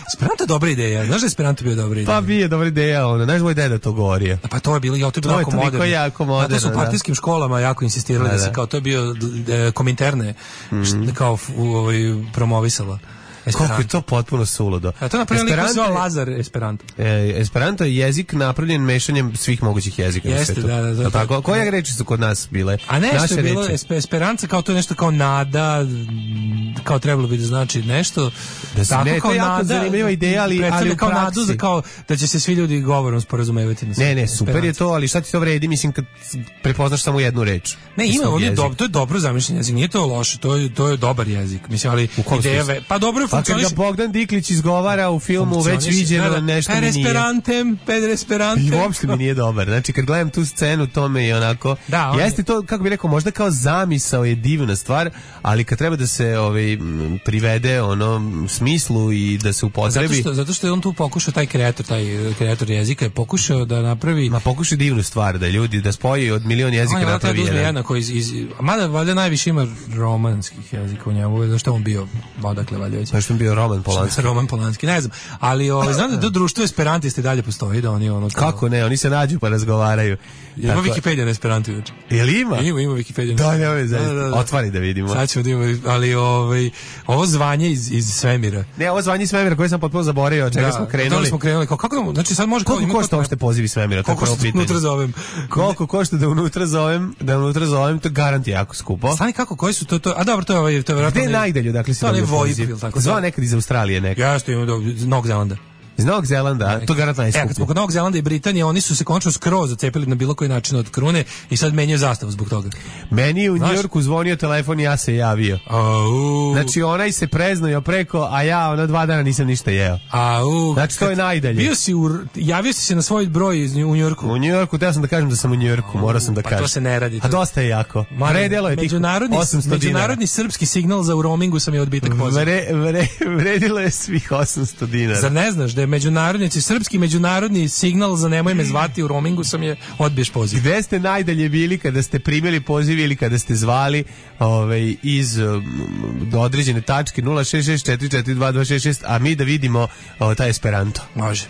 Esperanto je dobra ideja. Znaš da je Esperanto bio dobra ideja?
Pa bi je dobra ideja, ono. Znaš moj deda to govorio.
Pa to je bilo, ja, to je bilo
To je
jako
toliko
moderno.
jako moderno,
Zato su u
da.
partijskim školama jako insistirali da,
Da,
se
da.
kao, to je bio e, kominterne, št- kao f- u, ovaj, promovisala. Esperanto.
Koliko je to potpuno suludo.
A to je napravio lik koji se
Esperanto
zvao
je-
Lazar Esperanto.
E, Esperanto je jezik napravljen mešanjem svih mogućih jezika na
Jeste,
svetu.
da, da, da.
Jel tako? Koje reči su kod nas bile?
A nešto
Naše
je bilo,
reči.
espe, Esperanca kao to je nešto kao nada, m, kao trebalo bi da znači nešto.
Da se-
tako
ne, to
kao
je jako
nada,
zanimljiva ideja, ali-
predstavlja
ali u
kao nadu
praksi.
za kao da će se svi ljudi govorom sporazumevati na
Ne, ne,
Esperanto.
super je to, ali šta ti to vredi, mislim, kad prepoznaš samo jednu reč?
Ne,
iz
ima,
tog
on je
jezika.
dobro, to je dobro zamišljen jezik, nije to loše, to je, to je dobar jezik. Mislim, ali
kom
ideja,
smislu?
ve- pa dobro je
Pa kad ga
funkcioniše.
Bogdan Diklić izgovara u filmu već
Funkcioniše,
viđeno,
da, da.
nešto
per
mi nije.
esperantem, per esperantem.
I uopšte mi nije dobar. Znači, kad gledam tu scenu, to me je onako...
Da, on je-
Jeste to, kako bih rekao, možda kao zamisao je divna stvar, ali kad treba da se ovaj, m, privede ono smislu i da se
Zato
upotrebi...
što, zato što je on tu pokušao, taj kreator, taj kreator jezika je pokušao da napravi...
Ma pokušaj divnu stvar, da ljudi, da spoji od milion jezika
On je valjda
napravi
da uzme
jedan.
jednako iz, iz, mada valjda najviše ima romanskih jezika u njemu, zašto je on bio odakle valjda već.
Znaš što je bio Roman Polanski?
Roman Polanski, ne znam. Ali ovaj, znam da to društvo esperantisti dalje postoji, da oni ono... kao-
Kako ne, oni se nađu pa razgovaraju.
Ima
Tako-
Wikipedia na esperantu juče.
Jel ima?
Ima, ima Wikipedia.
Da, ne, ovo je zaista.
Da, da, da.
Otvari da vidimo.
Sad ćemo da imamo, ali ovaj, ovo zvanje iz, iz svemira.
Ne, ovo zvanje svemira koje sam potpuno zaboravio, od čega smo
Da,
krenuli.
smo krenuli. Kao, kako, znači sad može... kao-
Koliko
ima
košta
kao-
uopšte pozivi svemira? To je
Koliko
prvo
što
pitanje.
unutra zovem?
Koliko košta da unutra zovem, da unutra zovem, to garant je jako skupo.
Stani kako, koji su to, to... A dobro, to je ovaj... To je
Gde
vjerojatno
je
onaj-
najdalje, dakle si
To je
dobio
onaj VoIP
poziv?
ili tako.
Zvao nekad iz Australije neka.
Ja što imam do Novog Zelanda.
Iz Novog Zelanda, to je garant
E, kad smo
najskuplje.
kod Novog Zelanda i Britanije, oni su se končno skroz zacepili na bilo koji način od krune i sad menjaju zastavu zbog toga.
Meni je u
Znaš-
Njujorku zvonio telefon i ja se javio.
Au.
Znači onaj se preznojio preko, a ja ono dva dana nisam ništa jeo.
Au.
Znači, to je
Kad-
najdalje.
Bio si u, javio si se na svoj broj iz, u Njujorku.
U Njujorku, teo sam da kažem da sam u Njujorku, morao sam da
Pa
kažem.
to se ne radi.
A dosta je jako. Vredelo je tih
međunarodni,
osamsto dinara.
međunarodni srpski signal za u roamingu sam je odbitak poziva.
Vre, vre, vredilo je svih osamsto dinara.
Zar ne znaš da je međunarodni, srpski međunarodni signal za nemoj me zvati u roamingu sam je odbiješ poziv.
Gde ste najdalje bili kada ste primili poziv ili kada ste zvali ovaj, iz um, do određene tačke nula šest šest četiri četiri dva dva šest šest, a mi da vidimo o, taj Esperanto.
Može.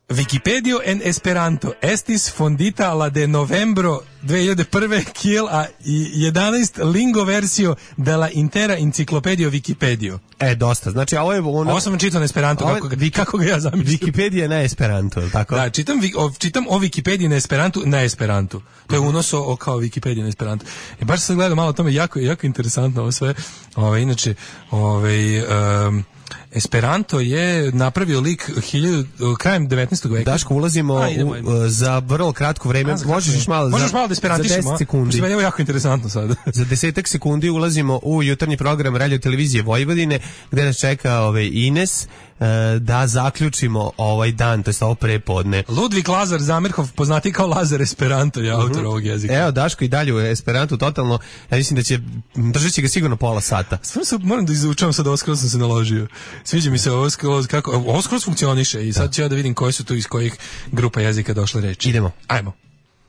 Wikipedio en Esperanto estis fondita la de novembro dve hiljade prve kiel a jedanaest lingo versio de la intera enciclopedio Wikipedio.
E, dosta. Znači, ovo je ono...
Ovo sam vam čitao na Esperanto,
Ovo je
kako, ga,
Wiki-
kako ga ja zamišljam.
Wikipedia na Esperanto, je li tako?
Da, čitam, vi- o, čitam o Wikipediji na Esperantu, na Esperantu. To je unos o, o kao Wikipedija na Esperantu. I baš sam gledao malo o tome, jako, jako interesantno ovo sve. Ove, inače, ove, um, Esperanto je napravio lik hiljadu, krajem devetnaestog veka.
Daško, ulazimo
A, idemo,
u,
idemo.
za vrlo kratko vreme.
A, za
Možeš
kratko
još malo,
Možeš
za,
malo da
za
esperantišemo,
deset
a?
sekundi.
Pošto meni je ovo jako interesantno sad.
Za desetak sekundi ulazimo u jutarnji program Radio Televizije Vojvodine, gde nas čeka ovaj Ines, e, da zaključimo ovaj dan, to jest ovo prepodne.
Ludvig Lazar Zamerhof, poznati kao Lazar Esperanto, je autor ovog jezika.
Evo, Daško i dalje u Esperantu totalno, ja mislim da će, držat će ga sigurno pola sata.
Stvarno se moram da izučavam sad, ovo skroz sam se naložio. Sviđa mi se ovo skroz, kako, ovo skroz funkcioniše i sad ću ja da vidim koje su tu iz kojih grupa jezika došle reči.
Idemo.
Ajmo.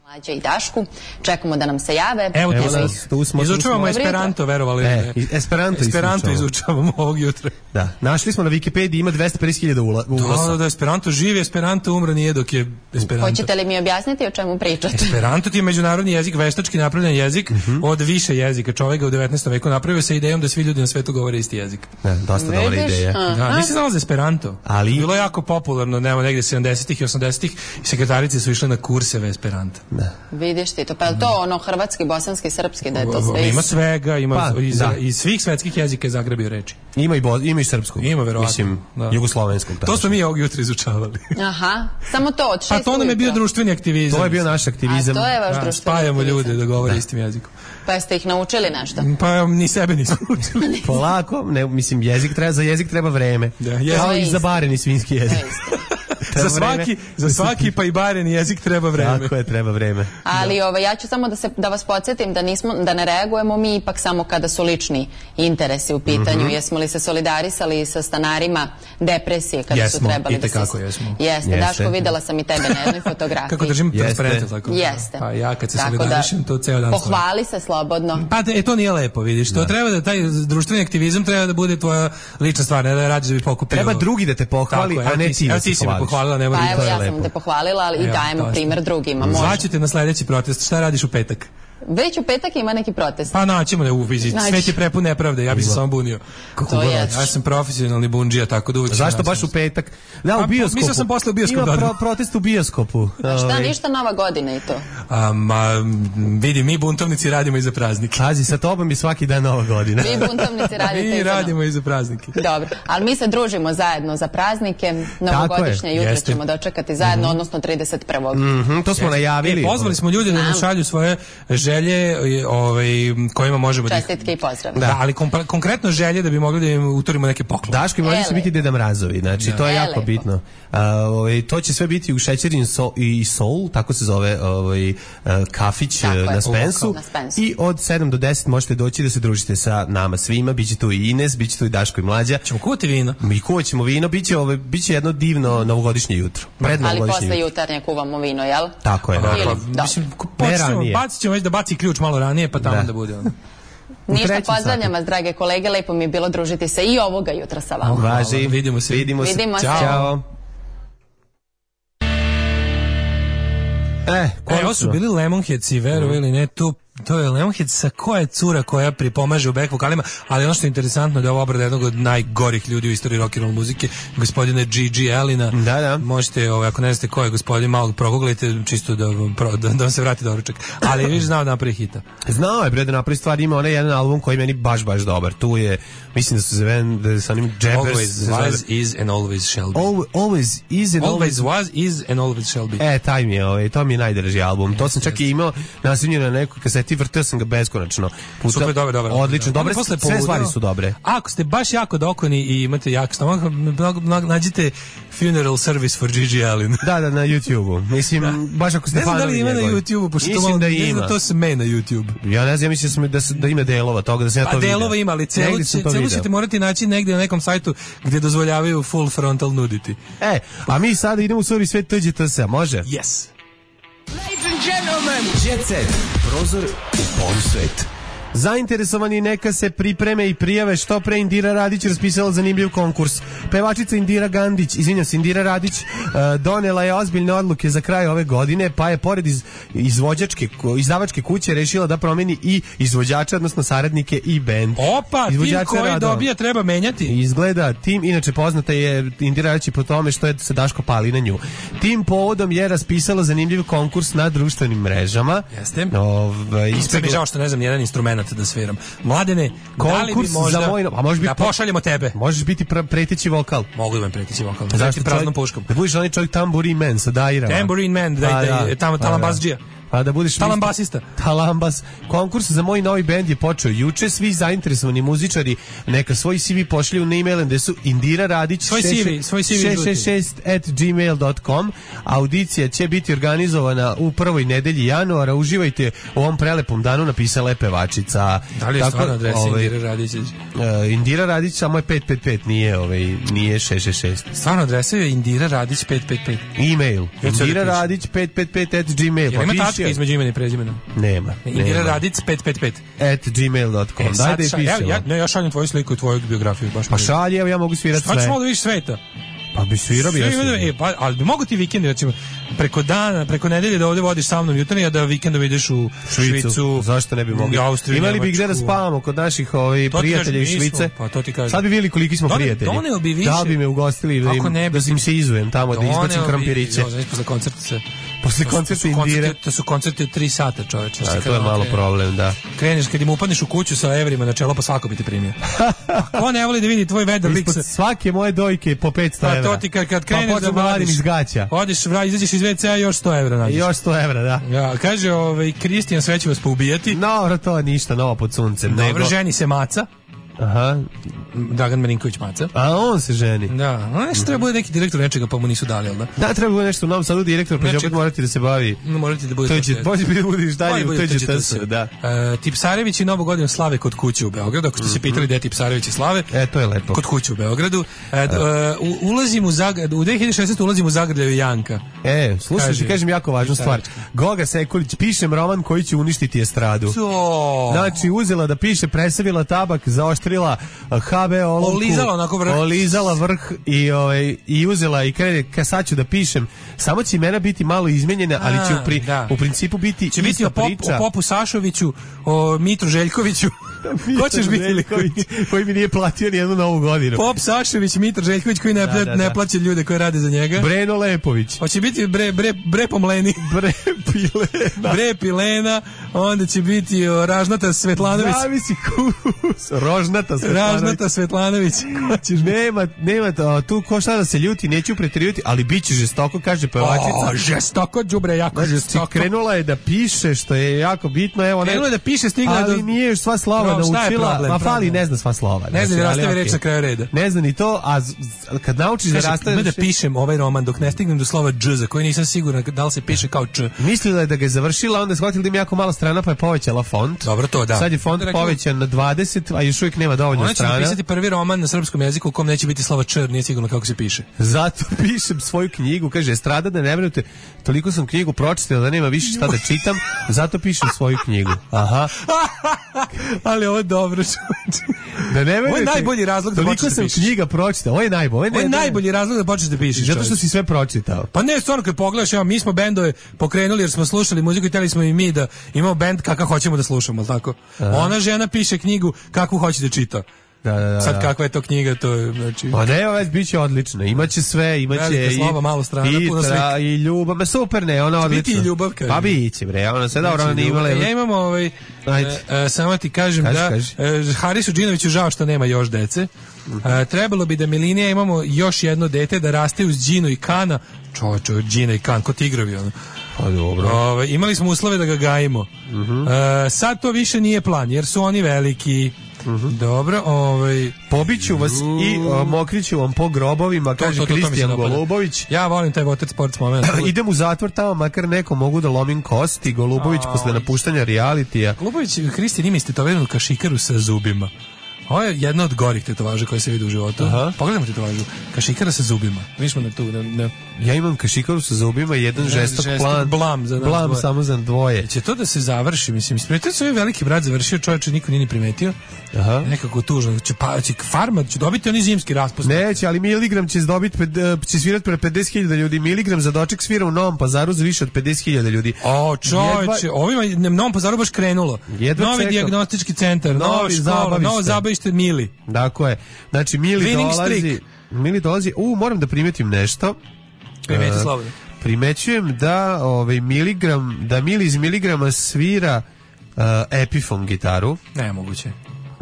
Mlađe i Dašku, čekamo da nam se jave.
Evo tu
Evo
smo.
nas, tu smo, tu
Izučavamo
smo.
Esperanto, verovali ili
E,
ne.
i- Esperanto
Esperanto
izučavamo.
izučavamo ovog jutra.
Da, našli smo na Wikipediji, ima dvesta pedeset hiljada ula-
Da,
uglasa.
da, da, Esperanto živi, Esperanto umre nije dok je Esperanto.
Hoćete li mi objasniti o čemu pričate?
Esperanto ti je međunarodni jezik, veštački napravljen jezik od više jezika. Čovjek ga u devetnaestom veku napravio sa idejom da svi ljudi na svetu govore isti jezik.
Ne, dosta dobra
Vidiš?
ideja.
A.
Da, nisi znala za Esperanto.
Ali-
Bilo je jako popularno, nema negde sedamdesetih i osamdesetih i sekretarice su išle na kurseve Esperanta.
Da. Da.
Vidiš ti to, pa je to ono hrvatski, bosanski, srpski, da je to sve
Ima
isto?
svega, ima
Pa,
iz,
da.
iz svih svetskih jezika je zagrebio reči.
Ima i, bo, ima i srpskog.
Ima, verovatno.
Mislim,
Da.
jugoslovenskog.
To smo mi ovog jutra izučavali.
Aha, samo to od šest
Pa to nam je bio
ujutro.
društveni aktivizam.
To je bio naš aktivizam.
A to je vaš
Da,
društveni
spajamo
aktivizam.
ljude da govore istim jezikom.
Pa ste ih naučili nešto?
Pa ni sebe nismo učili.
Polako, ne, mislim, jezik treba, za jezik treba vreme.
Da, je-
Kao
To je
i za
isto.
bareni svinski jezik.
To je isto.
Treba
za svaki,
vreme.
za svaki pa i baren jezik treba vreme.
Tako je, treba vreme.
Ali ovaj, ja ću samo da, se, da vas podsjetim da, nismo, da ne reagujemo mi ipak samo kada su lični interesi u pitanju.
Mhm.
Jesmo li se solidarisali sa stanarima depresije kada
Jesmo,
su trebali da se...
itekako jesmo.
Jeste,
Jeste.
Daško, videla sam i tebe na jednoj fotografiji.
Kako držim
Jeste.
transparente tako?
Jeste.
Pa ja kad se
Tako
solidarišem, to ceo dan stojim.
Pohvali se slobodno.
Pa e, to nije lepo, vidiš. To treba da taj društveni aktivizam treba da bude tvoja lična stvar, ne da radiš da bi pokupio.
Treba drugi da te pohvali,
Tako je,
a
evo
ne
ti si-
ti da
evo
se
ti si me
pohvališ.
pohvalila, ne
Pa
moram
evo,
to je
ja
lepo.
sam te pohvalila, ali i
Evo,
dajemo
to je.
primer drugima. Može.
Zvaćete na sledeći protest. Šta radiš u petak?
Već u petak ima neki protest.
Pa naćemo ne u vizi.
Naći.
Svet je prepun nepravde, ja bih se samo bunio.
To je.
Ja sam profesionalni bundžija, tako da uvijek...
Zašto
sam
baš u petak? Da,
Pa,
u bioskopu.
mislio sam posle u bioskop
Ima
da odem.
pro, protest u bioskopu.
A šta,
Ovaj,
ništa nova godina i to?
A, ma, vidi, mi buntovnici radimo i za praznike.
Pazi, sa tobom je svaki dan nova godina.
Vi buntovnici radite
Mi
i za
radimo i za praznike.
Dobro, ali mi se družimo zajedno za praznike, novogodišnje
je,
jutro
jeste.
ćemo dočekati zajedno, odnosno trideset prvog
Mhm, to smo najavili.
E, pozvali smo ljude da nam
Znam.
šalju svoje želje ovaj, kojima možemo da ih...
Čestitke i pozdrav.
Da, ali kompre- konkretno želje da bi mogli da im utorimo neke poklone.
Daško i mlađi će
Ele.
biti Deda Mrazovi, znači to je
E,
jako
lepo.
bitno. A, ovaj, to će sve biti u Šećerin so, i Soul, tako se zove ovaj, uh, kafić
Tako
uh,
je.
na Spensu.
Na Spensu.
I od sedam do deset možete doći da se družite sa nama svima, biće tu i Ines, biće tu i Daško i Mlađa.
Ćemo kuvati vino.
Mi kuvaćemo vino, biće, ovaj, biće jedno divno novogodišnje jutro. Pred
Ali
novogodišnje
posle
jutro.
jutarnje kuvamo vino, jel?
Tako je,
Ili-
naravno.
dobro.
Mislim, ko-
Ne
počnemo,
ranije.
bacit ćemo već da baci ključ malo ranije, pa tamo
Da.
da, bude ono.
Ništa,
trećem
pozdravljam
satu.
vas, drage kolege, lepo mi je bilo družiti se i ovoga jutra sa vama.
Važi.
Hvala, vidimo se.
Vidimo se.
Vidimo se.
Ćao. Ćao. E,
E, ovo su
konačno.
bili Lemonheadsi, verovali ili ne, to, to je Lemonhead sa koja je cura koja pripomaže u back vokalima, ali ono što je interesantno da je ovo obrada jednog od najgorih ljudi u istoriji rock and roll muzike, gospodine G G Allina.
Da, da.
Možete, ovaj, ako ne znate ko je gospodin, malo proguglajte, čisto da vam, pro, da, da vam se vrati doručak. Ali viš znao da napravi hita.
Znao je bre da napravi stvar, ima onaj jedan album koji je meni baš baš dobar. Tu je, mislim da se zove da je sa onim Jabbers.
Always
se zove-
was, is and always shall be.
Al- always is and
Always
always
was, is and always shall be.
E, taj mi je, ovaj, to mi je najdraži album. To sam čak i imao naslonjen na nekoj kaseti, vrteo sam ga beskonačno. Puta.
Super, dobro, dobro.
Odlično,
Onda
dobre,
posle
sve
poludeo-
stvari su dobre.
Ako ste baš jako dokoni i imate jak stomak, mnogo- mnogo- nađite Funeral Service for G G Allin.
Da, da, na YouTube-u. Mislim, baš ako ste
Ne znam da
fanovi
li ima na
njegovi.
YouTube-u, pošto to
Mislim
malo,
da
ne znam
ima.
da to se me na YouTube.
Ja ne znam, ja mislim da, sam, da, s- da ima delova toga, da sam ja to
Pa
vidio.
delova ima, ali celu,
Negdje sam to
celu
video.
ćete morati naći negdje na nekom sajtu gdje dozvoljavaju full frontal nudity.
E, a mi sada idemo u Suri svet T Đ T S, može?
Yes.
Jet Set, prozor u polusvet. Zainteresovani neka se pripreme i prijave što pre. Indira Radić raspisala zanimljiv konkurs. Pevačica Indira Gandić, izvinjam se, Indira Radić uh, donela je ozbiljne odluke za kraj ove godine, pa je pored iz, izvođačke, izdavačke kuće rešila da promeni i izvođača, odnosno saradnike i bend.
Opa, tim
Izvođača
koji
radova.
dobija treba menjati.
Izgleda, tim, inače poznata je Indira Radić i po tome što je se Daško pali na nju. Tim povodom je raspisala zanimljiv konkurs na društvenim mrežama.
Jeste.
Ovaj,
Sve mi
ispegla-
je žao što ne znam nijedan instrument da sviram. Mladene, da li bi
Konkurs
možda
za moj, a može biti
da pošaljemo tebe?
Možeš biti pra, preteći vokal.
Mogu da vam preteći vokal.
Zašto
Zašto praznom
čovjek-
puškom?
Da budeš onaj čovjek Tambourine Man sa dairama.
Tambourine Man, da,
Pa
da, da, tamo
pa
talambasdžija.
Pa da budeš
Talambasista.
Talambas. Konkurs za moj novi bend je počeo juče. Svi zainteresovani muzičari neka svoj C V pošalju na e-mail gde su Indira Radić
Svoj C V, svoj C V
šest šest šest at gmail dot com. Audicija će biti organizovana u prvoj nedelji januara. Uživajte u ovom prelepom danu, napisala je pevačica.
Da li je
Tako,
stvarno adresa
ovaj,
Indira Radić?
uh, Indira Radić samo je pet pet pet, nije, ovaj, nije šest šest šest.
Stvarno adresa je Indira Radić pet pet pet.
E-mail.
Ja ću da
Indira
pišem.
Radić pet pet pet at gmail.
Jel ima
piši
tačka
je.
između imena i prezimena?
Nema.
Indira
nema.
Radić pet pet pet.
At gmail dot com.
E,
Daj
sad
da je
ša- ja,
pišemo.
ja, ne, ja šaljem tvoju sliku i tvoju biografiju. Baš
Pa
mi je-
šalje, evo ja mogu svirati
Šta ćeš
sve.
malo da vidiš sveta?
Pa bi svirao bi ja
Sve ima da-
svirao.
e, pa, ali bi mogu ti vikendi, recimo, preko dana, preko nedelje da ovde vodiš sa mnom jutarnji, a da vikendom ideš u
Švicu.
Švicu,
Zašto ne bi mogli?
Austriju,
Imali bi gde da
Njemačku.
spavamo kod naših ovaj,
To ti
prijatelja iz
kažem, mi smo,
Švice.
pa to ti kažem.
Sad bi vidjeli koliki smo
Done-
prijatelji.
doneo bi više.
Da bi me ugostili, da,
Ako
im,
ne bi
da im se izujem tamo, da izbacim krampiriće.
Znaš, posle koncerta se...
posle koncerta Indire.
To su koncerti od tri sata, čoveče.
Da, to je malo problem, da.
Kreneš, kad im upadneš u kuću sa evrima na čelo, pa svako bi te primio. Ko ne voli da vidi tvoj vedar lik sa...
Svake moje dojke po petsto evra.
Pa to ti kad, kad kreneš da
vadim iz gaća.
Odiš, vra, izađeš iz ve cea, još sto evra nađeš.
Još sto evra, da.
Ja, kaže, ovaj, Kristijan, sve će vas poubijati.
No, to je ništa novo pod suncem.
Dobro,
nego...
ženi se Maca.
Aha.
Dragan Marinković Maca.
A on se ženi.
Da, no nešto treba bude neki direktor nečega, pa mu nisu dali, jel da?
Da, treba bude nešto u Novom Sadu direktor, pa će opet morati da se bavi.
No, morati da bude
to će, bolje bi da budeš dalje, to će to se, da.
Uh, Tipsarević i Novu godinu slave kod kuće u Beogradu, ako ste se pitali gde je Tipsarević i slave.
E, to je lepo.
Kod kuće u Beogradu. Uh, uh, ulazim u Zagrad, u dve hiljade šesnaeste. ulazim u Zagrljaju Janka.
E, slušaj, ti kažem jako važnu stvar. Goga Sekulić, pišem roman koji će uništiti estradu.
To.
Znači, uzela da piše, presavila tabak, zaoštrila ha be olovku,
olizala onako vrh,
olizala vrh i, ovaj, i uzela i krene, ka sad ću da pišem, samo će imena biti malo izmenjena, ali će u, pri,
da.
u principu biti
će biti o, pop,
priča.
O Popu Sašoviću, o Mitru Željkoviću. Ko ćeš biti?
Željković, koji mi nije platio nijednu novu godinu.
Pop Sašović, Mitar Željković koji ne, da, da, ne plaća ljude koji rade za njega.
Breno Lepović.
Hoće biti bre, bre, bre pomleni.
Bre Pilena.
Bre Pilena. Onda će biti o, Ražnata Svetlanović.
Zavisi kus. Rožnata Svetlanović.
Ražnata Svetlanović.
nema, nema to, tu ko šta da se ljuti, neću preterivati, ali bit će žestoko, kaže pevačica.
O, žestoko, đubre, jako znači, žestoko.
Krenula je da piše, što je jako bitno. Evo,
krenula je da piše, stigla
ali
do...
nije još sva slova
no,
naučila.
Problem,
ma fali, ne zna sva slova.
Ne zna da rastavi reč na kraju reda.
Ne zna ni to, a z, kad naučiš da rastaviš...
da pišem ovaj roman dok ne stignem do slova dž, za koji nisam siguran da li se piše kao č.
Mislila je da ga je završila, onda je shvatila da ima jako malo strana, pa je povećala font.
Dobro, to da.
Sad je font povećan na dvadeset, a još uvijek nema dovoljno
ona
strana.
Ona će napisati prvi roman na srpskom jeziku u kom neće biti slova č, nije sigurno kako se piše.
Zato pišem svoju knjigu, kaže Estrada, da ne vjerujete, toliko sam knjigu pročitala da nema više šta da čitam, zato pišem svoju knjigu. Aha.
Ali ovo je dobro.
Da ne verujete.
Ovo je najbolji razlog da počneš da pišeš.
Toliko sam knjiga pročitao. Ovo je najbolji.
Ovo je najbolji razlog da počneš da pišeš.
Zato što si sve pročitao.
Pa ne, stvarno kad pogledaš, evo, mi smo bendove pokrenuli jer smo slušali muziku i hteli smo i mi da imamo bend kakav hoćemo da slušamo, al tako. Aha. Ona žena piše knjigu kakvu hoće da čita.
Da, da, da.
Sad kakva je to knjiga, to je, znači...
Pa ne, već biće odlično, imaće sve, imaće i...
slova, malo strana,
i,
puno
tra, i ljubav, ma super ne, ona odlično.
Biti i ljubav, kaže.
Pa biće, bre, ona se dobro, ona nije imala...
Ja imam ovaj... E, e, samo ti kažem kaži, da kaži. E, Harisu Džinoviću žao što nema još dece. E, trebalo bi da Milinija imamo još jedno dete da raste uz Džinu i Kana. Čočo, Džina i Kan, ko tigrovi ono.
Pa dobro.
Ove, imali smo uslove da ga gajimo. Uh-huh. E, sad to više nije plan, jer su oni veliki. Uh-huh. Dobro, ovaj
pobiću vas i uh, mokriću vam po grobovima, to, kaže Kristijan Golubović.
Ja volim taj water sports moment.
Idem u zatvor tamo, makar neko mogu da lomim kosti. Golubović oh, posle napuštanja realitija.
Golubović, Kristijan ima istetoviranu kašikaru sa zubima. Ovo je jedna od gorih tetovaža koje se vidi u životu. Aha. Pogledajmo tetovažu. Kašikara sa zubima. Mi smo na tu. Na, na...
Ja imam kašikaru sa zubima i jedan žestok, žestok plan.
Blam, za
blam
dvoje.
Samo za dvoje.
Će to da se završi, mislim. Primetio se ovaj veliki brat završio, čovječe niko nije ni primetio. Aha. Nekako tužno. Će, pa, će farma, će dobiti oni zimski raspust.
Neće, ali Miligram će dobiti, će svirati pre pedeset hiljada ljudi. Miligram za doček svira u Novom Pazaru za više od pedeset hiljada ljudi.
O, čovječe, Jedva... ovima Novom Pazaru baš krenulo. Jedva Novi čekam. Dijagnostički centar, nova škola, novo zabavište Mili.
Tako je. Znači, Mili Winning dolazi... Streak. Mili dolazi... U, moram da primetim nešto.
Primeti, uh, slobodno.
Primećujem da ovaj Miligram, da Mili iz Miligrama svira uh, Epiphone gitaru.
Nemoguće.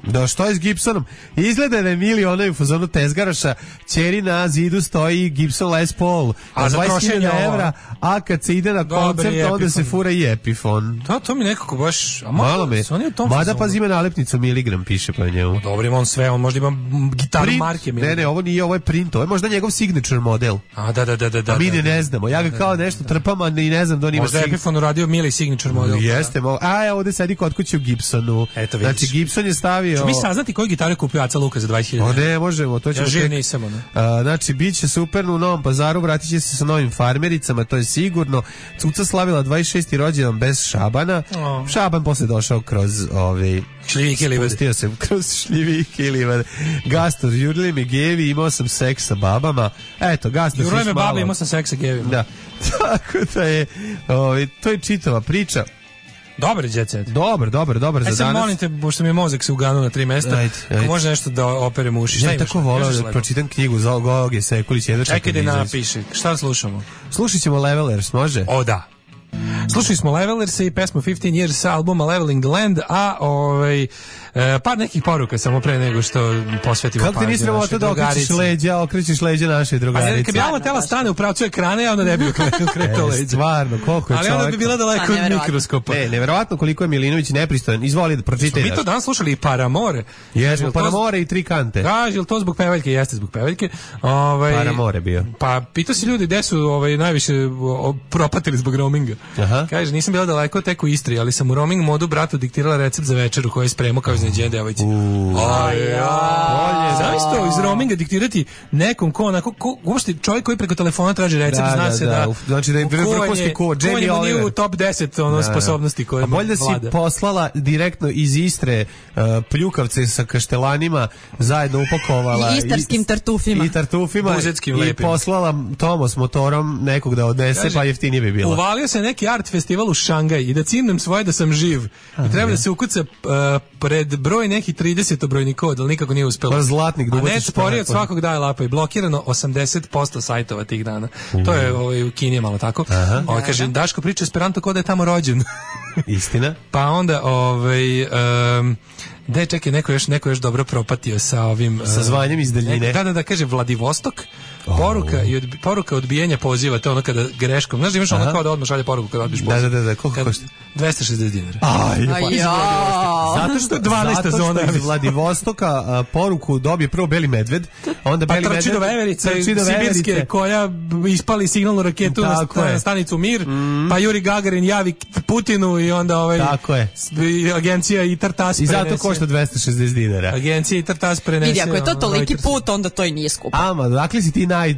Da, što je s Gibsonom? Izgleda da je Mili onaj u fazonu tezgaraša, ćeri na zidu stoji Gibson Les Paul, a za dvadeset hiljada evra, a kad se ide na koncert, onda se fura i Epiphone.
To, to mi nekako baš... A
malo me. Mada pazi ima nalepnicu Miligram, piše pa njemu.
Dobro, ima on sve, on možda ima gitaru print, marke Miligram.
Ne, ne, ovo nije, ovo je print, ovo je možda njegov signature model.
A, da, da, da, da.
A mi
da,
ne,
da,
ne znamo, ja ga kao nešto trpam, a i ne znam da on ima...
Možda je Epiphone uradio Mili signature model.
Jeste, mo... a ja ovde sedi kod kuće u Gibsonu.
Eto,
znači, Gibson je stavio...
Ču mi saznati koju gitaru kupio Aca Luka za dvadeset hiljada?
O ne, možemo, to ćemo...
Ja živ nisam, ono.
A, znači, bit će super u Novom Pazaru, vratit će se sa novim farmericama, to je sigurno. Cuca slavila dvadeset šesti rođendan bez Šabana. Oh. Šaban posle došao kroz ove...
šljivike i livade.
Spustio se kroz šljivike i livade. Gastor, jurili mi gevi, imao sam seks sa babama. Eto, Gastor...
Jurili me babe, imao sam seks sa gevima.
Da. Tako da je... Ove, to je čitava priča.
Dobar je Jet Set.
Dobar, dobar, dobar
e,
za danas.
Molim te, pošto mi je mozak se uganuo na tri mesta, ajde, ajde. Može nešto da operem uši. Šta
ja tako volao da pročitam knjigu za Goge Sekulić.
Čekaj da napiše. Šta slušamo?
Slušat ćemo Levelers, može?
O, da. Slušali smo Levelerse i pesmu fifteen years sa albuma Leveling the Land, a ovaj, e, par nekih poruka samo pre nego što posvetimo pažnju.
Kako ti nisi trebalo to da okrećiš leđa, okrećiš leđa naše drugarice?
A kad bi Alma tela stane u pravcu ekrana, onda ne bi okretao leđa.
Stvarno, koliko je čovjek.
Ali onda bi bila daleko od mikroskopa.
Ne, neverovatno koliko je Milinović nepristojan. Izvoli da pročitaj.
Mi to danas slušali i Paramore.
Jesmo, Paramore i tri kante.
Kaže, jel to zbog pevaljke? Jeste zbog pevaljke. Ovaj,
Paramore bio.
Pa pitao si ljudi gde su ovaj, najviše o, propatili zbog roaminga.
Aha.
Kaže, nisam bila daleko tek u Istri, ali sam u roaming modu bratu diktirala recept za večeru koji je spremao kao iznenađenje devojci. Znaš to, iz roaminga diktirati nekom ko onako, ko, uopšte čovjek koji preko telefona traži recept,
da,
zna
da,
se
da,
da...
Znači da je vrhunski ko, Jamie Oliver.
Nije u top deset ono, da, sposobnosti koje
vlada. A bolje da si poslala direktno iz Istre uh, pljukavce sa kaštelanima, zajedno upakovala.
I istarskim tartufima.
I tartufima.
Buzetskim
i
lepim.
Poslala Tomo s motorom nekog da odnese, kaže, pa jeftinije bi bilo.
Uvalio se neki art festival u Šangaj i da cimnem svoje da sam živ. I treba da se ukuca uh, pred broj neki trideset brojni kod, ali nikako nije uspelo.
Pa zlatnik,
a net sporije od svakog daje lapa i blokirano osamdeset posto sajtova tih dana. Mm. To je ovaj, u Kini malo tako. O, kaže, Daško priča Esperanto kod da je tamo rođen.
Istina.
Pa onda, ovaj... Um, da, čekaj, neko još, neko još dobro propatio sa ovim...
Sa zvanjem iz daljine.
Da, da, da, kaže Vladivostok, poruka, oh. i odbi, poruka odbijenja poziva, to je ono kada greškom, znaš da imaš ono kao da odmah šalje poruku kada odbiš poziv.
Da, da, da, da, koliko košta?
dvesta šezdeset dinara.
Aj,
pa,
zato što dvanaesta zona iz Vladivostoka a, poruku dobije prvo Beli medved, onda
pa
Beli
trči
medved
do Veverice,
trči do
sibirske,
Veverice,
koja ispali signalnu raketu na, na stanicu Mir, mm. pa Juri Gagarin javi Putinu i onda ovaj
tako je.
Agencija i Tartas
i zato košta dvesta šezdeset dinara.
Agencija i Tartas prenese.
Vidi, ako je to toliki put, onda to i nije skupo.
Ama, dakle si ti naj,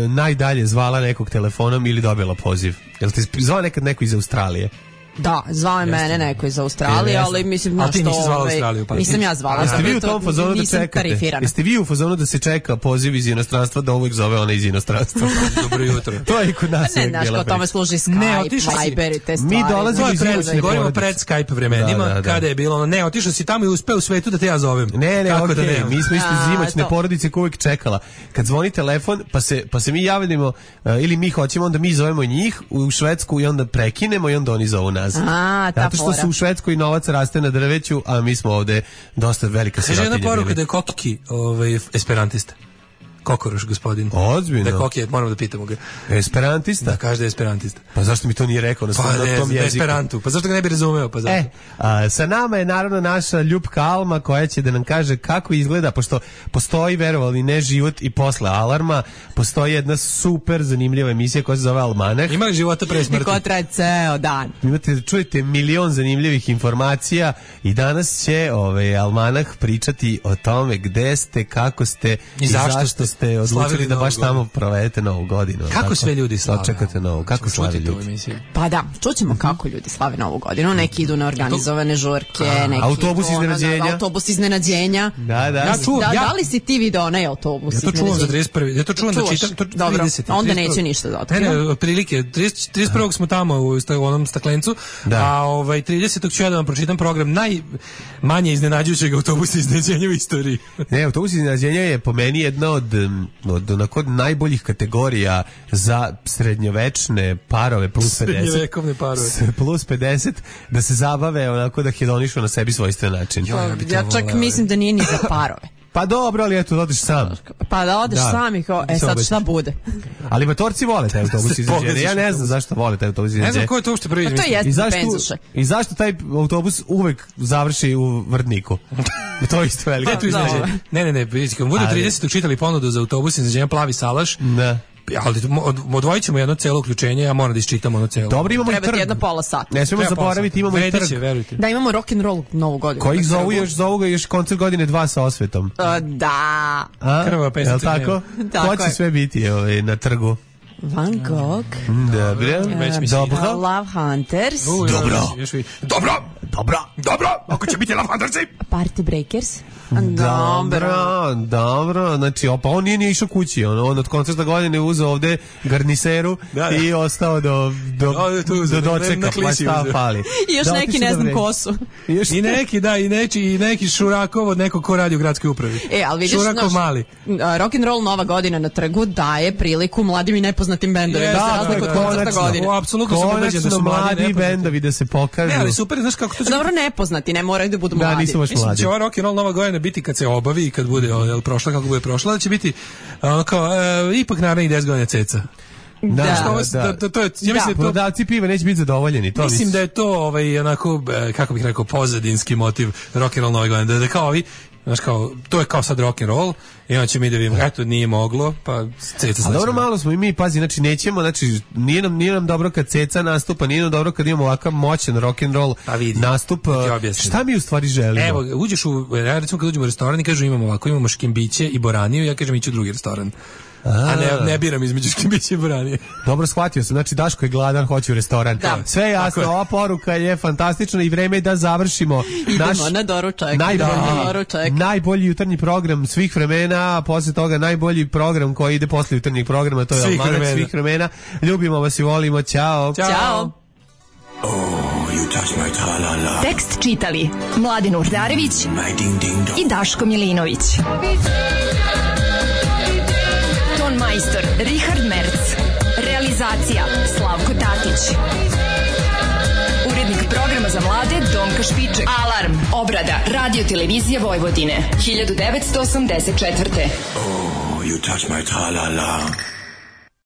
najdalje zvala nekog telefonom ili dobila poziv? Jel ti zvala nekad neko iz Australije?
Da, zvao je mene neko iz Australije, ali mislim na što...
A ti nisi zvala Australiju? Pa
nisam ja zvala.
Jeste vi u tom fazonu da čekate? Jeste vi u fazonu da se čeka poziv iz inostranstva, da uvijek zove ona iz inostranstva?
Dobro jutro.
To je kod nas.
Ne, znaš, kao tome služi Skype, Viber i te stvari.
Mi dolazimo iz Skype.
Govorimo pred Skype vremenima, da, da, da. Kada je bilo ono, ne, otišao si tamo i uspeo u svetu da te ja zovem.
Ne, ne, okej, okay. Mi smo isto zimaćne porodice koje uvijek čekala. Kad zvoni telefon, pa se, pa se mi javimo, uh, ili mi hoćemo, onda mi zovemo njih u Švedsku i onda prekinemo i onda oni zovu nas.
A,
zato što su u Švedskoj novac raste na drveću, a mi smo ovde dosta velika sirotinja.
Kaže jedna poruka da je Koki ovaj, esperantista. Kokoroš, gospodin.
Ozbiljno.
Da je Koki, moramo da pitamo ga.
Esperantista?
Da, kaže da je esperantista.
Pa zašto mi to nije rekao na,
pa,
na
ne,
tom jeziku?
Esperantu. Pa zašto ga ne bi razumeo? Pa zašto?
E, a, sa nama je naravno naša ljupka Alma koja će da nam kaže kako izgleda, pošto postoji, verovali ne, život i posle alarma, postoji jedna super zanimljiva emisija koja se zove Almanah.
Ima li života pre smrti?
Ko traje ceo dan.
Imate, čujete milion zanimljivih informacija i danas će ovaj, Almanah pričati o tome gde ste, kako ste i, i zašto ste ste odlučili da baš tamo provedete Novu godinu.
Kako tako? Sve ljudi slave?
Čekate Novu, kako slavi ljudi?
Pa da, čućemo kako ljudi slave Novu godinu. Neki idu na organizovane žurke,
A,
neki
autobus
idu,
iznenađenja.
Ono, autobus iznenađenja.
Da, da.
Ja čuvam, da, ja, da li si ti video onaj autobus
iznenađenja? Ja to čuvam za trideset prvi. Ja to čuvam da čitam. To,
Dobro, trideset, onda neće ništa da otkrivam.
Ne, ne, prilike. trideset prvog smo tamo u, u onom staklencu, da. A ovaj, tridesetog ću ja da vam pročitam program najmanje iznenađujućeg autobusa iznenađenja u istoriji.
Ne, autobus iznenađenja je po meni jedna od, od onako najboljih kategorija za srednjovečne parove plus pedeset.
Srednjovekovne parove.
Plus pedeset, da se zabave onako da hedonišu na sebi svojstven način.
Ja, ja, ja čak volao. Mislim da nije ni za parove.
Pa dobro, ali eto, da odeš sam.
Pa da odeš da. Sam i kao, e sad šta bude.
Ali matorci vole taj autobus iznenađenja. Ja ne znam zašto vole taj autobus iznenađenja.
Ne znam ko je to uopšte prvi izmislio.
To jeste za penzuše.
I zašto taj autobus uvek završi u Vrdniku? To je isto veliko.
Ne, ne, ne, kad budu tridesetog čitali ponudu za autobus iznenađenja Plavi salaš,
da.
Ali odvojit ćemo jedno celo uključenje, ja moram da isčitam ono celo.
Dobro, imamo
treba
i trg.
Jedna pola sata.
Ne smijemo zaboraviti, imamo i trg.
Verujte.
Da, imamo rock and roll Novu godinu.
Koji zovu još, zovu ga još koncert godine dva sa osvetom.
Uh, da.
A?
Krvava pesnica.
Je li tako? Ko će sve biti ovaj, na trgu?
Van Gogh.
Dobro.
Uh, dobro. Love Hunters.
Uh,
dobro.
Dobro.
Dobro.
Dobro. Ako će biti Love Huntersi.
Party Breakers.
Dobro, dobro, znači, pa on nije nije išao kući, on, on od koncerta godine uzeo ovde garniseru da, da. I ostao do, do, do, do dočeka, pa šta fali.
I još
da,
neki ne znam ko su.
I, I neki, da, i neki, i neki Šurakov od nekog ko radi u gradskoj upravi.
E, ali vidiš,
Šurakov
naš,
mali.
Rock'n'roll Nova godina na trgu daje priliku mladim i nepoznatim nepoznatim bendovima,
Da,
za razliku od koncerta godine.
O, apsolutno sam ubeđen da su mladi
mladi
nepoznati.
bendovi da se pokažu.
Ne, ali super, znaš kako to će...
Dobro, nepoznati, ne moraju da budu
Da,
mladi.
nisu baš
Mislim da
mladi.
će ova rock and roll nova godina biti kad se obavi i kad bude o, jel, prošla kako bude prošla, da će biti ono kao, e, ipak naravno i deset godina ceca.
Da,
Znaš, ovo-
da.
da, da, to je, ja mislim da je to
Prodavci piva neće biti zadovoljeni. To
Mislim da je to ovaj onako e, kako bih rekao pozadinski motiv rock and roll nove godine, da, da kao ovi, znaš kao to je kao sad rock and roll i onda ćemo mi da vidimo eto nije moglo pa ceca.
A dobro, malo smo i mi, pazi, znači nećemo, znači nije nam, nije nam dobro kad ceca nastupa, nije nam dobro kad imamo ovakav moćan rock and roll
Pa vidi,
nastup.
da ti objasnim.
Šta mi u stvari želimo?
Evo, uđeš u, ja recimo kad uđemo u restoran i kažu imamo ovako, imamo škimbiće i boraniju, ja kažem iću u drugi restoran. A ne, ne biram između škimbića i boranije.
Dobro, shvatio sam, znači Daško je gladan, hoće u restoran.
Da.
Sve je jasno,
je.
ova poruka je fantastična i vreme je da završimo naš
Idemo na doručak.
najbolji,
idemo na doručak.
najbolji jutarnji program svih vremena, a posle toga najbolji program koji ide posle jutarnjeg programa, to je
Svih
Almanak
vremena.
svih vremena. Ljubimo vas i volimo, ćao.
Ćao.
Tekst čitali Mladin Urdarević i Daško Milinović. Ton majstor Richard Merc. Realizacija Slavko Tatić. Urednik programa za mlade Donka Špiček. Alarm. Obrada Radio Televizije Vojvodine. hiljadu devetsto osamdeset četvrte.
Oh, you touch my tra-la-la.